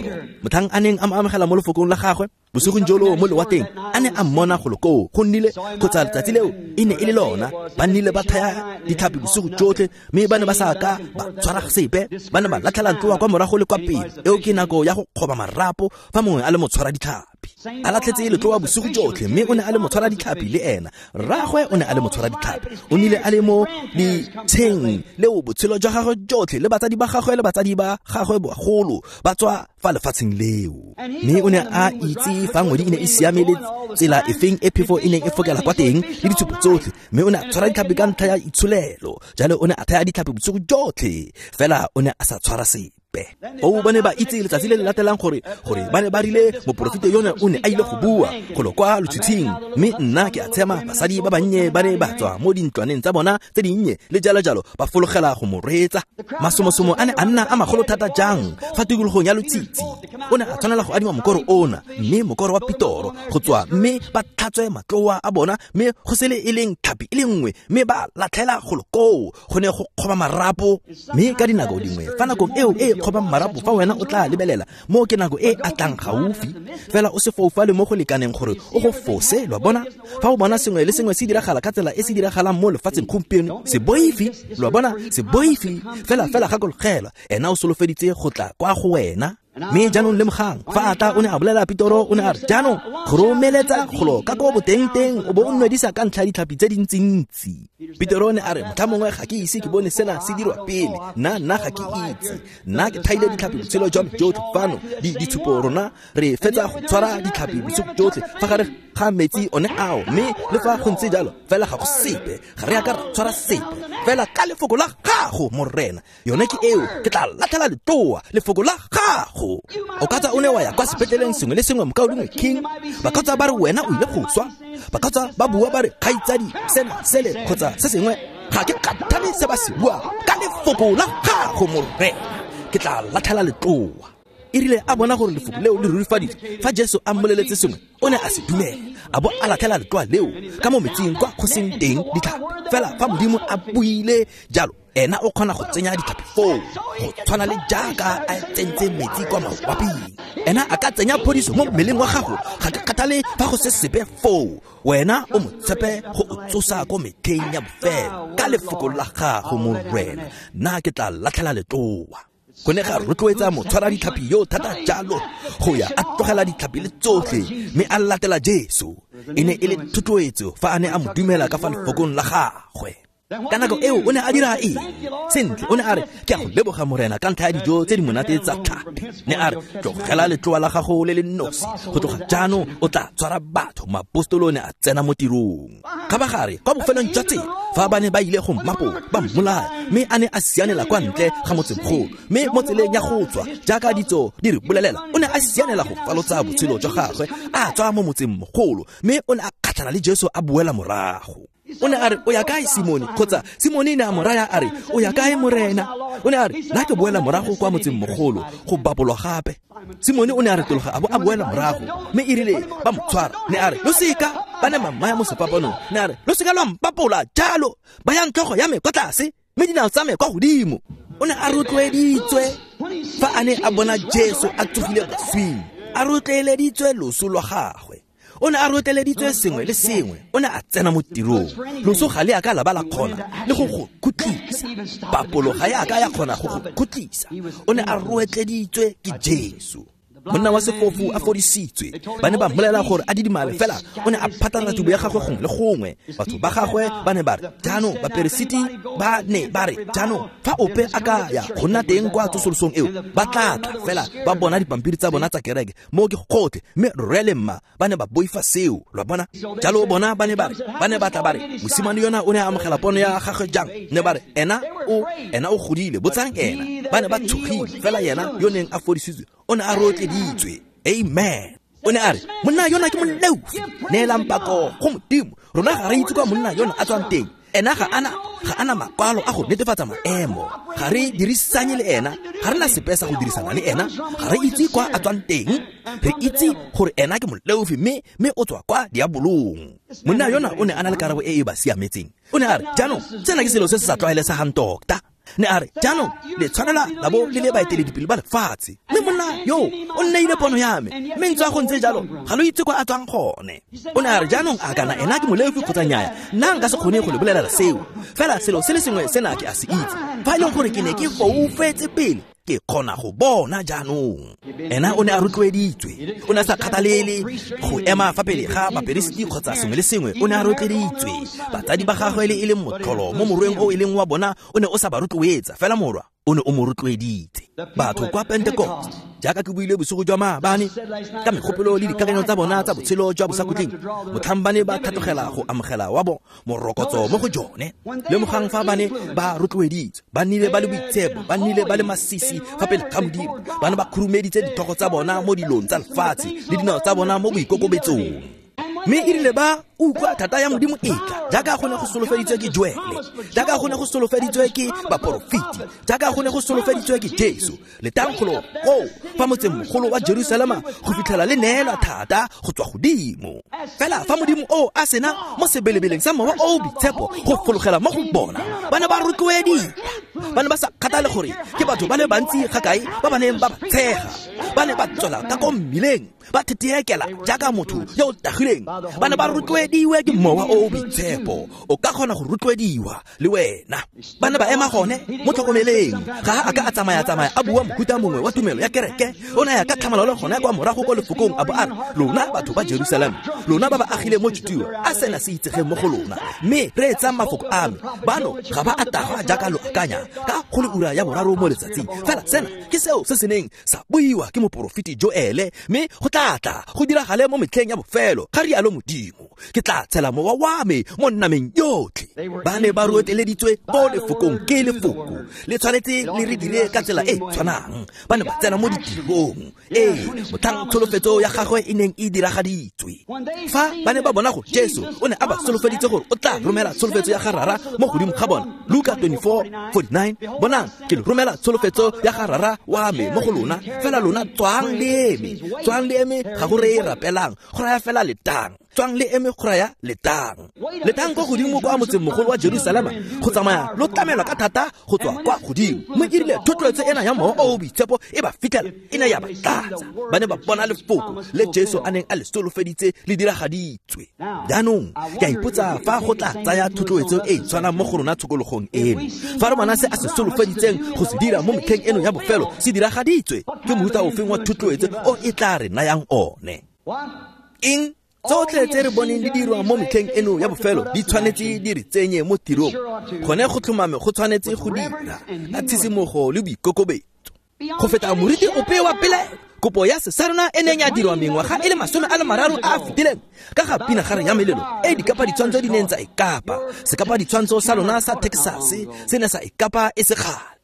motlhang a neng a mo amogela mo lefokong la gagwe bosigong jolo mo lewatleng, a ne a mmona golo koo, go nnile kgotsa letsatsi leo e ne e le lona, ba nnile ba thaya ditlhapi bosigo jotlhe, mme ba ne ba sa ka ba tshwara sepe, ba ne ba latlhela ntloa kwa morago le kwa pele. Eo ke nako ya go kgoba marapo fa mongwe a le motshwara ditlhapi. A latlhetse letloa bosigo jotlhe, mme o ne a le motshwara ditlhapi le ena. Rragwe o ne a le motshwara ditlhapi, o nnile a le mo ditsheng leo botshelo jwa gagwe jotlhe, le batsadi ba gagwe le batsadi ba gagwe bagolo ba tswa fa lefatsheng leo. Mme o ne a itse fa ngwedi e ne e siame le tsela efeng e phefo e neng e fokela kwa teng le ditshupo tsotlhe, mme o ne a tshwara ditlhapi ka ntlha ya itsholelo. Jalo o ne a thaya ditlhapi bosigo jotlhe, fela o ne a sa tshwara sepe. O ba ne ba itse letsatsi le le latelang gore ba ne ba rile moporofeta yone o ne a ile go bua golo kwa lotshitshing, mme nna ke a tshema basadi ba bannye ba ne ba tswa mo dintlwaneng tsa bona tse dinnye le jalo jalo, ba fologela go mo reetsa. Masomosomo a ne a nna a magolo thata jang fa tikologong ya lotshitshi. O ne a tshwanela go adima mokoro ona, mme mokoro wa Pitoro go tswa, mme ba tlhatswe matloa a bona, mme go se le e leng tlhapi e le nngwe, mme ba latlhela golo koo, go ne go kgoba marapo. Mme ka dinako dingwe fa nakong eo e kgoba marapo, fa wena o tla lebelela mo ke nako e a tlang gaufi, fela o se foufale mo go lekaneng gore o go fose. Lwa bona, fa o bona sengwe le sengwe se diragala ka tsela e se diragalang mo lefatsheng gompieno, se boifi. Lwa bona, se boifi, fela gakologelwa, ena o solofeditse go tla kwa go wena. Mme jaanong lemogang, fa a tla o ne a bolela Pitoro, o ne a re, jaanong go romeletsa golo ka ko boteng-teng o bo o nwedisa ka ntlha ya ditlhapi tse dintsintsi. Pitoro o ne a re, motlha mongwe ga ke ise ke bone sena se dirwa pele, nna ga ke itse, nna ke thaile ditlhapi botshelo jwa me jotlhe fano, ditshupo rona re fetsa go tshwara ditlhapi bosigo jotlhe fa gare ga metsi one ao, mme le fa go ntse jalo fela ga go sepe, ga re a ka ra tshwara sepe, fela ka lefoko la gago Morena, yone ke eo, ke tla latlhela letloa, lefoko la gago. O ka tswa o ne wa ya kwa sepetleleng sengwe le sengwe, mokaulengwe King, ba ka tswa ba re wena o ile go swa, ba ka tswa ba bua ba re kgaitsadi sena sele kgotsa se sengwe, ga ke kgathale se ba se buang, ka lefoko la gago Morena ke tla latlhela letloa. E rile a bona gore lefoko leo le rurifaditswe, fa Jesu a mmoleletse sengwe, o ne a se dumela, a bo a latlhela letloa leo ka mo metsing kwa go seng teng ditlhapi. Fela fa Modimo a buile jalo, ena o kgona go tsenya ditlhapi foo, go tshwana le jaaka a tsentse metsi kwa mawaping. Ena a ka tsenya phodiso mo mmeleng wa gago, ga ke kgathale fa go se sepe foo, wena o mo tshepe go o tsosa ko metlheng ya bofelo. Ka lefoko la gago Morena, nna ke tla latlhela letloa. Go ne ga rotloetsa motshwara ditlhapi yo thata jalo go ya a tlogela ditlhapi le tsotlhe, mme a latela Jesu. E ne e le thotloetso fa a ne a mo dumela ka fa lefokong la gagwe. Ka nako eo o ne a dira eng? Sentle, o ne a re, ke a go leboga Morena ka ntlha ya dijo tse di monate tsa tlhapi. Ne a re, tlogela letloa la gago le le nosi, go tloga jaanong o tla tshwara batho. Maapostolo ne a tsena mo tirong. Kgabagare kwa bofelong jwa tsela, fa ba ne ba ile go mmapola ba mmolaya, mme a ne a sianela kwa ntle ga motsemogolo, mme mo tseleng ya go tswa jaaka ditso di re bolelela, o ne a sianela go falotsa botshelo jwa gagwe, a tswa mo motsemogolo, mme o ne a kgatlhana le Jesu a boela morago. O ne a re, o ya kae Simone? Kgotsa Simone ne a mo raya a re, o ya kae Morena? O ne a re, nna ke boela morago kwa motsemogolo go bapolwa gape. Simone o ne a retologa a bo a boela morago, mme e rile ba mo tshwara, ne a re, lo seka, ba ne ba mmaya mo sefapanong, ne a re, lo seka lwa mpapola jalo, bayang tlhogo ya me kwa tlase, mme dinao tsa me kwa godimo. O ne a rotloeditswe fa a ne a bona Jesu a tsogile baswing, a rotloeleditswe loso lwa gagwe. O ne a rotleleditswe sengwe le sengwe, o ne a tsena mo tirong. Loso ga le a ka la ba la kgona le go go khutlisa, papolo ga ya ka ya kgona go go khutlisa. O ne a rotleditswe ke Jesu. Monna wa sefofu a fodisitswe, ba ne ba mmolela gore a didimale, fela o ne a phatlalatsa tubo ya gagwe gongwe le gongwe. Batho ba gagwe ba ne ba re, jaanong baperesiti ba ne ba re, jaanong fa ope a ka ya go nna teng kwa tsosolosong eo, ba tla tla fela ba bona dipampiri tsa bona tsa kereke, mo ke gotlhe, mme rre le mma ba ne ba boifa seo. Lwa bona, jalo bona ba ne ba re, ba ne ba tla ba re, mosimane yona o ne a amogela pono ya gagwe jang? Ne ba re, ena o godile, botsang ena. Ba ne ba tshogile, fela yena yo neng a fodisitswe o ne a rotleditswe. Amen. O ne a re, monna yona ke moleofi, neelang pako go Modimo, rona ga re itse kwa monna yona a tswang teng. Ena ga ana makwalo a go netefatsa maemo, ga re dirisanye le ena, ga re na sepe sa go dirisana le ena, ga re itse kwa a tswang teng, re itse gore ena ke moleofi, mme o tswa kwa diabolong. Monna yona o ne a na le karabo e e ba siametseng. O ne a re, jaanong sena ke selo se se sa tlwaelesegang tota. Ne a re, jaanong le tshwanela la bo le le baeteledipele ba lefatshe, mme monna yo o nneile pono ya me, mme ntse a go ntse jalo ga lo itse kwa a tswang gone. O ne a re, jaanong a kana ena ke molefi kgotsa nnyaya, nna nka se kgone go le bolelela seo, fela selo se le sengwe sena ke a se itse, fa e leng gore ke ne ke foufetse pele, ke kgona go bona jaanong. Ena o ne a rotloeditswe, o ne a sa kgathalele go ema fa pele ga baperesiti kgotsa sengwe le sengwe, o ne a rotloeditswe. Batsadi ba gagwe le e leng motlholo mo morweng o e leng wa bona o ne o sa ba rotloetsa, fela morwa o ne o mo rotloeditse. Batho kwa Pentecost, jaaka ke buile bosigo jwa maabane, ka megopolo le dikakanyo tsa bona tsa botshelo jwa bosakhutleng, motlhang ba ne ba tlhatlogela go amogela wa bo morokotso mo go jone. Lemogang fa ba ne ba rotloeditswe, ba nnile ba le boitshepo, ba nnile ba le masisi fa pele ga Modimo, ba ne ba khurumeditse dithogo tsa bona mo dilong tsa lefatshe le dinao tsa bona mo boikokobetsong. Mme e rile ba utlwa thata ya Modimo e tla, jaaka go ne go solofeditswe ke Joele, jaaka go ne go solofeditswe ke baporofeti, jaaka go ne go solofeditswe ke Jesu, letankgolo koo fa motsengmogolo wa Jerusalema go fitlhela le neelwa thata go tswa godimo. Fela fa Modimo o a sena mo sebelebeleng sa Mowa o o Boitshepo go fologela mo go bona, ba ne ba rotloediwa. Ba ne ba sa kgathale gore ke batho ba le bantsi ga kae ba ba neng ba ba tshega, ba ne ba tswela ka ko mmileng ba thetheekela jaaka motho yo o tagileng. Ba ne ba rotloediwe ke Mowa o o Boitshepo. O ka kgona go rotloediwa le wena. Ba ne ba ema gone mo tlhokomeleng. Ga a ka a tsamaya-tsamaya a bua mohuta mongwe wa tumelo ya kereke, o ne a ya ka tlhamalalo gone kwa morago ko lefokong, a bo a re, lona batho ba Jerusalema, lona ba ba agileng mo Judea, a sena se itsegeng mo go lona, mme reetsang mafoko a me. Bano ga ba a tagwa jaaka lo akanya ka go le ura ya boraro mo letsatsing, fela sena ke seo se se neng sa buiwa ke moporofeti Joele, mme go tla tla go diragale mo metlheng ya bofelo, ga rialo Modimo, ke tla tshela mowa wa me mo nnameng yotlhe. Ba ne ba roteleditswe ko lefokong ke lefoko, le tshwanetse le re dire ka tsela e tshwanang. Ba ne ba tsena mo ditirong, ee, motlhang tsholofetso ya gagwe e neng e diragaditswe. Fa ba ne ba bona gore Jesu o ne a ba solofeditse gore o tla romela tsholofetso ya ga Rara mo godimo ga bona, Luka 24:49, bonang ke le romela tsholofetso ya ga Rara wa me mo go lona, fela lona tswang le eme. Tswang le eme ga go reye rapelang, go raya fela letang. Tswang le eme go raya letang. Letang kwa godimo kwa motsengmogolo wa Jerusalema go tsamaya lo tlamelwa ka thata go tswa kwa godimo. Mme e rile thotloetso ena ya Mowa o o Boitshepo e ba fitlhela, e ne ya ba tlatsa. Ba ne ba bona lefoko le Jesu a neng a le solofeditse le diragaditswe. Jaanong ke a ipotsa fa go tla tsaya thotloetso e e tshwanang mo go rona tshokologong eno. Fa re bona se a se solofeditseng go se dira mo metlheng eno ya bofelo se diragaditswe, ke mohuta ofeng wa thotloetso o e tla re nayang one? Eng? Tsotlhe tse re boneng di dirwa mo metlheng eno ya bofelo di tshwanetse di re tsenye mo tirong. Gone go tlhomame go tshwanetse go dira ka tshisimogo le boikokobetso go feta moriti ope wa pele. Kopo ya sesarona e neng ya dirwa mengwaga e le 30 a a fetileng ka ga pinagare ya melelo e dikapa ditshwantsho di neng tsa e kapa. Sekapa ditshwantsho sa lona sa Texas se ne sa e kapa e se kgale.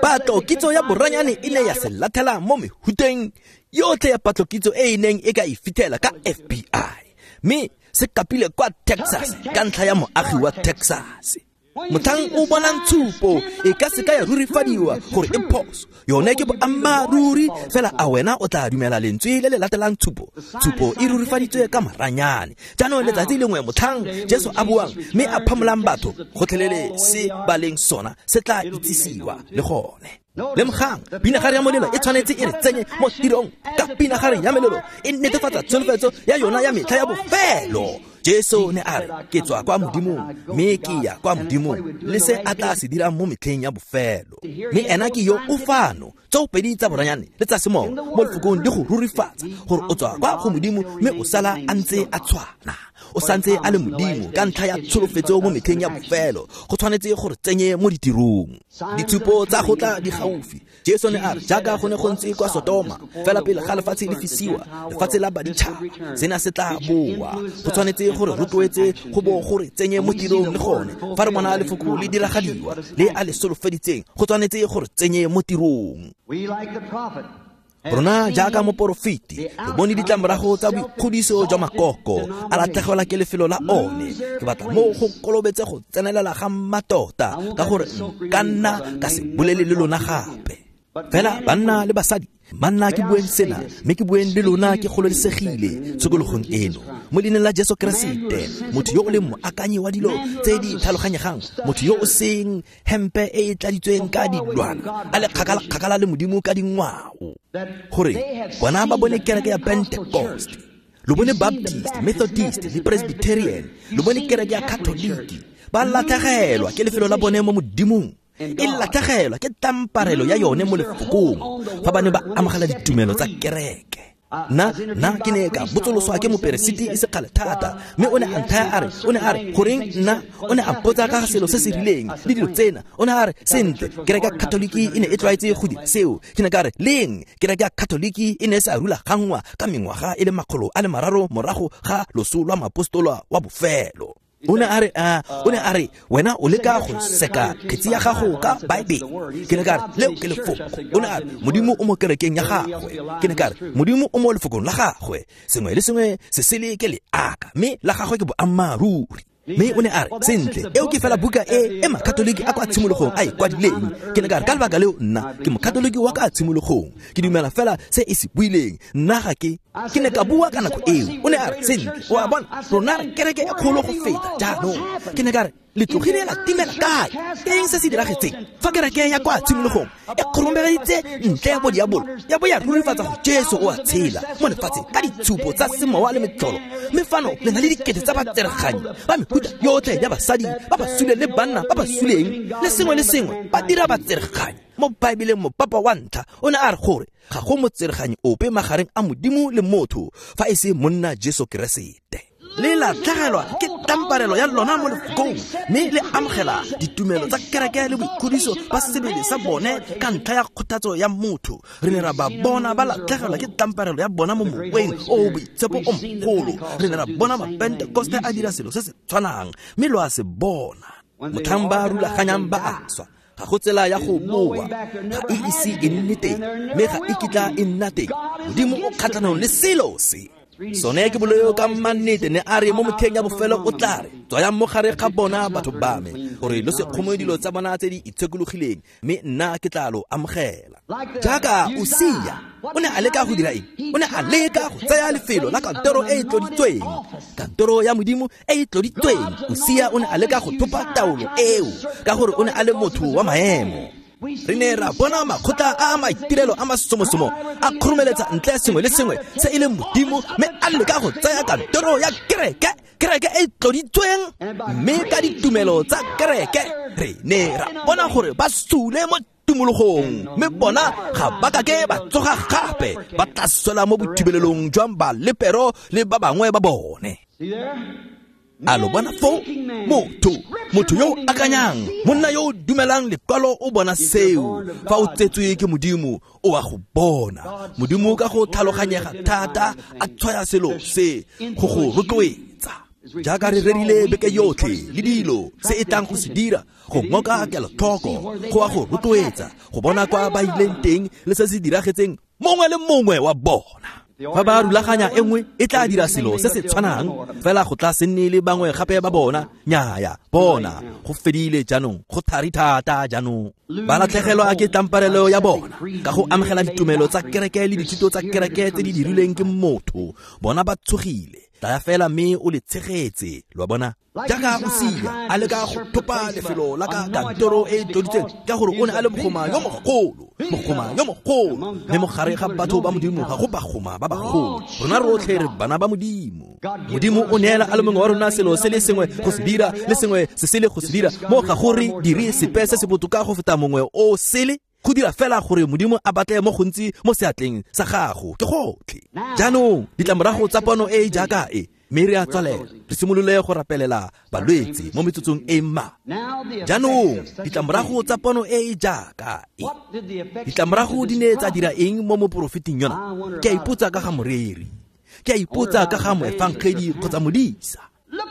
Patlokitso ya boranyane e ne ya se latlhela mo mehuteng yotlhe ya patlokitso e e neng e ka e fitlhela ka FBI, mme se kapile kwa Texas ka ntlha ya moagi wa Texas. Motlhang o bonang tshupo e ka se ka ya rurifadiwa gore e phoso, yone ke boammaaruri, fela a wena o tla dumela lentswe le le latelang tshupo? Tshupo e rurifaditswe ka maranyane. Jaanong letsatsi lengwe motlhang Jesu a buang mme a phamolang batho, gotlhelele se ba leng sona se tla itsisiwa le gone. Lemogang, pinagare ya molelo e tshwanetse e re tsenye mo tirong ka pinagare ya melelo e netefatsa tsholofetso ya yona ya metlha ya bofelo. Jesu ne a re, ke tswa kwa Modimong mme ke ya kwa Modimong, le se a tla se dirang mo metlheng ya bofelo. Mme ena ke yo o fano, tsoopedi tsa boranyane le tsa semowa mo lefokong di go rurifatsa gore o tswa kwa go Modimo mme o sala a ntse a tshwana. O santse a le Modimo ka ntlha ya tsholofetso mo metlheng ya bofelo. Go tshwanetse gore tsenye mo ditirong. Ditshupo tsa go tla di gaufi. Jesu ne a re, jaaka go ne go ntse kwa Sodoma, fela pele ga lefatshe le fisiwa, lefatshe la baditšhaba, sena se tla boa. Go tshwanetse gore rotloetse go bo gore tsenye mo tirong le gone. Fa re bona lefoko le diragadiwa le a le solofeditseng, go tshwanetse gore tsenye mo tirong. Rona jaaka moporofeti re bone ditlamorago tsa boikgodiso jwa makoko a latlhegelwa ke lefelo la one. Ke batla mo go kolobetse go tsenelela ga mmatota, ka gore nka nna ka se bolele le lona gape. Fela banna le basadi, manna ke bueng sena, mme ke bueng le lona ke gololesegile tshokologong eno. mo leineng la Jesu Keresete, motho yo o leng moakanyi wa dilo tse di tlhaloganyegang, motho yo o seng hempe e e tladitsweng ka dilwana, a le kgakala-kgakala le Modimo ka dingwao, gore bona ba bone kereke ya Pentecost, lo bone Baptist, Methodist le Presbyterian, lo bone kereke ya Katoliki, ba latlhegelwa ke lefelo la bone mo Modimong, e latlhegelwa ke tamparelo ya yone mo lefokong fa ba ne ba amogela ditumelo tsa kereke. Nna ke ne ka botsoloswa ke moperesiti e se kgale thata, mme o ne a nthaya a re, o ne a re, goreng nna, o ne a mpotsa ka ga selo se se rileng le dilo tsena. O ne a re, sentle, kereke ya Katoliki e ne e tlwaetse go dira seo. Ke ne ka re, leng kereke ya Katoliki e ne e sa rulaganngwa ka mengwaga e le 300 morago ga loso lwa moapostola wa bofelo. O ne a re, o ne a re, wena o leka go seka kgetsi ya gago ka Baebele. Ke ne ka re, leo ke lefoko. O ne a re, Modimo o mo kerekeng ya gagwe. Ke ne ka re, Modimo o mo lefokong la gagwe. Sengwe le sengwe se sele ke leaka, mme la gagwe ke boammaaruri. Mme o ne a re, sentle, eo ke fela buka e e Makatoliki a kwa tshimologong a e kwadileng. Ke ne ka re, ka lebaka leo nna ke Mokatoliki wa ka tshimologong, ke dumela fela se e se buileng. Nna ga ke ne ka bua ka nako eo. O ne a re, sentle, o a bona, rona re kereke e kgolo go feta jaanong. Ke ne ka re, le tlogile la timela kae? Ke eng se se diragetseng fa kereke ya kwa tshimologong e kgoromeleditse ntle ya bodiabolo, ya bo ya rurifatsa go Jesu o a tshela mo lefatsheng ka ditshupo tsa semowa le metlholo, mme fano le na le dikete tsa batsereganyi ba mehuta yotlhe ya basadi ba ba suleng le banna ba ba suleng le sengwe le sengwe ba dira batsereganyi. Mo Baebeleng mopapa wa ntlha o ne a re gore ga go motsereganyi ope magareng a Modimo le motho fa e se monna Jesu Keresete. Le latlhegelwa ke tamparelo ya lona mo lefokong, mme le amogela ditumelo tsa kereke le boikgodiso ba sebele sa bone ka ntlha ya kgothatso ya motho. Re ne ra ba bona ba latlhegelwa ke tamparelo ya bona mo moweng o boitshepo o mogolo. Re ne ra bona Mapentekoste a dira selo se se tshwanang, mme lo a se bona. Motlhang ba rulaganyang ba a swa, ga go tsela ya go boa, ga e ise e nne teng, mme ga e kitla e nna teng. Modimo o kgatlhanong le selo se. Sone ke boleo ka mannete. Ne a re mo motlheng ya bofelo o tla re, tswayang mo gare ga bona batho ba me, gore lo se kgome dilo tsa bona tse di itshekologileng, mme nna ke tla lo amogela. Jaaka Usia, o ne a leka go dira eng? O ne a leka go tsaya lefelo la kantoro e e tloditsweng, kantoro ya Modimo e e tloditsweng. Usia o ne a leka go thopa taolo eo ka gore o ne a le motho wa maemo. Re ne ra bona makgotla a maitirelo a masomosomo a kgoromeletsa ntle sengwe le sengwe se e leng Modimo, mme a leka go tsaya kantoro ya kereke, kereke e tloditsweng, mme ka ditumelo tsa kereke re ne ra bona gore ba sule mo tumologong, mme bona ga ba kake ba tsoga gape, ba tla swela mo bothibelelong jwa balepero le ba bangwe ba bone. A lo bona foo? Motho yo o akanyang, monna yo o dumelang lekwalo o bona seo. Fa o tsetswe ke Modimo, o a go bona. Modimo ka go tlhaloganyega thata a tshwaya selo se go go rotloetsa. Jaaka re rerile beke yotlhe le dilo se e tlang go se dira, go ngoka kelotlhoko, go a go rotloetsa, go bona kwa ba ileng teng le se se diragetseng mongwe le mongwe wa bona. Fa ba rulaganya e nngwe e tla dira selo se se tshwanang, fela go tla se nne le bangwe gape ba bona. Nnyaya, bona go fedile jaanong, go thari thata jaanong. Ba latlhegelwa ke tlamparelo ya bona ka go amogela ditumelo tsa kereke le dithuto tsa kereke tse di dirilweng ke motho. Bona ba tshogile, tlaya fela mme o le tshegetse, lo a bona. Jaaka Usia a leka go thopa lefelo la ka kantoro e e tloditsweng ka gore o ne a le mogoma yo mogolo, mogoma yo mogolo, mme mo gare ga batho ba Modimo ga go bagoma ba bagolo. Rona rotlhe re bana ba Modimo. Modimo o neela a le mongwe wa rona selo se le sengwe go se dira le sengwe se sele go se dira, mo ga go re dire sepe se se botoka go feta mongwe o sele, go dira fela gore Modimo a batle mo gontsi mo seatleng sa gago, ke gotlhe. Jaanong ditlamorago tsa pono e e jaaka e, mme re a tswalela, re simolole go rapelela balwetse mo metsotsong e mma. Jaanong ditlamorago tsa pono e e jaaka e, ditlamorago di ne tsa dira eng mo moporofeting yona? Ke a ipotsa ka ga moreri, ke a ipotsa ka ga moefangedi kgotsa modisa.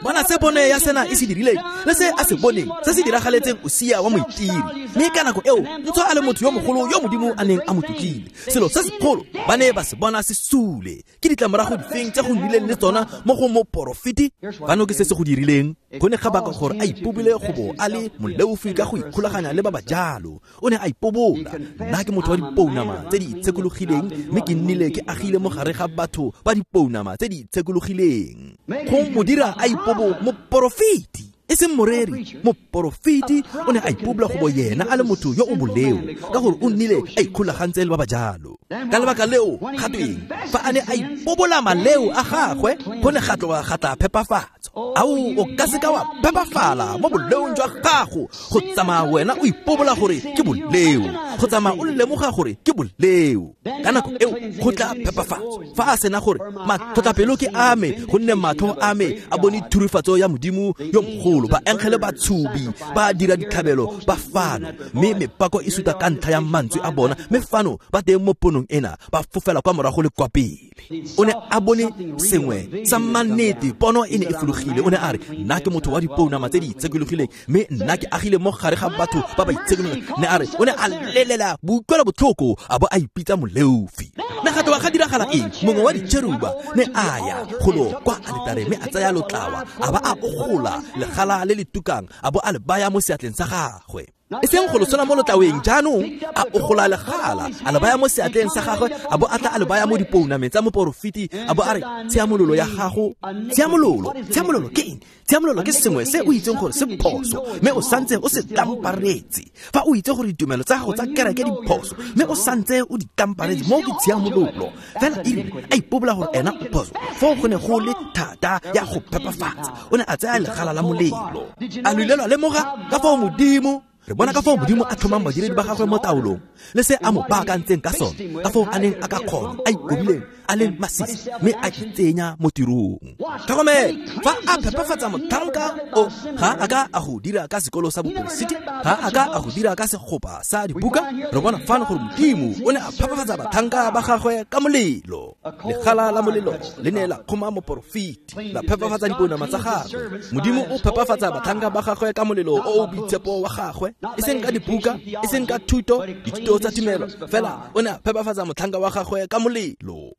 Bona se bone ya sena e se dirileng le se a se boneng se se diragaletseng Usia wa moitiri. Mme ka nako eo ntswa a le motho yo mogolo yo Modimo a neng a mo tlotlile, selo se segolo ba ne ba se bona se sule. Ke ditlamorago difeng tse go nnileng le tsona mo go moporofeti? Fano ke se se go dirileng. Go ne ga baka gore a ipobile go bo a le moleofi ka go ikgolaganya le ba ba jalo. O ne a ipobola, nna ke motho wa dipounama tse di itshekologileng, mme ke nnile ke agile mo gare ga batho ba dipounama tse di itshekologileng. Go mo dira a ipobo moporofeti, e seng moreri. Moporofeti o ne a ipobola go bo yena a le motho yo o boleo, ka gore o nnile a ikgolagantse le ba ba jalo. Ka lebaka leo ga tweng fa a ne a ipobola maleo a gagwe, go ne ga tloga ga tla phepafatso. Ao, o ka se ka wa phepafala mo boleong jwa gago go tsamaya wena o ipobola gore ke boleo, go tsamaya o lemoga gore ke boleo. Ka nako eo go tla phepafatso. Fa a sena gore matlhotlhapelo ke a me, gonne matlho a me a bone thurifatso ya Modimo yo mogolo, baengele ba tshubi ba dira ditlhabelo ba fano, mme mepako e suta ka ntlha ya mantswe a bona, mme fano ba teng mo ponong ena ba fofela kwa morago le kwa pele. O ne a bone sengwe sa mannete, pono e ne e fologile. O ne a re, nna ke motho wa dipounama tse di itshekologileng, mme nna ke agile mo gare ga batho ba ba itshekologileng. Ne a re, o ne a lelela boutlwela botlhoko a bo a ipitsa moleofi. Ne ga tloga ga diragala eng? Mongwe wa ditšheruba ne a ya golo kwa aletare mme a tsaya lotlawa a ba a ogola legala le le tukang a bo a le baya mo seatleng sa gagwe. E seng go losola mo lotlaweng, jaanong a ogola legala a le baya mo seatleng sa gagwe, a bo a tla a le baya mo dipounameng tsa moporofeti, a bo a re, tshiamololo ya gago. Tshiamololo, tshiamololo ke eng? Tshiamololo ke sengwe se o itseng gore se phoso, mme o santse o se tlamparetse. Fa o itse gore ditumelo tsa gago tsa kereke di phoso, mme o santse o di tlamparetse, mo ke tshiamololo. Fela erile a ipobola gore ena o phoso, foo go ne go le thata ya go phepafatsa. O ne a tsaya legala la molelo. A lo ile lwa lemoga ka fao Modimo, re bona ka fao Modimo a tlhomang badiredi ba gagwe mo taolong, le se a mo baakantseng ka sone, ka fao a neng a ka kgona, a ikobileng, a leng masisi, mme a itsenya mo tirong. Tlhokomela, fa a phepafatsa motlhanka o, ga a ka a go dira ka sekolo sa boporesiti, ga a ka a go dira ka segopa sa dibuka. Re bona fano gore Modimo o ne a phepafatsa batlhanka ba gagwe ka molelo. Legala la molelo le ne la kgoma moporofeti, la phepafatsa dipounama tsa gagwe. Modimo o phepafatsa batlhanka ba gagwe ka molelo o o boitshepo wa gagwe, e seng ka dibuka, e seng ka thuto, dithuto tsa tumelo, fela o ne a phepafatsa motlhanka wa gagwe ka molelo.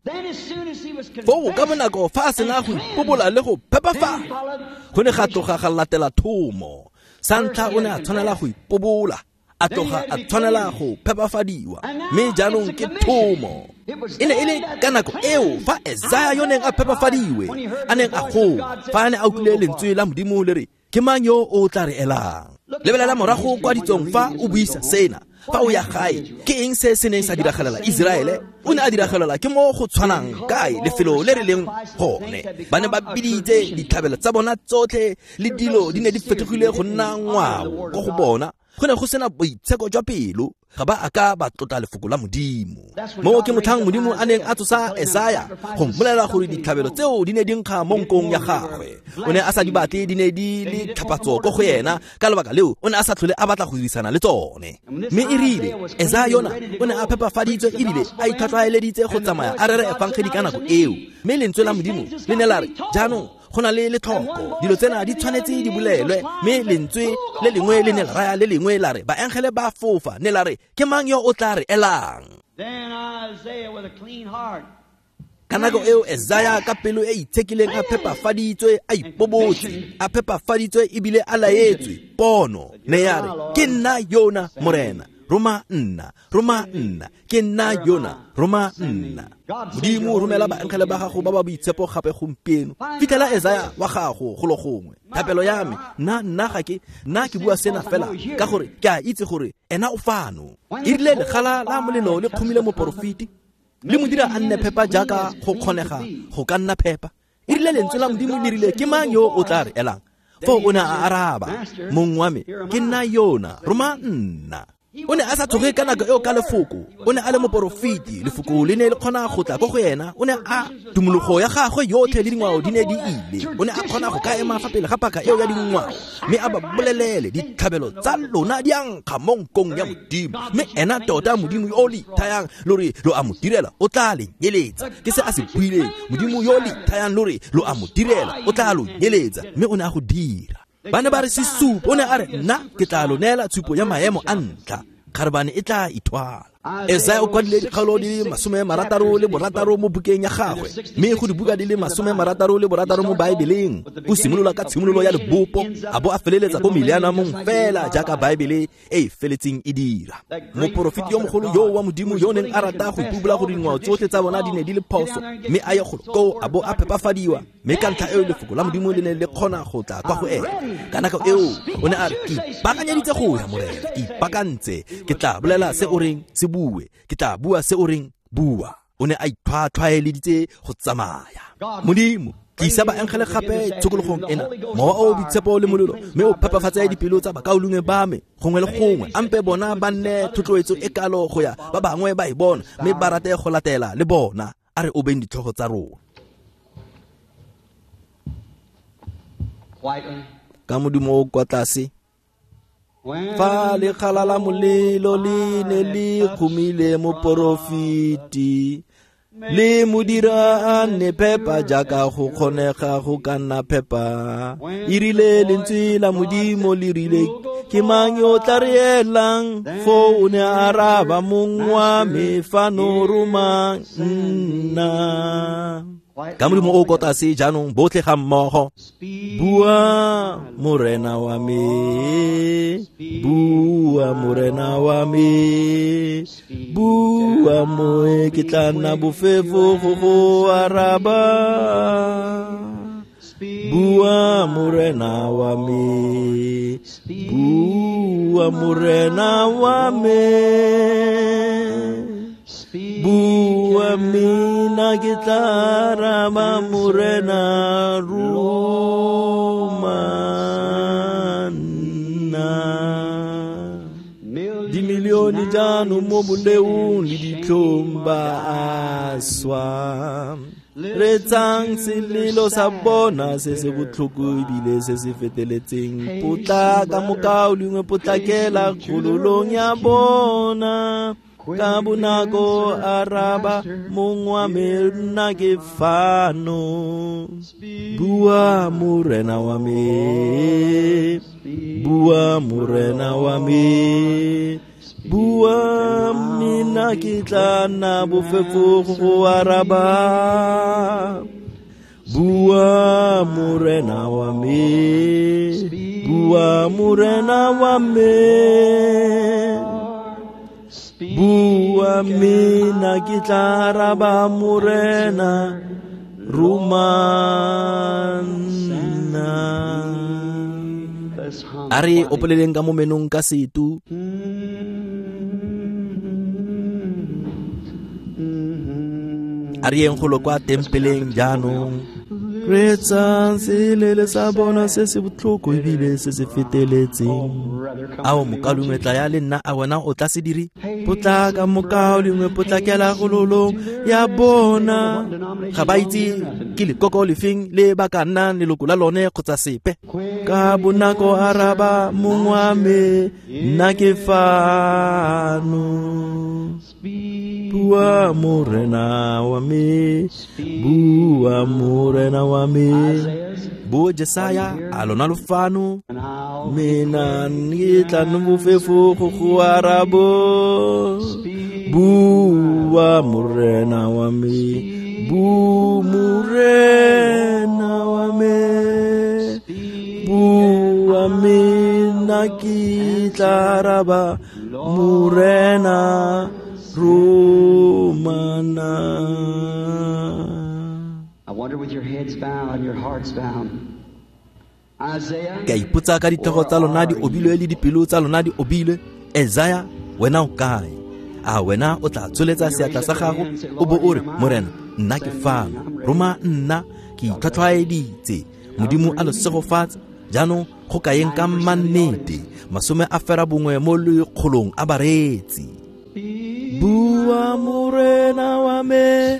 Foo ka bonako fa a sena go ipobola le go phepafala, go ne ga tloga ga latela thomo. Sa ntlha o ne a tshwanela go ipobola, a tloga a tshwanela go phepafadiwa, mme jaanong ke thomo. E ne e le ka nako eo fa Esaya yo neng a phepafadiwe a neng a goa, fa a ne a utlwile lentswe la Modimo le re, ke mang yo o tla re elang? Lebelela morago kwa ditsong fa o buisa sena. Fa o ya gae, ke eng se se neng sa diragalela Iseraele? O ne a diragalela ke mo go tshwanang kae lefelo le re leng gone. Ba ne ba biditse ditlhabelo tsa bona tsotlhe le dilo di ne di fetogile go nna ngwao ko go bona. Go ne go sena boitsheko jwa pelo, ga ba a ka ba tlotla lefoko la Modimo. Mo ke motlhang Modimo a neng a tsosa Esaya go mmolelela gore ditlhabelo tseo di ne di nkga mo nkong ya gagwe. O ne a sa di batle, di ne di le tlhapatso ko go yena, ka lebaka leo o ne a sa tlhole a batla go dirisana le tsone. Mme e rile Esaya yona o ne a phepafaditswe ebile a itlhwatlhwaeleditse go tsamaya a rere efangedi ka nako eo, mme lentswe la Modimo le ne la re, jaanong go na le letlhoko, dilo tsena di tshwanetse di bolelwe. Mme lentswe le lengwe le ne la raya le lengwe la re, baengele ba fofa, ne la re, ke mang yo o tla re elang? Ka nako eo Esaya ka pelo e itshekileng a phepafaditswe, a ipobotse, a phepafaditswe ebile a laetswe pono, ne ya re, ke nna yona Morena, roma nna, roma nna, ke nna yona, roma nna. Modimo, romela baengele ba gago ba ba boitshepo gape gompieno. Fitlhela Esaya wa gago golo gongwe. Thapelo ya me, nna ga ke, nna ke bua sena fela ka gore ke a itse gore ena o fano. E rile legala la molelo le kgomile moporofeti, le mo dira a nne phepa jaaka go kgonega go ka nna phepa. E rile lentswe la Modimo le rile, ke mang yo o tla re elang? Foo o ne a araba, mong wa me, ke nna yona, roma nna. O ne a sa tshoge ka nako eo ka lefoko. O ne a le moporofeti, lefoko le ne le kgona go tla ko go ena. O ne a tumologo ya gagwe yotlhe le dingwao di ne di ile. O ne a kgona go ka ema fa pele ga paka eo ya dingwao, mme a ba bolelele ditlhabelo tsa lona di a nkga mo nkong ya Modimo. Mme ena tota Modimo yo le ithayang lo re lo a mo direla o tla le nyeletsa. Ke se a se buileng. Modimo yo le ithayang lo re lo a mo direla o tla lo nyeletsa. Mme o ne a go dira. Ba ne ba re sesupo. O ne a re nna ke tla lo neela tshupo ya maemo a ntlha, kgarebane e tla ithwala. Esaya o kwadile dikgaolo di le 66 mo bukeng ya gagwe, mme go dibuka di le 66 mo Baebeleng. O simolola ka tshimololo ya lebopo a bo a feleletsa ko millenniumong fela jaaka Baebele e e feletseng e dira. Moporofeti yo mogolo yo wa Modimo yo neng a rata go ipubula gore dingwao tsotlhe tsa bona di ne di le phoso, mme a ye golo koo a bo a phepafadiwa. Mme ka ntlha eo lefoko la Modimo le ne le kgona go tla kwa go ena. Ka nako eo o ne a re, ke ipaakanyeditse go ya Morena, ke ipaakantse, ke tla bolela se o reng se bue, ke tla bua se o reng bua. O ne a itlhwatlhwaeleditse go tsamaya. Modimo, tlisa baengele gape tshokologong ena, mowa o boitshepo le molelo, mme o phepafatse dipelo tsa bakaulengwe ba me gongwe le gongwe. Ampe bona ba nne thotloetso e kalo go ya ba bangwe ba e bona, mme ba rate go latela le bona. A re obeng ditlhogo tsa rona. Ka modumo o kwa tlase, fa lekgala la molelo le ne le kgomile moporofeti, le modira a nne phepa jaaka go kgonega go ka nna phepa. E rile lentswe la Modimo le rile, ke mang yo tla re elang? Foo o ne a araba, mong wa me fano roma nna. Ka modimo o ko tlase jaanong botlhe ga mmogo. Bua Morena wa me, bua Morena wa me, bua moe ke tla nna bofefo go go araba. Bua Morena wa me, bua Morena wa me, bua mina ke tla araba Morena roma nna. Dimilione jaanong mo boleong le ditlhong ba a swa. Retsang selelo sa bona se se botlhoko ebile se se feteletseng. Potlaka mokaulengwe, potlakela kgololong ya bona. Ka bonako araba mong wa me, nna ke fano. Bua Morena wa me, bua Morena wa me, bua mina ke tla nna bofefo go araba. Bua Morena wa me, bua Morena wa me, bua mina ke tla araba Morena roma nna. A re opeleleng ka mo menong ka setu. A re yeng golo kwa tempeleng jaanong. Retsang selele sa bona se se botlhoko ebile se se feteletseng. Ao mokaulengwe, tla ya le nna, a wena o tla se dire? Potlaka mokaulengwe, potlakela gololong ya bona. Ga ba itse ke lekoko lefeng le ba ka nnang leloko la lone kgotsa sepe. Ka bonako araba mong wa me, nna ke fano. Bua Morena wa me, bua Morena wa me. Bo Jesaya a lona lo fano, mina ke tla nna bofefo go go arabo. Bua Morena wa me, bu Morena wa me, bua mina ke tla araba Morena romana. I wonder with your heads bowed and your hearts bowed. Isaiah, Ke a ipotsa ka ditlhogo tsa lona di obilwe le dipelo tsa lona di obilwe. Esaya, wena o kae? A wena o tla tsholetsa seatla sa gago o bo o re, Morena, nna ke fano, roma nna, ke itlhwatlhwaeditse. Modimo a lo segofatse. Jaanong go kaeng ka mannete 90% a bareetsi. Bua Morena wa me,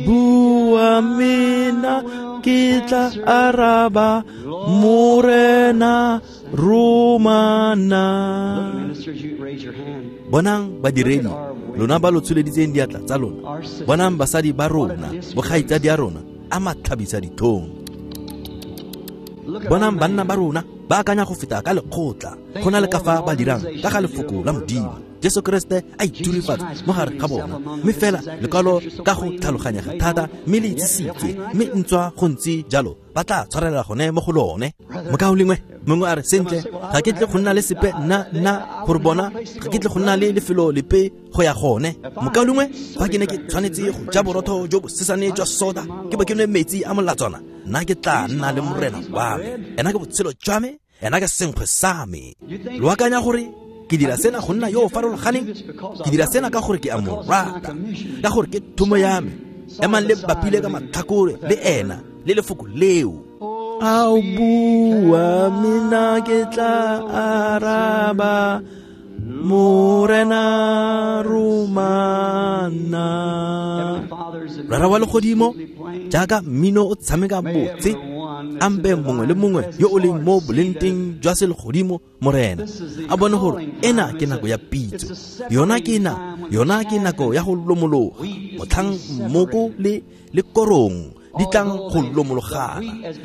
bua mina, ke tla araba, Morena romana. Bonang badiredi, lona ba lo tsholeditseng diatla tsa lona. Bonang basadi ba rona, bokgaitsadi a rona, a matlhabisa ditlhong. Bonang banna ba rona, ba akanya go feta ka lekgotla, go na le ka fa ba dirang ka ga lefoko la Modimo. Jesu Kriste a iturifatsa mo gare ga bona, mme fela lekwalo ka go tlhaloganyega thata, mme le itsisitswe, mme ntswa go ntse jalo ba tla tshwarelela gone mo go lone. Mokaulengwe mongwe a re, sentle, ga ke tle go nna le sepe nna gore bona ga ke tle go nna le lefelo lepe go ya gone. Mokaulengwe, fa ke ne ke tshwanetse go ja borotho jo bo sesane jwa soda, ke bo ke nwe metsi a molatswana, nna ke tla nna le Morena wa me. Ena ke botshelo jwa me, ena ke senkgwe sa me. Lo akanya gore ke dira sena go nna yo o farologaneng? Ke dira sena ka gore ke a mo rata, ka gore ke thomo ya me. Emang le bapile ka matlhakore le ena le lefoko leo. Ao bua mina ke tla araba, Morena romana. Rara wa legodimo, jaaka mmino o tshameka botse, ampe mongwe le mongwe yo o leng mo bolenteng jwa selegodimo, Morena, a bone gore ena ke nako ya pitso. Yona ke nako ya go lomologa, motlhang mmoko le korong di tlang go lomologana.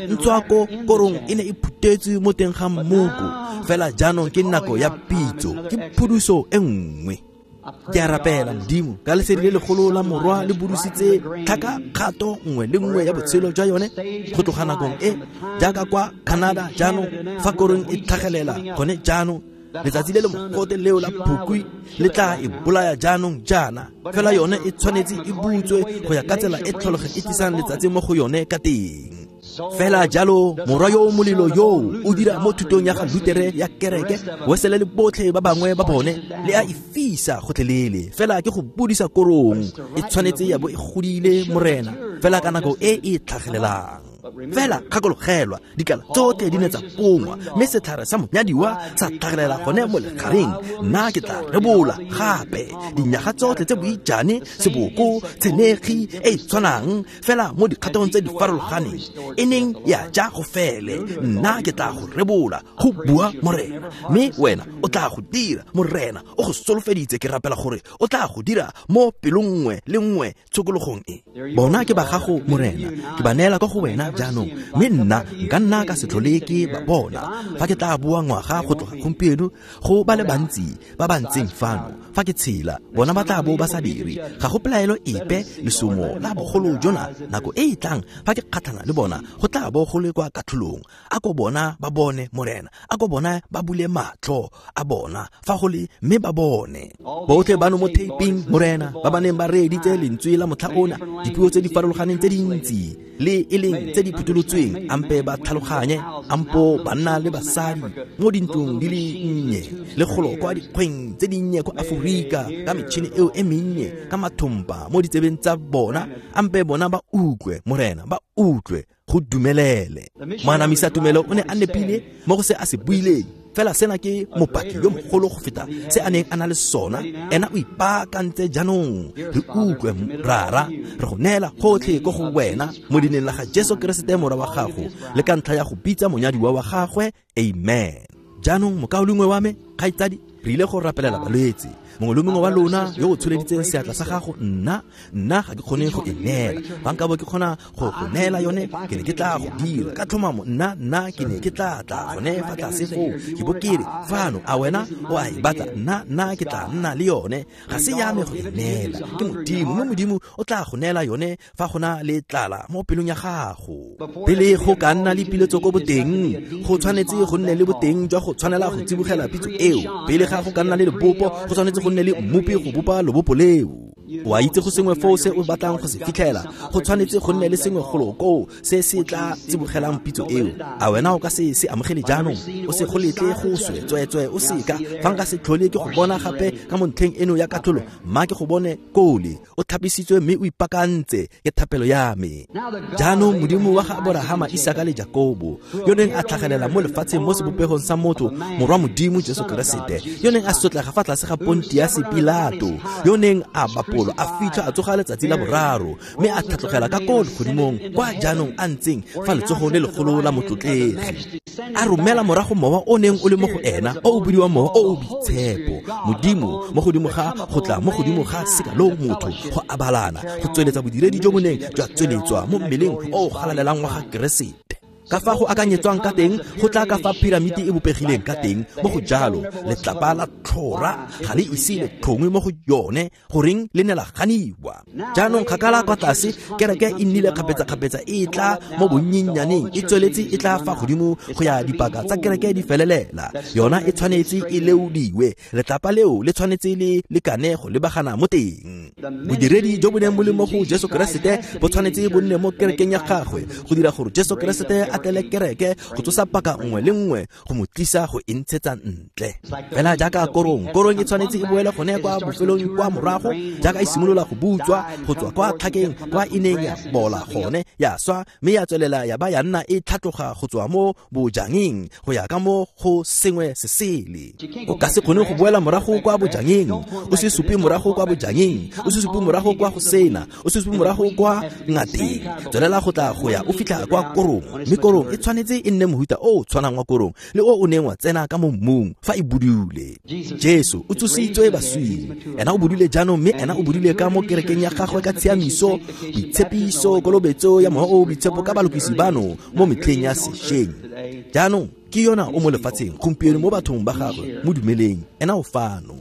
Ntswako korong e ne e phutetswe mo teng ga mmoko, fela jaanong ke nako ya pitso, ke phuduso e nngwe. Ke a rapela Modimo ka lesedi le legolo la Morwa le budusitse tlhaka kgato nngwe le nngwe ya botshelo jwa yone go tloga nakong e, jaaka kwa Canada jaanong fa korong e tlhagelela gone jaanong, letsatsi le le mogote leo la phukwi le tla e bolaya jaanong jaana, fela yone e tshwanetse e butswe go ya ka tsela e tlholego e tlisang letsatsi mo go yone ka teng. Fela jalo morwa yo o molelo yoo o dira mo thutong ya ga Lutere ya kereke, Wesele le botlhe ba bangwe ba bone, le a e fisa gotlhelele, fela ke go budisa korong e tshwanetse ya bo e godile, Morena, fela ka nako e e tlhagelelang. Fela kgakologelwa, dikala tsotlhe di ne tsa pongwa, mme setlhare sa monyadiwa sa tlhagelela gone mo legareng. Nna ke tla rebola gape dinyaga tsotlhe tse boijane, seboko, tshenekgi e e tshwanang, fela mo dikgatong tse di farologaneng e neng ya ja go fele. Nna ke tla go rebola, go bua Morena, mme wena o tla go dira. Morena o go solofeditse, ke rapela gore o tla go dira mo pelong nngwe le nngwe tshokologong e. Bona ke ba gago, Morena, ke ba neela kwa go wena jaanong, mme nna nka nna ka se tlhole ke ba bona. Fa ke tla boa ngwaga go tloga gompieno, go ba le bantsi ba ba ntseng fano, fa ke tshela, bona ba tla bo ba sa dire. Ga go pelaelo epe, lesomo la bogolo jona nako e e tlang fa ke kgatlhana le bona, go tla bo go le kwa katlholong. A ko bona ba bone, Morena, a ko bona ba bule matlho a bona fa go le, mme ba bone. Botlhe bano mo taping, Morena, ba ba neng ba reeditse lentswe la motlha ona, dipuo tse di farologaneng tse dintsi le e leng tse di phutolotsweng, ampe ba tlhaloganye, ampo banna le basadi mo dintlong di le nnye le golo kwa dikgweng tse dinnye kwa Aforika, ka metšhini eo e mennye, ka mathompa mo ditsebeng tsa bona, ampe bona ba utlwe, Morena, ba utlwe, go dumelele. Moanamisa tumelo o ne a nepile mo go se a se buileng, fela sena ke mopaki yo mogolo go feta se a neng a na le sona. Ena o ipaakantse jaanong. Re utlwe, Rara, re go neela gotlhe ko go wena mo dineng la ga Jesu Keresete morwa wa gago, le ka ntlha ya go bitsa monyadiwa wa gagwe. Amen. Jaanong mokaulengwe wa me, kgaitsadi, re ile go rapelela balwetse. Mongwe le mongwe wa lona yo o tsholeditseng seatla sa gago, nna ga ke kgone go e neela. Fa nka bo ke kgona go go neela yone, ke ne ke tla go dira ka tlhomamo. Nna ke ne ke tla tla gone fa tlase foo, ke bo ke re, fano, a wena o a e batla? Nna ke tla nna le yone. Ga se ya me go e neela, ke Modimo, mme Modimo o tla go neela yone fa go na le tlala mo pelong ya gago. Pele go ka nna le piletso ko boteng, go tshwanetse go nne le boteng jwa go tshwanela go tsibogela pitso eo. Pele ga go ka nna le lebopo, go tshwanetse go nne le mmopi go bopa lobopo leo. O a itse go sengwe foo se o batlang go se fitlhela, go tshwanetse go nne le sengwe golo koo se se tla tsibogelang pitso eo. A wena o ka se se amogele jaanong? O se go letle go swe, tsweetswe o seka. Fa nka se tlhole ke go bona gape ka mo ntlheng eno ya katlholo, mma ke go bone kole o thapisitswe mme o ipaakantse, ke thapelo ya me. Jaanong Modimo wa ga Aborahama, Isaka le Jakobo, yo neng a tlhagelela mo lefatsheng mo sebopegong sa motho, morwa Modimo Jesu Keresete, yo neng a sotlega fa tlase ga Pontiase Pilato, yo neng a bapolwa, a fitlhwa, a tsoga letsatsi la boraro, mme a tlhatlogela ka ko legodimong, kwa jaanong a ntseng fa letsogong le legolo la motlotlegi, a romela morago mowa o neng o le mo go ena, o o bidiwang Mowa o o Boitshepo, Modimo mo godimo ga go tla mo godimo ga seka lo motho, go abalana, go tsweletsa bodiredi jo bo neng jwa tsweletswa mo mmeleng o o galalelang wa ga Keresete. Ka fa go akanyetswang ka teng, go tla ka fa piramiti e bopegileng ka teng, mo go jalo letlapa la tlhora ga le ise le tlhongwe mo go yone, goreng le ne la ganiwa. Jaanong kgakala kwa tlase, kereke e nnile kgapetsa-kgapetsa e tla mo bonnyennyaneng, e tsweletse e tla fa godimo go ya dipaka tsa kereke di felelela. Yona e tshwanetse e leodiwe, letlapa leo le tshwanetse le lekane go lebagana mo teng. Bodiredi jo bo neng bo le mo go Jesu Keresete bo tshwanetse bo nne mo kerekeng ya gagwe, go dira gore Jesu Keresete a tlele kereke, go tsosa paka nngwe le nngwe, go mo tlisa go e ntshetsa ntle. Fela jaaka korong, korong e tshwanetse e boele gone kwa bofelong kwa morago, jaaka e simolola go butswa go tswa kwa tlhakeng kwa e neng ya bola gone, ya swa, mme ya tswelela ya ba ya nna e tlhatloga go tswa mo bojangeng go ya ka mo go sengwe se sele. O ka se kgone go boela morago kwa bojangeng, o se supe morago kwa bojangeng, o se supe morago kwa go sena, o se supe morago kwa ngateng. Tswelela go tla go ya o fitlha kwa korong, mme korong e tshwanetse e nne mohuta o o tshwanang wa korong le o o neng wa tsena ka mo mmung fa e budule. Jesu o tsositswe baswing, ena o budule jaanong, mme ena o budule ka mo kerekeng ya gagwe ka tshiamiso, boitshepiso, kolobetso ya Mowa o o Boitshepo ka balokisi bano mo metlheng ya sešweng. Jaanong ke yona o mo lefatsheng gompieno mo bathong ba gagwe, mo dumeleng, ena o fano.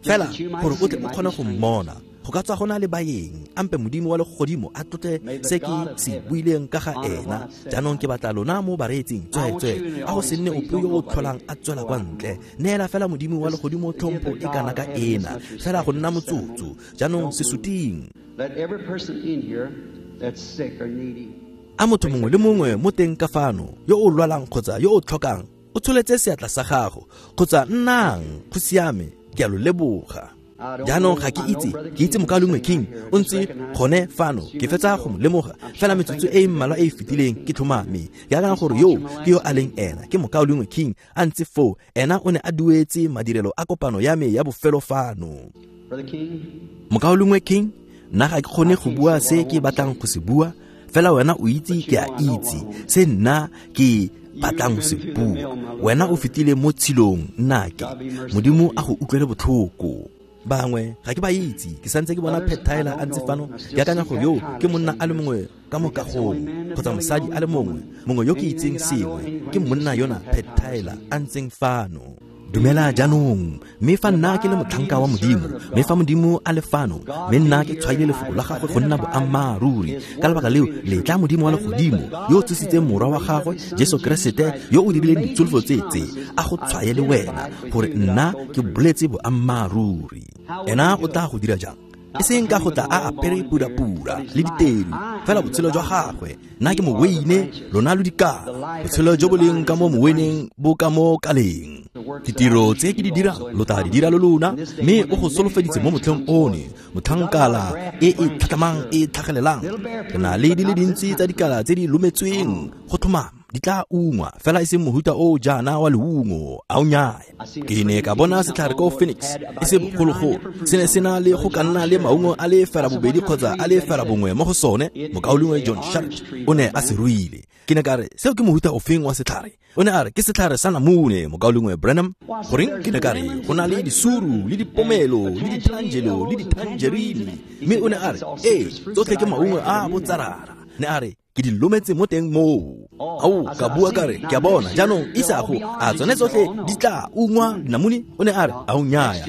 Fela gore o tle o kgone go mmona, go ka tswa go na le baeng, ampe Modimo wa legodimo a tlotle se ke se buileng ka ga ena. Jaanong ke batla lona mo bareetsing, tsweetswe, a go se nne ope yo o tlholang a tswela kwa ntle. Neela fela Modimo wa legodimo tlhompho e kana ka ena, fela go nna motsotso. Jaanong se suting. A motho mongwe le mongwe mo teng ka fano, yo o lwalang kgotsa yo o tlhokang, o tsholetse seatla sa gago, kgotsa nnang, go siame, ke a lo leboga. Jaanong ga ke itse, ke itse Mokaulengwe King o ntse gone fano, ke fetsa go mo lemoga fela metsotso e e mmalwa e e fetileng, ke tlhomame ke akanya gore yo ke yo a leng ena, ke Mokaulengwe King a ntse foo. Ena o ne a duetse madirelo a kopano ya me ya bofelo fano. Mokaulengwe King, nna ga ke kgone go bua se ke batlang go se bua, fela wena o itse ke a itse se nna ke batlang go se bua. Wena o fetile mo tshilong, nna ke Modimo a go utlwele botlhoko. Bangwe ga ke ba itse, ke santse ke bona Pat Tyler a ntse fano, ke akanya gore yo ke monna a le mongwe ka mo kagong, kgotsa mosadi a le mongwe, mongwe yo ke itseng sengwe, ke monna yona Pat Tyler a ntseng fano. Dumela jaanong, mme fa nna ke le motlhanka wa Modimo, mme fa Modimo a le fano, mme nna ke tshwaile lefoko la gagwe go nna boammaaruri, ka lebaka leo letla Modimo wa legodimo, yo o tsositseng morwa wa gagwe Jesu Keresete, yo o dirileng ditsholofelo tse tse, a go tshwaye le wena gore nna ke boletse boammaaruri. Ena o tla go dira jang? E seng ka go tla a apere purapura le ditedu, fela botshelo jwa gagwe. Nna ke moweine, lona lo dikala. Botshelo jo bo leng ka mo moweineng bo ka mo kaleng. Ditiro tse ke di dirang lo tla di dira le lona, mme o go solofeditse mo motlheng one, motlhankala e e tlhatlamang e tlhagelelang. Re na le di le dintsi tsa dikala tse di lometsweng go tlhomama, di tla ungwa, fela e seng mohuta o jaana wa leungo, a o nyaya. Ke ne ka bona setlhare ko Phoenix, e se bogologolo, se ne se na le go ka nna le maungo a le fera bobedi kgotsa a le fera bongwe mo go sone. Mokaulengwe John Sharrit o ne a se ruile. Ke ne ka re, seo ke mohuta ofeng wa setlhare? O ne a re, ke setlhare sa namune, Mokaulengwe Branham. Goreng, ke ne ka re, go na le disuru le dipomelo le ditangelo le ditangerine. Mme o ne a re, ee, tsotlhe ke maungo a botsarara. Ne a re, Ke di lometse mo teng moo. Ao, ka bua ka re, ke a bona jaanong isago a tsone tsotlhe di tla ungwa dinamune? O ne a re, ao nnyaya,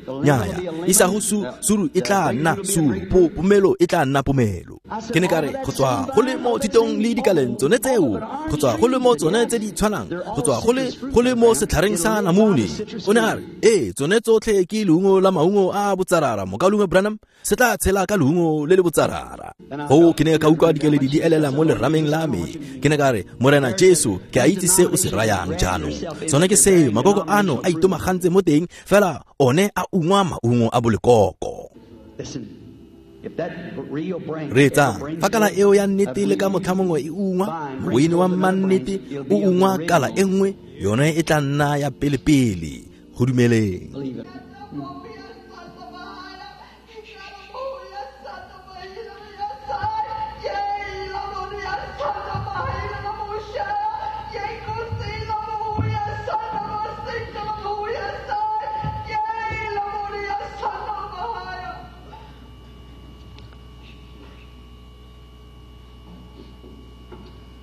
nnyaya, isago suru e tla nna suru, pomelo e tla nna pomelo. Ke ne ka re, go tswa go le mo thitong le dikaleng tsone tseo, go tswa go le mo tsone tse di tshwanang, go tswa go le mo setlhareng sa namune. O ne a re, ee, tsone tsotlhe ke leungo la maungo a botsarara, mokaulengwe Branham, se tla tshela ka leungo le le botsarara. Go ke ne ka utlwa dikeledi di elela mo lerameng la me. Ke ne ka re, Morena Jesu, ke a itse se o se rayang jaanong. Sone ke seo, makoko ano a itomagantse mo teng, fela one a ungwa maungo a bolekoko. Reetsa, fa kala eo ya nnete le ka motlha mongwe e ungwa, moweine wa mmannete o ungwa kala e nngwe, yone e tla nna ya pele-pele. Go dumeleng.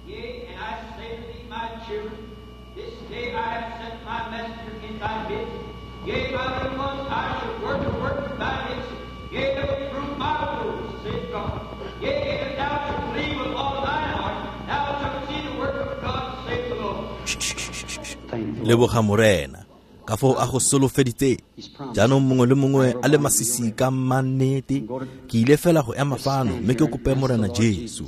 Yea, and I say to thee, my children, this day I have sent my messenger in thy midst. Yea, by the ones I shall work a work in thy midst. Yea, they will prove my words, saith God. Yea, if thou shalt believe with all thine heart, thou shalt see the work of God, saith the Lord. Leboga Morena, ka foo a go solofeditse. Jaanong mongwe le mongwe a le masisi ka mannete, ke ile fela go ema fano mme ke kope Morena Jesu.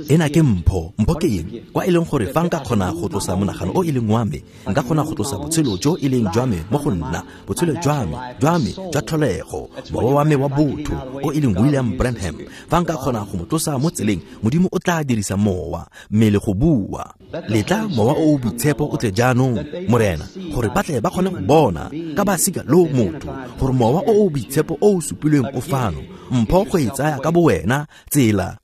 Ena ke mpho. Mpho ke eng? Kwa e leng gore fa nka kgona go tlosa monagano o e leng wa me, nka kgona go tlosa botshelo jo e leng jwa me mo go nna, botshelo jwa me jwa tlholego, mowa wa me wa botho o e leng William Branham. Fa nka kgona go mo tlosa mo tseleng, Modimo o tla dirisa mowa mmele go bua. Letla mowa o o boitshepo o tle jaanong, Morena, gore ba tle ba kgone go bona ka ba sika lo motho gore mowa o o boitshepo o o supilweng o fano. Mpho go e tsaya ka bowena tsela.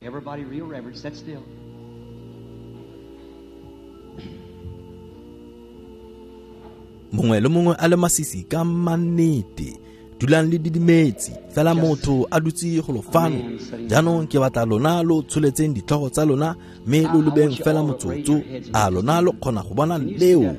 Mongwe le mongwe a le masisi ka mannete, dulang le didimetse fela motho a dutse go lo fano. Jaanong ke batla lona lo tsholetseng ditlhogo tsa lona mme lo lebeng fela motsotso. A lona lo kgona go bona leo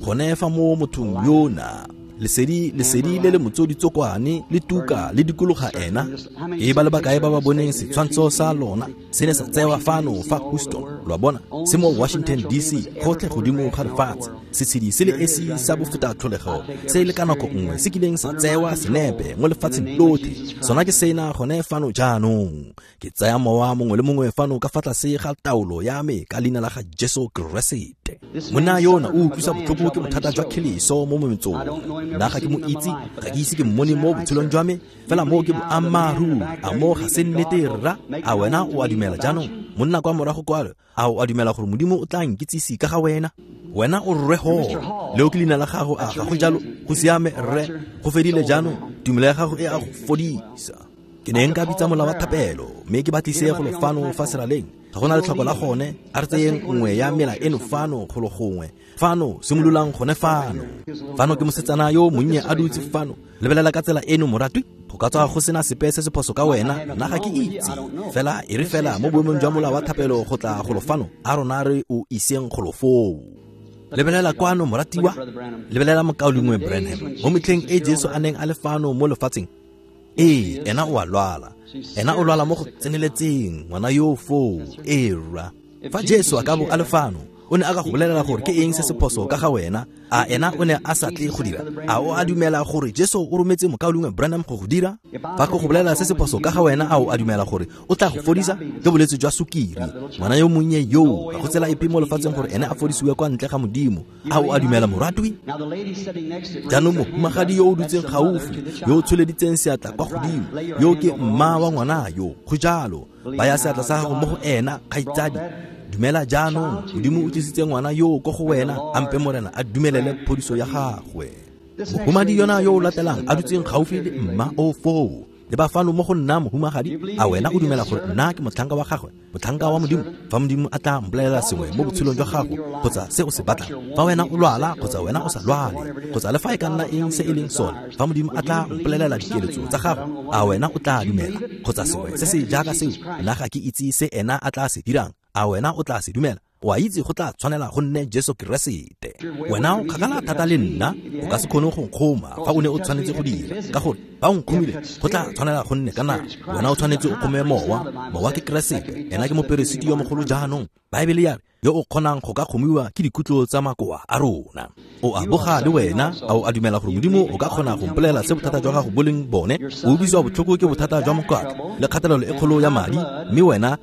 gone fa mo mothong yona? Lesedi le le motsoditsokwane le tuka le dikologa ena. Ke ba le bakae ba ba boneng setshwantsho sa lona se ne sa tsewa fano fa Houston, lo a bona, se mo Washington DC, gotlhe godimo ga lefatshe. Setshedi se le esi sa bofeta tlholego se le ka nako nngwe se kileng sa tsewa senepe mo lefatsheng lotlhe, sona ke sena gone fano jaanong. Ke tsaya mowa mongwe le mongwe fano ka fa tlase ga taolo ya me ka leina la ga Jesu Keresete. Monna yona o utlwisa botlhoko ke bothata jwa kheleso mo mometsong. Nna ga ke mo itse, ga ke ise ke mmone mo botshelong jwa me, fela mo ke boammaaruri. A mo ga se nnete rra? A wena o a dumela jaanong? Monna kwa morago kwalo, a o a dumela gore Modimo o tla nkitsise ka ga wena? Wena o rre Hall, leo ke leina la gago, a ga go jalo? Go siame rre, go fedile jaanong, tumelo ya gago e a go fodisa. Ke ne nka bitsa mola wa thapelo mme ke batlise go lo fano fa seraleng. Ga gona letlhoko la gone, a re tseyeng nngwe ya mela eno fano go lo gongwe. Fano, simololang gone fano. Fano ke mosetsana yo monnye a dutse fano. Lebelela ka tsela eno moratwi, go ka tswa go sena sepe se se phoso ka wena, nna ga ke itse. Fela e re fela mo boemong jwa mola wa thapelo go tla go lo fano, a rona re o iseng go lo foo. Lebelela kwano moratiwa, lebelela mokaulengwe Branham. Mo metlheng e Jesu a neng a le fano mo lefatsheng, ee, ena o a lwala. Ena o lwala mo go tseneletseng, ngwana yo foo, ee rra. Fa Jesu a ka bo a le fano, o ne a ka go bolelela gore ke eng se se phoso ka ga wena. A ena o ne a sa tle go dira? A o a dumela gore Jesu o rometse mokaulengwe Branham go go dira? Fa ke go bolelela se se phoso ka ga wena, a o a dumela gore o tla go fodisa? Ke bolwetse jwa sukiri. Ngwana yo monnye yo, ga go tsela epe mo lefatsheng gore ene a fodisiwe kwa ntle ga Modimo. A o a dumela moratwi? Jaanong mohumagadi yo o dutseng gaufi, yo o tsholeditseng seatla kwa godimo, yo ke mma wa ngwana yo, go jalo. Baya seatla sa gago mo go ena, kgaitsadi. Dumela jaanong, Modimo o tlisitse ngwana yo ko go wena, ampe Morena a dumelele phodiso ya gagwe. Mohumadi yona yo o latelang a dutseng gaufi le mma o foo, le ba fano mo go nna mohumagadi, a wena o dumela gore nna ke motlhanka wa gagwe, motlhanka wa Modimo? Fa Modimo a tla mpolelela sengwe mo botshelong jwa gago kgotsa se o se batlang, fa wena o lwala kgotsa wena o sa lwale, kgotsa le fa e ka nna eng se e leng sone, fa Modimo a tla mpolelela dikeletso tsa gago, a wena o tla dumela kgotsa sengwe se se jaaka seo? Nna ga ke itse se ena a tla se dirang. A wena o tla se dumela? O a itse go tla tshwanela go nne Jesu Keresete. Wena o kgakala thata le nna, o ka se kgone go nkgoma fa o ne o tshwanetse go dira, ka gore ba o nkgomile go tla tshwanela go nne ka nama. Wena o tshwanetse o kgome mowa, mowa ke Keresete, ena ke moperesiti yo mogolo jaanong. Baebele ya re yo o kgonang go ka kgomiwa ke dikutlo tsa makoa a rona. O a boga le wena, a o a dumela gore Modimo o ka kgona go mpolelela se bothata jwa gago bo leng bone? O utlwisiwa botlhoko ke bothata jwa mokwatla le kgatelelo e kgolo ya madi, mme wena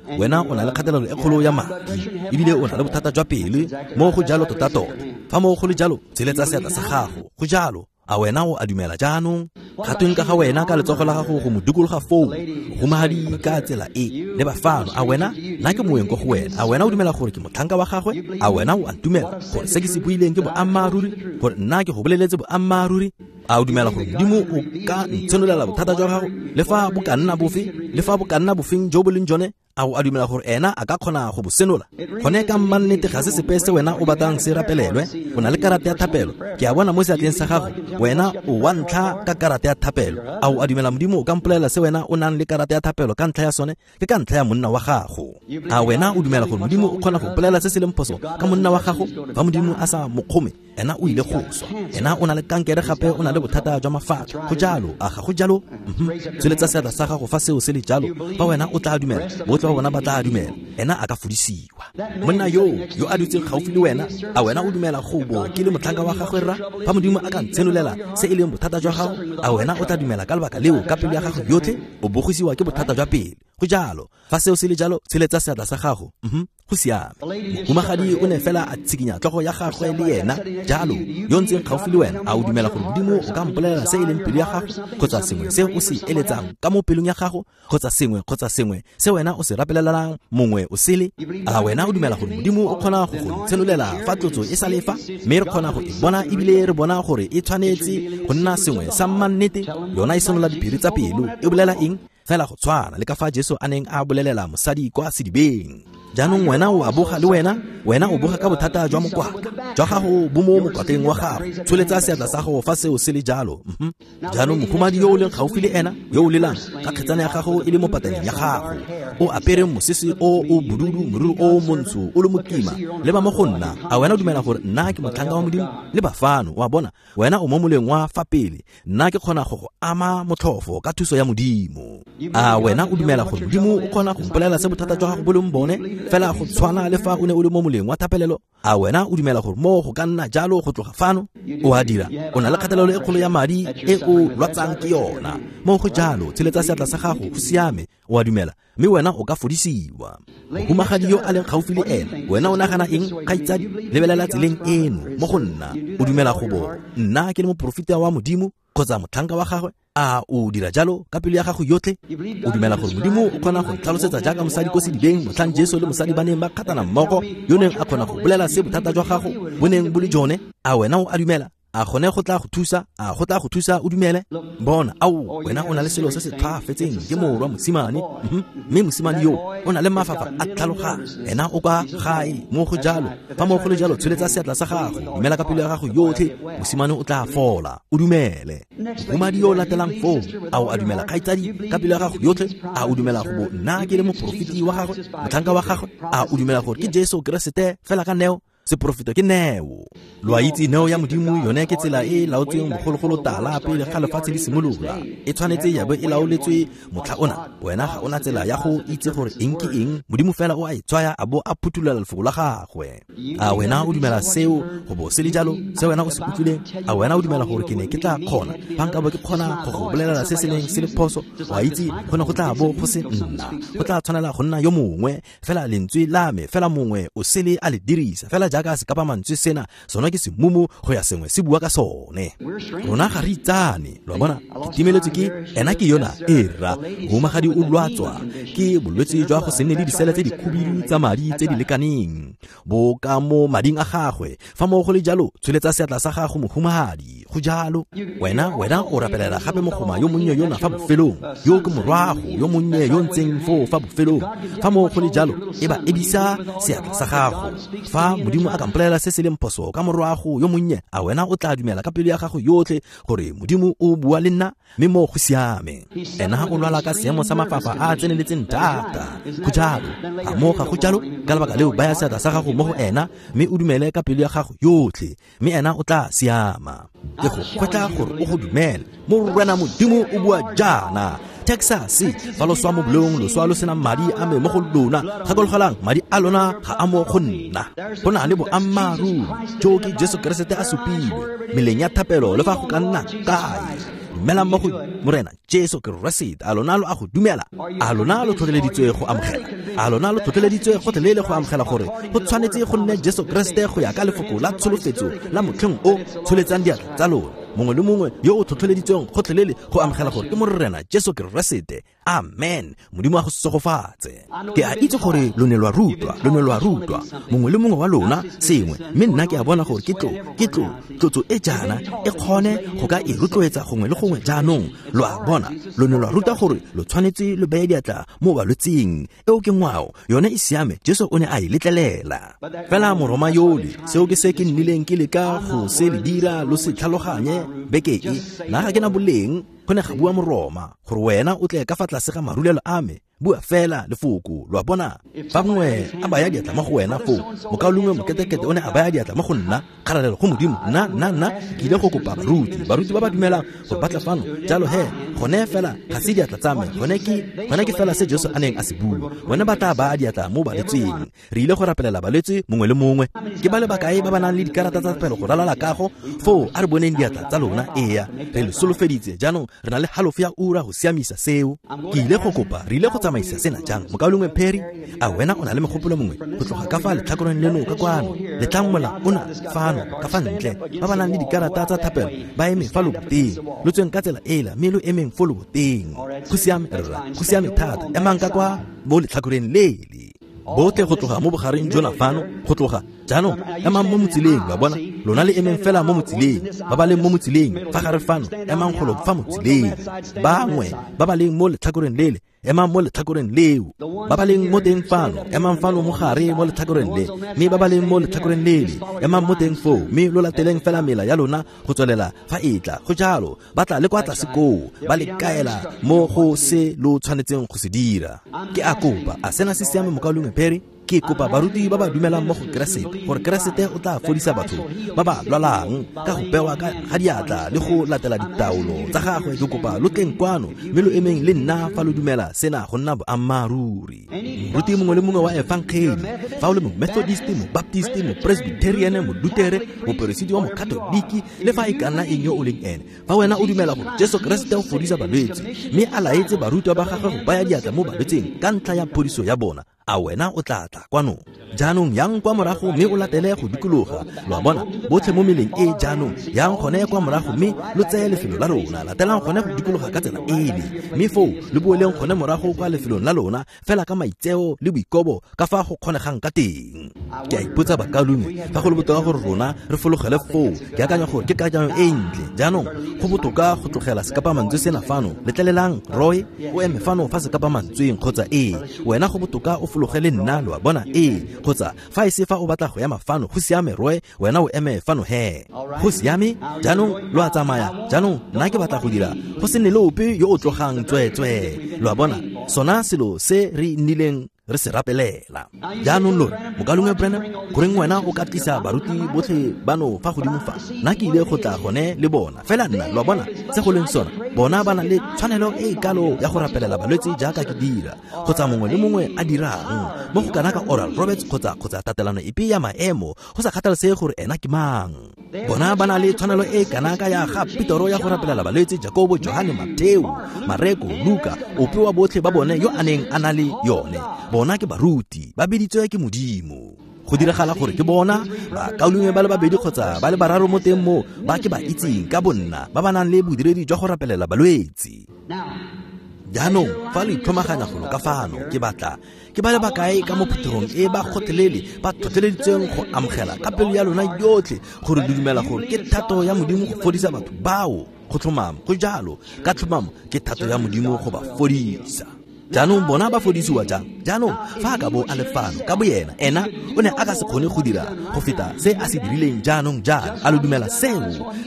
o na le kgatelelo e kgolo ya madi, ebile o na le bothata jwa pele. Mo go jalo tota-tota. Fa mo go le jalo, tsheletsa seatla sa gago. Go jalo. A wena o a dumela jaanong? Gatweng ka ga wena ka letsogo la gago go mo dikologa foo, mohumagadi ka tsela e le bafano. A wena, nna ke moeng ko go wena. A wena o dumela gore ke motlhanka wa gagwe? A wena o a ntumela gore se ke se buileng ke boammaaruri, gore nna ke go boleletse boammaaruri? A o dumela gore Modimo o ka ntshenolela bothata jwa gago, le fa bo ka nna bofe, le fa bo ka nna bofeng jo bo leng jone? A o a dumela gore ena a ka kgona go bo senola? Gone ka mmannete ga se sepe se wena o batlang se rapelelwe. O na le karata ya thapelo, ke a bona mo seatleng sa gago. Wena o wa ntlha ka karata ya thapelo. A o a dumela Modimo o ka mpolelela se wena o nang le karata ya thapelo ka ntlha ya sone? Ke ka ntlha ya monna wa gago. A wena o dumela gore Modimo o kgona go mpolelela se se leng phoso ka monna wa gago? Fa Modimo a sa mo kgome, ena o ile go swa. Ena o na le kankere gape o na le bothata jwa mafatlha. Go jalo, a ga go jalo? Tsweletsa seatla sa gago fa seo se le jalo. Fa wena o tla dumela, botlhe ba bona ba tla dumela. Ena a ka fodisiwa. Monna yo a dutseng gaufi le wena, a wena o dumela go bo ke le motlhanka wa gagwe rra? Fa Modimo a ka ntshenolela se e leng bothata jwa gago, a wena o tla dumela ka lebaka leo ka pelo ya gago yotlhe? O bogisiwa ke bothata jwa pele. Go jalo. Fa seo se le jalo, tsheletsa seatla sa gago. Go siame. Mohumagadi o ne fela a tshikinya tlhogo ya gagwe le yena jalo. Yo ntseng gaufi le wena, a o dumela gore Modimo o ka mpolelela se e leng pelo ya gago, kgotsa sengwe se o se eletsang ka mo pelong ya gago, kgotsa sengwe se wena o se rapelelang mongwe o sele? A wena o dumela gore Modimo o kgona go go ntshenolela fa tlotso e sa le fa, mme re kgona go e bona ebile re bona gore e tshwanetse go nna sengwe sa mmannete? Yona e senola diphiri tsa pelo. E bolela eng? Fela go tshwana le ka fa Jesu a neng a bolelela mosadi kwa sedibeng. Jaanong wena o a boga le wena, wena o boga ka bothata jwa mokwatla jwa gago bo mo mokwatleng wa gago. Tsholetsa seatla sa gago fa seo se le jalo. Jaanong mohumadi yo o leng gaufi le ena, yo o lelang ka kgetsana ya gago e le mo pataneng ya gago, o apere mosese o o bodudu, moriri o montsho o le mokima, leba mo go nna. A wena o dumela gore nna ke motlhanka wa Modimo? Le bafano, wa bona, wena o mo moleng wa fa pele, nna ke kgona go go ama motlhofo ka thuso ya Modimo. A wena o dumela gore Modimo o kgona go mpolelela se bothata jwa gago bo leng bone, fela go tshwana le fa o ne o le mo moleng wa thapelelo? A wena o dumela gore mo go ka nna jalo go tloga fano? O a dira. O na le kgatelelo e kgolo ya madi e o lwatsang ke yona. Mo go jalo, tsheletsa seatla sa gago, go siame. O a dumela, mme wena o ka fodisiwa. Mohumagadi yo a leng gaufi le ena, wena o nagana eng, kgaitsadi? Lebelela tseleng eno mo go nna. O dumela go bo nna ke le moporofeta wa Modimo kgotsa motlhanka wa gagwe? A o dira jalo ka pelo ya gago yotlhe? O dumela gore Modimo o kgona go ntlhalosetsa jaaka mosadi ko sedibeng motlhang Jesu le mosadi ba neng ba kgatana mmogo, yo neng a kgona go bolela se bothata jwa gago bo neng bo le jone? A wena o a dumela? A gone go tla go thusa? A go tla go thusa o dumele? Bona, ao, wena o na le selo se se tlhwaafetseng, ke morwa mosimane. Mme mosimane yo o na le mafafa a tlhaloganyo. Ena o kwa gae. Mo go jalo, fa mo go le jalo, tsholetsa seatla sa gago, dumela ka pelo ya gago yotlhe, mosimane o tla fola. O dumele. Mohumadi yo o latelang foo, a o a dumela kgaitsadi ka pelo ya gago yotlhe? A o dumela go bo nna ke le moporofeti wa gagwe, motlhanka wa gagwe? A o dumela gore ke Jesu Keresete fela ka neo? Seporofeto ke neo. Lo a itse neo ya Modimo yone ke tsela e e laotsweng bogologolo tala pele ga lefatshe le simolola. E tshwanetse ya bo e laoletswe motlha ona. Wena ga ona tsela ya go itse gore eng ke eng. Modimo fela o a e tswaya a bo a phuthulela lefoko la gagwe. A wena o dumela seo go bo se le jalo, se wena o se utlwileng? A wena o dumela gore ke ne ke tla kgona, fa nka bo ke kgona go go bolelela se se neng se le phoso? O a itse go ne go tla bo go se nna, go tla tshwanela go nna yo mongwe. Fela lentswe la me, fela mongwe o sele a le dirisa, fela jaaka se kapa mantswe sena, sona ke semumu go ya sengwe se bua ka sone. Rona ga re itsane, lo a bona, ke timeletswe ke ena ke yona e rra. Mohumagadi o lwatswa ke bolwetse jwa go se nne le disele tse dikhubidu tsa madi tse di lekaneng bo ka mo mading a gagwe. Fa mo go le jalo, tsholetsa seatla sa gago, mohumagadi. Go jalo. Wena o rapelela gape mogoma yo monnye yona fa bofelong, yo ke morwago yo monnye yo ntseng foo fa bofelong. Fa mo go le jalo, e ba ebisa seatla sa gago. Fa Modimo Modimo a ka mpolelela se se leng phoso ka morwago yo monnye, a wena o tla dumela ka pelo ya gago yotlhe gore Modimo o bua le nna? Mme mo go siame. Ena o lwala ka seemo sa mafafa a a tseneletseng thata. Go jalo. A mo ga go jalo? Ka lebaka leo baya seatla sa gago mo go ena mme o dumele ka pelo ya gago yotlhe, mme ena o tla siama. Ke go kgwetla gore o go dumele. Morena Modimo o bua jaana. Texas, fa lo swa mo bolong, lo swa lo sena madi a me mo go lona. Gakologelang, madi a lona ga a mo go nna. Go na le boammaaruri jo ke Jesu Keresete a supilwe meleng ya thapelo le fa go ka nna kae. Dumelang mo go Morena Jesu Keresete. A lona lo a go dumela? A lona lo tlhotlheleditswe go amogela? A lona lo tlhotlheleditswe gotlhelele go amogela gore go tshwanetse go nne Jesu Keresete go ya ka lefoko la tsholofetso la motlheng o? Tsholetsang diatla tsa lona, mongwe le mongwe yo o tlhotlheleditsweng gotlhelele go amogela gore ke Morena Jesu Keresete. Amen. Modimo a go segofatse. Ke a itse gore lo ne lwa rutwa, lo ne lwa rutwa mongwe le mongwe wa lona sengwe, mme nna ke a bona gore ke tlotso e jaana e kgone go ka e rotloetsa gongwe le gongwe. Jaanong lo a bona, lo ne lwa ruta gore lo tshwanetse lo beye diatla mo balwetseng. Eo ke ngwao, yone e siame, Jesu o ne a e letlelela. Fela Moroma yole, seo ke se ke nnileng ke leka go se le dira lo se tlhaloganye beke e. Nna ga ke na boleng, go ne ga bua Moroma, gore wena o tle ka fa tlase ga marulelo a me. Bua fela lefoko, lo a bona. Fa mongwe a baya diatla mo go wena foo, mokaulengwe moketekete o ne a baya diatla mo go nna, kgalalelo go Modimo. Nna ke ile go kopa baruti ba ba dumelang gore ba tle fano. Jalo he, gone fela ga se diatla tsa me, gone ke fela se Jesu a neng a se bua. Bone ba tla baya diatla mo balwetseng. Re ile go rapelela balwetse mongwe le mongwe. Ke ba le bakae ba ba nang le dikarata tsa thapelo go ralala kago? Foo a re boneng diatla tsa lona. Eya, re le solofeditse. Jaanong re na le halofo ya ura go siamisa seo. Ke ile go kopa, re ile go tsamaisa sena jang? Mokaulengwe Perry, a wena o na le megopolo mongwe go tloga ka fa letlhakoreng leno ka kwano? Letlang mola ona fano ka fa ntle. Ba ba nang le dikarata tsa thapelo ba eme fa loboteng. Lo tsweng ka tsela ela mme lo emeng fo loboteng. Go siame rra, go siame thata. Emang ka kwa mo letlhakoreng lele. Botlhe go tloga mo bogareng jona fano, go tloga jaanong emang mo motsileng, lo a bona. Lona le emeng fela mo motsileng. Ba ba leng mo motsileng fa gare fano, emang golo fa motsileng. Bangwe ba ba leng mo letlhakoreng lele, emang mo letlhakoreng leo. Ba ba leng mo teng fano, emang fano mo gare mo letlhakoreng le. Mme ba ba leng mo letlhakoreng lele, emang mo teng foo, mme lo lateleng fela mela ya lona go tswelela fa e tla. Go jalo, ba tla le kwa tlase koo, ba le kaela mo go se lo tshwanetseng go se dira. Ke a kopa, a sena se siame mokaulengwe Perry? Ke kopa baruti ba ba dumelang mo go Keresete gore Keresete o tla fodisa batho ba ba lwalang ka go bewa ga diatla le go latela ditaolo tsa gagwe. Ke kopa lo tleng kwano mme lo emeng le nna fa lo dumela sena go nna boammaaruri. Moruti mongwe le mongwe wa efangeli, fa o le mo-Methodist, mo-Baptist, mo-Presbyterian, mo-Lutere, moperesiti wa mo-Katoliki, le fa e ka nna eng yo o leng ene, fa wena o dumela gore Jesu Keresete o fodisa balwetse mme a laetse barutwa ba gagwe go baya diatla mo balwetseng ka ntlha ya phodiso ya bona, a wena o tla tla kwano? Jaanong yang kwa morago mme o latele go dikologa. Lo a bona, botlhe mo meleng e jaanong, yang gone kwa morago mme lo tseye lefelo la lona. Latelang gone go dikologa ka tsela ele, mme foo lo boeleng gone morago kwa lefelong la lona, fela ka maitseo le boikobo ka fa go kgonegang ka teng. Ke a ipotsa bakaulengwe, fa go le botoka gore rona re fologele foo. Ke akanya gore ke kakanyo e ntle. Jaanong go botoka go tlogela sekapamantswe sena fano. Letlelelang Roy o eme fano fa sekapamantsweng, kgotsa ee, wena go botoka o fologele nna, lo a bona. Ee, kgotsa fa e se fa o batla go ema fano, go siame Roy, wena o eme fano he. Go siame. Jaanong lo a tsamaya. Jaanong nna ke batla go dira go se nne le ope yo o tlogang tsweetswee. Lo a bona, sona selo se re nnileng re se rapelela. Jaanong lo re, mokaulengwe Branham, goreng wena o ka tlisa baruti botlhe bano fa godimo fa? Nna ke ile go tla gone le bona. Fela nna, lo a bona, se go leng sona, bona ba na le tshwanelo e e kalo ya go rapelela balwetse jaaka ke dira, kgotsa mongwe le mongwe a dirang, mo go kana ka Oral Roberts kgotsa tatelano epe ya maemo, go sa kgathalesege gore ena ke mang. Bona ba na le tshwanelo e kana ka ya ga Petoro ya go rapelela balwetse, Jakobo, Johane, Mateo, Mareko, Luka, ope wa botlhe ba bone yo a neng a na le yone. Bona ke baruti, ba biditswe ke Modimo. Go diragala gore ke bona bakaulengwe ba le babedi kgotsa ba le bararo mo teng mo ba ke ba itseng ka bonna ba ba nang le bodiredi jwa go rapelela balwetse. Jaanong fa lo itlhomaganya golo ka fano, ke batla ke ba le bakae ka mo phuthegong e ba kgotlhelele ba tlhotlheleditsweng go amogela ka pelo ya lona yotlhe gore lo dumela gore ke thato ya Modimo go fodisa batho bao. Go tlhomama, go jalo, ka tlhomamo ke thato ya Modimo go ba fodisa. Jaanong bona ba fodisiwa jang? Jaanong fa a ka bo a le fano ka boyena, ena o ne a ka se kgone go dira go feta se a se dirileng jaanong jaana. A lo dumela seo?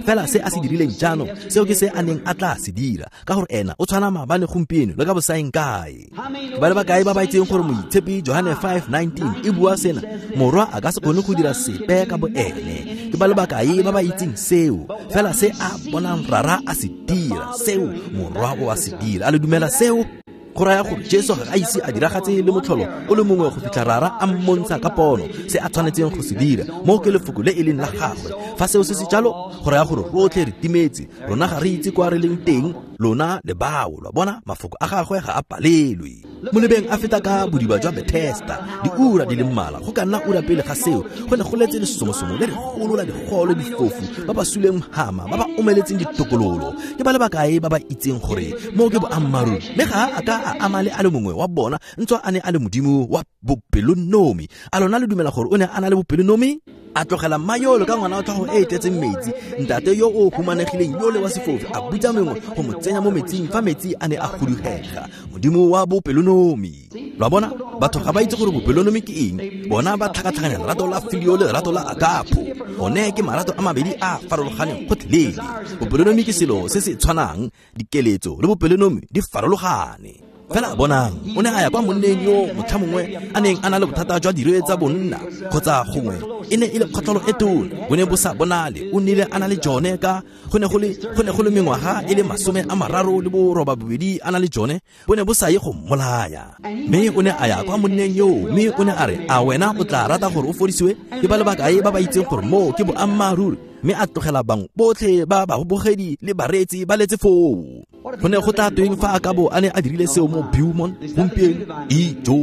Fela se a se dirileng jaanong, seo ke se a neng a tla se dira, ka gore ena o tshwana maabane, gompieno le ka bosaeng kae. Ke ba le bakae ba ba itseng gore Moitshepi Johane 5:19 e bua sena? Morwa a ka se kgone go dira sepe ka bo ene. Ke ba le bakae ba ba itseng seo? Fela se a bonang Rara a se dira, seo Morwa o a se dira. A le dumela seo? Go raya gore Jesu ga a ise a diragatse le motlholo o le mongwe go fitlha Rara a mmontsha ka pono se a tshwanetseng go se dira. Moo ke lefoko le e leng la gagwe. Fa seo se se jalo, go raya gore rotlhe re timetse, rona ga re itse kwa re leng teng, lona le bao. Lwa bona, mafoko a gagwe ga a palelwe. Mo lebeng a feta ka bodiba jwa Bethesda diura di le mmalwa, go ka nna ura pele ga seo, go ne go letse lesomosomo le legolo la digolo, difofu, ba ba suleng hama, ba ba omeletseng ditokololo. Ke ba le bakae ba ba itseng gore moo ke boammaaruri? Mme ga a ka a ama le a le mongwe wa bona, ntswa a ne a le Modimo wa bopelonomi. A lona le dumela gore o ne a na le bopelonomi? A tlogela mma yole ka ngwana wa tlhogo e e tletseng metsi, ntate yo o humanegileng yole wa sefofu, a butsa mengwe go mo tsenya mo metsing fa metsi a ne a gudugega. Modimo wa bopelonomi. Lwa bona, batho ga ba itse gore bopelonomi ke eng. Bona ba tlhakatlhakanya lerato la filio le lerato la agapo. One ke marato a mabedi a farologaneng gotlhelele. Bopelonomi ke selo se se tshwanang, dikeletso le bopelonomi di farologane. Fela bonang, o ne a ya kwa monneng yo motlha mongwe a neng a na le bothata jwa dire tsa bonna, kgotsa gongwe e ne e le kgotlholo e tona, bo ne bo sa bonale. O nnile a na le jone ka go ne go le mengwaga e le 38 a na le jone, bo ne bo sa ye go mmolaya. Mme o ne a ya kwa monneng yoo, mme o ne a re, a wena o tla rata gore o fodisiwe? Ke ba le bakae ba ba itseng gore moo ke boammaaruri? Mme a tlogela bangwe botlhe ba babogedi le bareetsi ba letse foo. Go ne go tla tweng fa a ka bo a ne a dirile seo mo Beaumont gompieno? Ijo,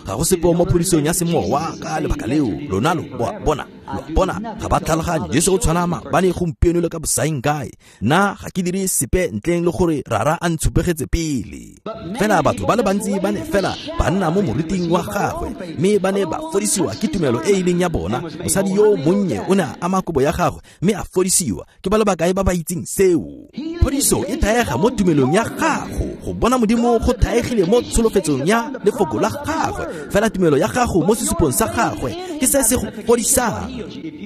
ga go sepe mo phodisong ya semowa ka lebaka leo. Lona lo bona, lo bona, ga ba tlhaloganye. Jesu o tshwana maabane, gompieno le ka bosaeng kae. Nna ga ke dire sepe ntleng le gore Rara a ntshupegetse pele. Fela batho ba le bantsi ba ne fela ba nna mo moriting wa gagwe, mme ba ne ba fodisiwa ke tumelo e e leng ya bona. Mosadi yo monnye o ne a ama kobo ya gagwe mme a fodisiwa. Ke ba le bakae ba ba itseng seo? Phodiso e thaega mo tumelong ya gago. Go bona Modimo go thaegile mo tsholofetsong ya lefoko la gagwe. Fela tumelo ya gago mo sesupong sa gagwe ke se se go fodisang.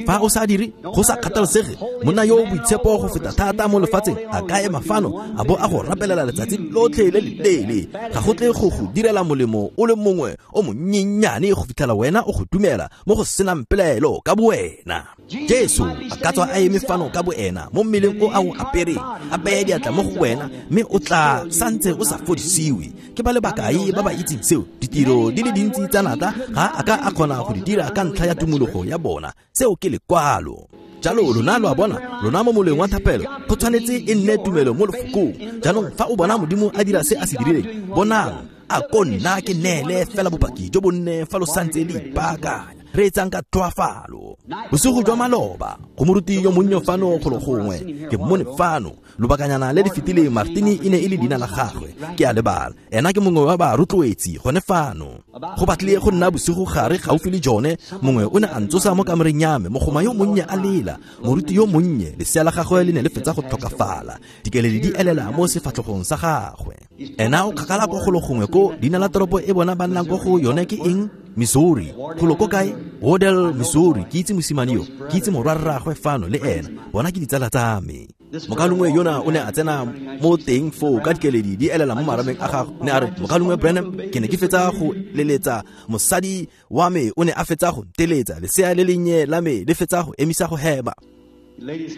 Fa o sa dire, go sa kgathalesege, monna yo o boitshepo go feta thata mo lefatsheng a ka ema fano a bo a go rapelela letsatsi lotlhe le leleele, ga go tle go go direla molemo o le mongwe o monyennyane go fitlhela wena o go dumela mo go senang pelaelo ka bowena. Jesu a ka tswa a eme fano ka boena mo mmeleng o a o apereng, a beye diatla mo go wena, mme o tla santse o sa fodisiwe. Ke ba le bakae ba ba itseng seo? Ditiro di le dintsi tsa natla ga a ka a kgona go di dira ka ntlha ya tumologo ya bona. Seo ke lekwalo. Jalo lona lo a bona, lona mo moleng wa thapelo, go tshwanetse e nne tumelo mo lefokong. Jaanong fa o bona Modimo a dira se a se dirileng, bonang, a ko nna ke neele fela bopaki jo bonne fa lo santse le ipaakanya. Re etsang ka tlhoafalo. Bosigo jwa maloba, go moruti yo monnye fano golo gongwe, ke mmone fano lobakanyana le le fetileng. Martini e ne e le leina la gagwe, ke a lebala. Ena ke mongwe wa barotloetsi gone fano. Go batlile go nna bosigo gare gaufi le jone, mongwe o ne a ntsosa mo kamoreng ya me, mogoma yo monnye a lela, moruti yo monnye, lesea la gagwe le ne le fetsa go tlhokafala, dikeledi di elela mo sefatlhogong sa gagwe. Ena o kgakala ko golo gongwe ko leina la toropo e bona ba nnang ko go yone ke eng? Missouri. Golo ko kae? Wodell, Missouri. Ke itse mosimane yo, ke itse morwarragwe fano le ena, bona ke ditsala tsa me. Mokalongwe yona o ne a tsena mo teng foo ka dikeledi di elela mo marameng a gagwe, ne a re, Mokalongwe Branham, ke ne ke fetsa go leletsa mosadi wa me, o ne a fetsa go nteletsa, lesea le lennye la me le fetsa go emisa go hema.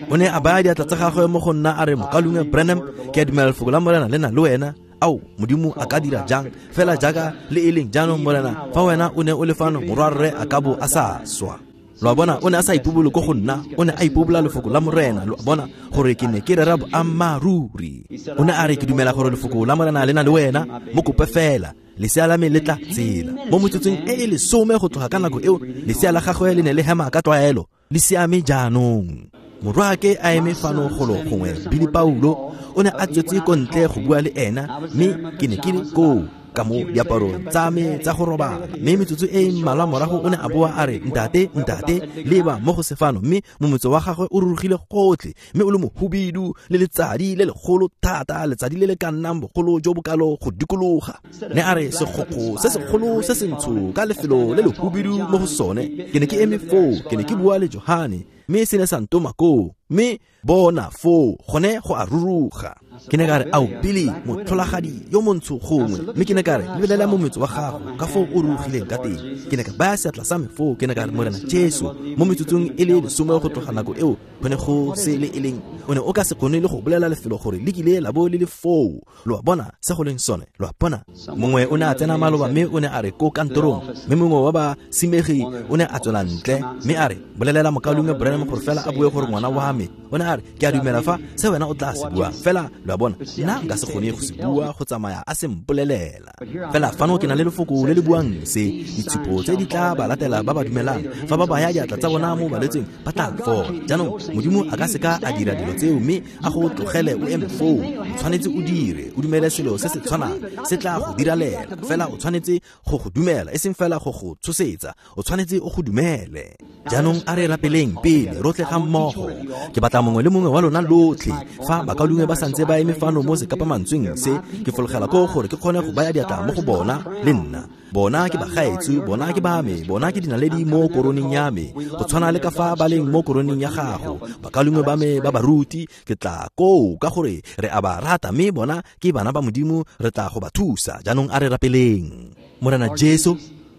O ne a baya diatla tsa gagwe mo go nna, a re, Mokalongwe Branham, ke a dumela lefoko la Morena le na le wena. Ao, Modimo a ka dira jang fela jaaka le e leng jaanong, Morena, fa wena o ne o le fano, morwarre a ka bo a sa swa. Lo a bona, o ne a sa ipobole ko go nna, o ne a ipobola lefoko la Morena. Lo a bona gore ke ne ke rera boammaaruri. O ne a re, ke dumela gore lefoko la Morena le na le wena, mo kope fela, lesea la me le tla tsela. Mo metsotsong e e 10 go tloga ka nako eo, lesea la gagwe le ne le hema ka tlwaelo, le siame jaanong. Morwaake a eme fano golo gongwe, Billy Paulo, o ne a tswetse ko ntle go bua le ena, mme ke ne ke le koo. ka mo diaparong tsa me tsa go robala. Mme metsotso e mmalwa morago o ne a boa a re, ntate, ntate, leba mo go sefano. Mme momotso wa gagwe o rurugile gotlhe, mme o le mohubidu le letsadi le legolo thata, letsadi le le ka nnang bogolo jo bokalo go dikologa. Ne a re segokgo se segolo se sentsho ka lefelo le lehubidu mo go sone. Ke ne ke eme foo, ke ne ke bua le Johane, mme se ne sa ntoma koo, mme bona foo gone go a ruruga. Ke ne ka re, ao Billy, motlholagadi yo montsho gongwe. Mme ke ne ka re, lebelela mometso wa gago ka foo o rurugileng ka teng. Ke ne ka baya seatla sa me foo, ke ne ka re, Morena Jesu, mo metsotsong e le 10 go tloga nako eo go ne go se le e leng, o ne o ka se kgone le go bolela lefelo gore le kile la bo le le foo. Lo a bona se go leng sone, lo a bona. Mongwe o ne a tsena maloba mme o ne a re ko kantorong, mme mongwe wa ba simegi o ne a tswela ntle mme a re, bolelela mokaulengwe Branham gore fela a bue gore ngwana wa me. O ne a re, ke a dumela fa se wena o tla se bua fela, lo a bona, nna nka se kgone go se bua go tsamaya a se mpolelela. Fela fano ke na le lefoko le le buang se, ditshupo tse di tla ba latela ba ba dumelang, fa ba baya diatla tsa bona mo balwetseng ba tla fola. Jaanong Modimo a ka seka a dira dilo tseo mme a go tlogele o eme foo. O tshwanetse o dire, o dumele selo se se tshwanang se tla go diralela, fela o tshwanetse go go dumela, e seng fela go go tshosetsa, o tshwanetse o go dumele. Jaanong a re rapeleng pele rotlhe ga mmogo. Ke batla mongwe le mongwe wa lona lotlhe, fa bakaulengwe ba santse ba eme fano mo sekapamantsweng se, ke fologela koo gore ke kgone go baya diatla mo go bona le nna. Bona ke bagaetsho, bona ke ba me, bona ke dinaledi mo koroneng ya me, go tshwana le ka fa ba leng mo koroneng ya gago. Bakaulengwe ba me ba baruti, ke tla koo ka gore re a ba rata, mme bona ke bana ba Modimo, re tla go ba thusa. Jaanong a re rapeleng. Morena Jesu,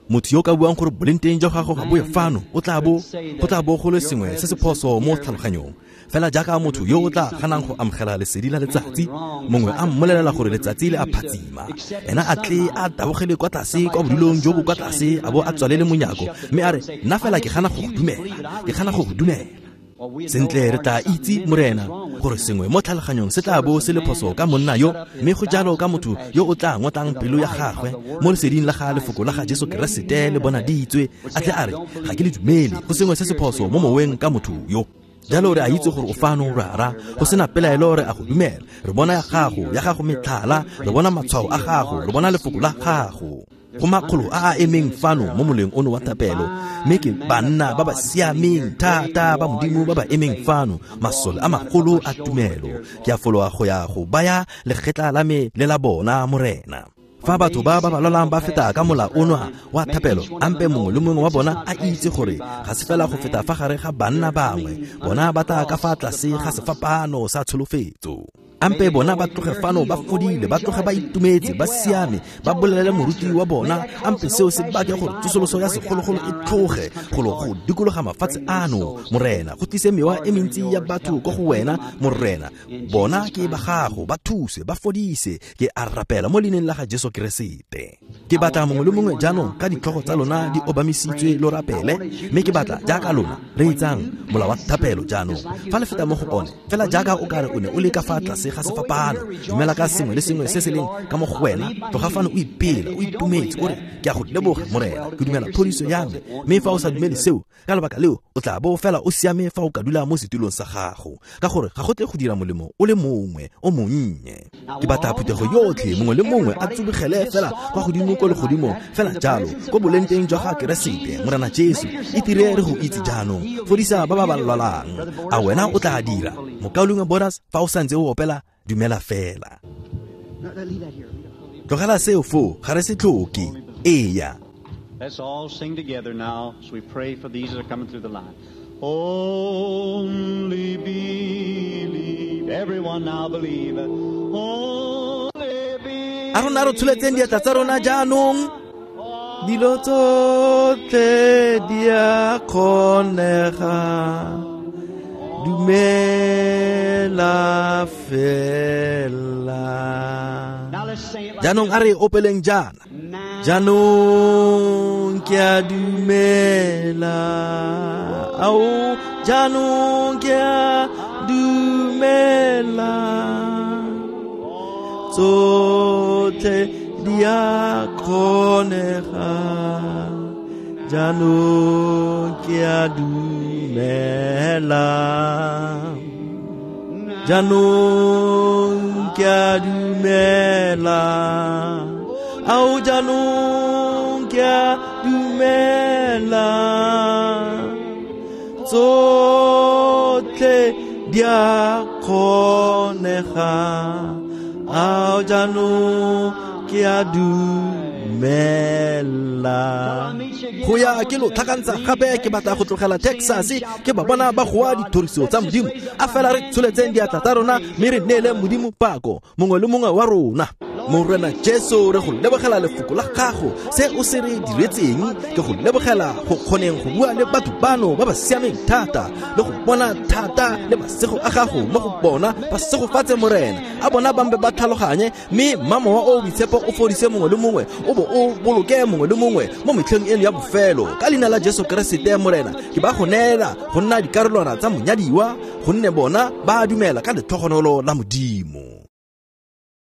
motho yo ka buang gore boleng teng jwa gago ga bo ye fano, o tla bo go tla bo go le sengwe se se phoso mo tlhaloganyong. Fela jaaka motho yo o tla ganang go amogela lesedi la letsatsi, mongwe a mmolelela gore letsatsi le a phatsima, ena a tle a tabogele kwa tlase kwa bodulong jo bo kwa tlase, a bo a tswalele monyako mme a re, nna fela ke gana go go dumela, ke gana go go dumela. Sentle re tla itse, Morena, gore sengwe mo tlhaloganyong se tla bo se le phoso ka monna yo, mme go jalo ka motho yo o tla ngotlang pelo ya gagwe mo leseding la ga lefoko la ga Jesu Keresete le bonaditswe, a tle a re, ga ke le dumele, go sengwe se se phoso mo moweng ka motho yo. Jalo re a itse gore o fano, rara, go sena pelaelo re a go dumela. Re bona ya gago metlhala, re bona matshwao a gago, re bona lefoko la gago. Go makgolo a a emeng fano mo moleng ono wa thapelo, mme ke banna ba ba siameng thata ba Modimo ba ba emeng fano, masole a magolo a tumelo. Ke a fologa go ya go baya legetla la me le la bona, Morena. Fa batho ba ba lwalang ba feta ka mola ono wa thapelo, ampe mongwe le mongwe wa bona a itse gore ga se fela go feta fa gare ga banna bangwe, bona ba tla ka fa tlase ga sefapano sa tsholofetso. Ampe bona ba tloge fano ba fodile, ba tloge ba itumetse, ba siame, ba bolelele moruti wa bona. Ampe seo se bake gore tsosoloso ya segologolo e tloge golo go dikologa mafatshe ano, Morena, go tlise mewa e mentsi ya batho ko go wena, Morena. Bona ke ba gago, ba thuse, ba fodise. Ke a rapela mo leineng la ga Jesu Keresete. Ke batla mongwe le mongwe jaanong ka ditlhogo tsa lona di obamisitswe lo rapele, mme ke batla jaaka lona re etsang mola wa thapelo jaanong. Fa le feta mo go one, fela jaaka o kare o ne o le ka fa tlase ga sefapano, dumela ka sengwe le sengwe se se leng ka mo go wena, tloga fano o ipela, o itumetse, o re, ke a go leboga, Morena, ke dumela phodiso ya me. Mme fa o sa dumele seo, ka lebaka leo o tla bo fela o siame fa o ka dula mo setulong sa gago, ka gore ga go tle go dira molemo o le mongwe o monnye. Ke batla phuthego yotlhe, mongwe le mongwe a tsubegele fela kwa godimo ko legodimong, fela jalo ko boleng teng jwa ga Keresete, Morena Jesu. Itire re go itse jaanong, fodisa ba ba ba lwalang. A wena o tla dira, mokaulengwe Boras, fa o santse o opela dumela fela. Tlogela seo foo, ga re se tlhoke. Eya. Let's all sing together now as we pray for these that are coming through the line. Only believe. Everyone now believe. Only believe. A rona re tsholetseng diatla tsa rona jaanong. Dilo tsotlhe di a kgonega. Dumela fela. Jaanong a re opeleng jaana. Jaanong ke a dumela. Ao, jaanong ke a dumela. Tsotlhe di a kgonega. Jaanong ke a dumela. Jaanong ke a dumela. Ao jaanong ke a dumela, tsotlhe di a kgonega. Ao jaanong ke a dumela. Go ya ke lo tlhakantsha gape, ke batla go tlogela Texas ke ba bona ba goa dithoriso tsa Modimo. A fela re tsholetseng diatla tsa rona mme re neele Modimo pako, mongwe le mongwe wa rona. Morena Jesu, re go lebogela lefoko la gago, se o se re diretseng. Ke go lebogela go kgoneng go bua le batho bano ba ba siameng thata, le go bona thata le masego a gago mo go bona. Ba segofatse, Morena. A bona bambe ba tlhaloganye, mme mmamowa o boitshepo o fodise mongwe le mongwe, o bo o boloke mongwe le mongwe mo metlheng eno ya bofelo. Ka leina la Jesu Keresete, Morena, ke ba go neela go nna dikarolwana tsa monyadiwa, gonne bona ba dumela ka letlhogonolo la Modimo.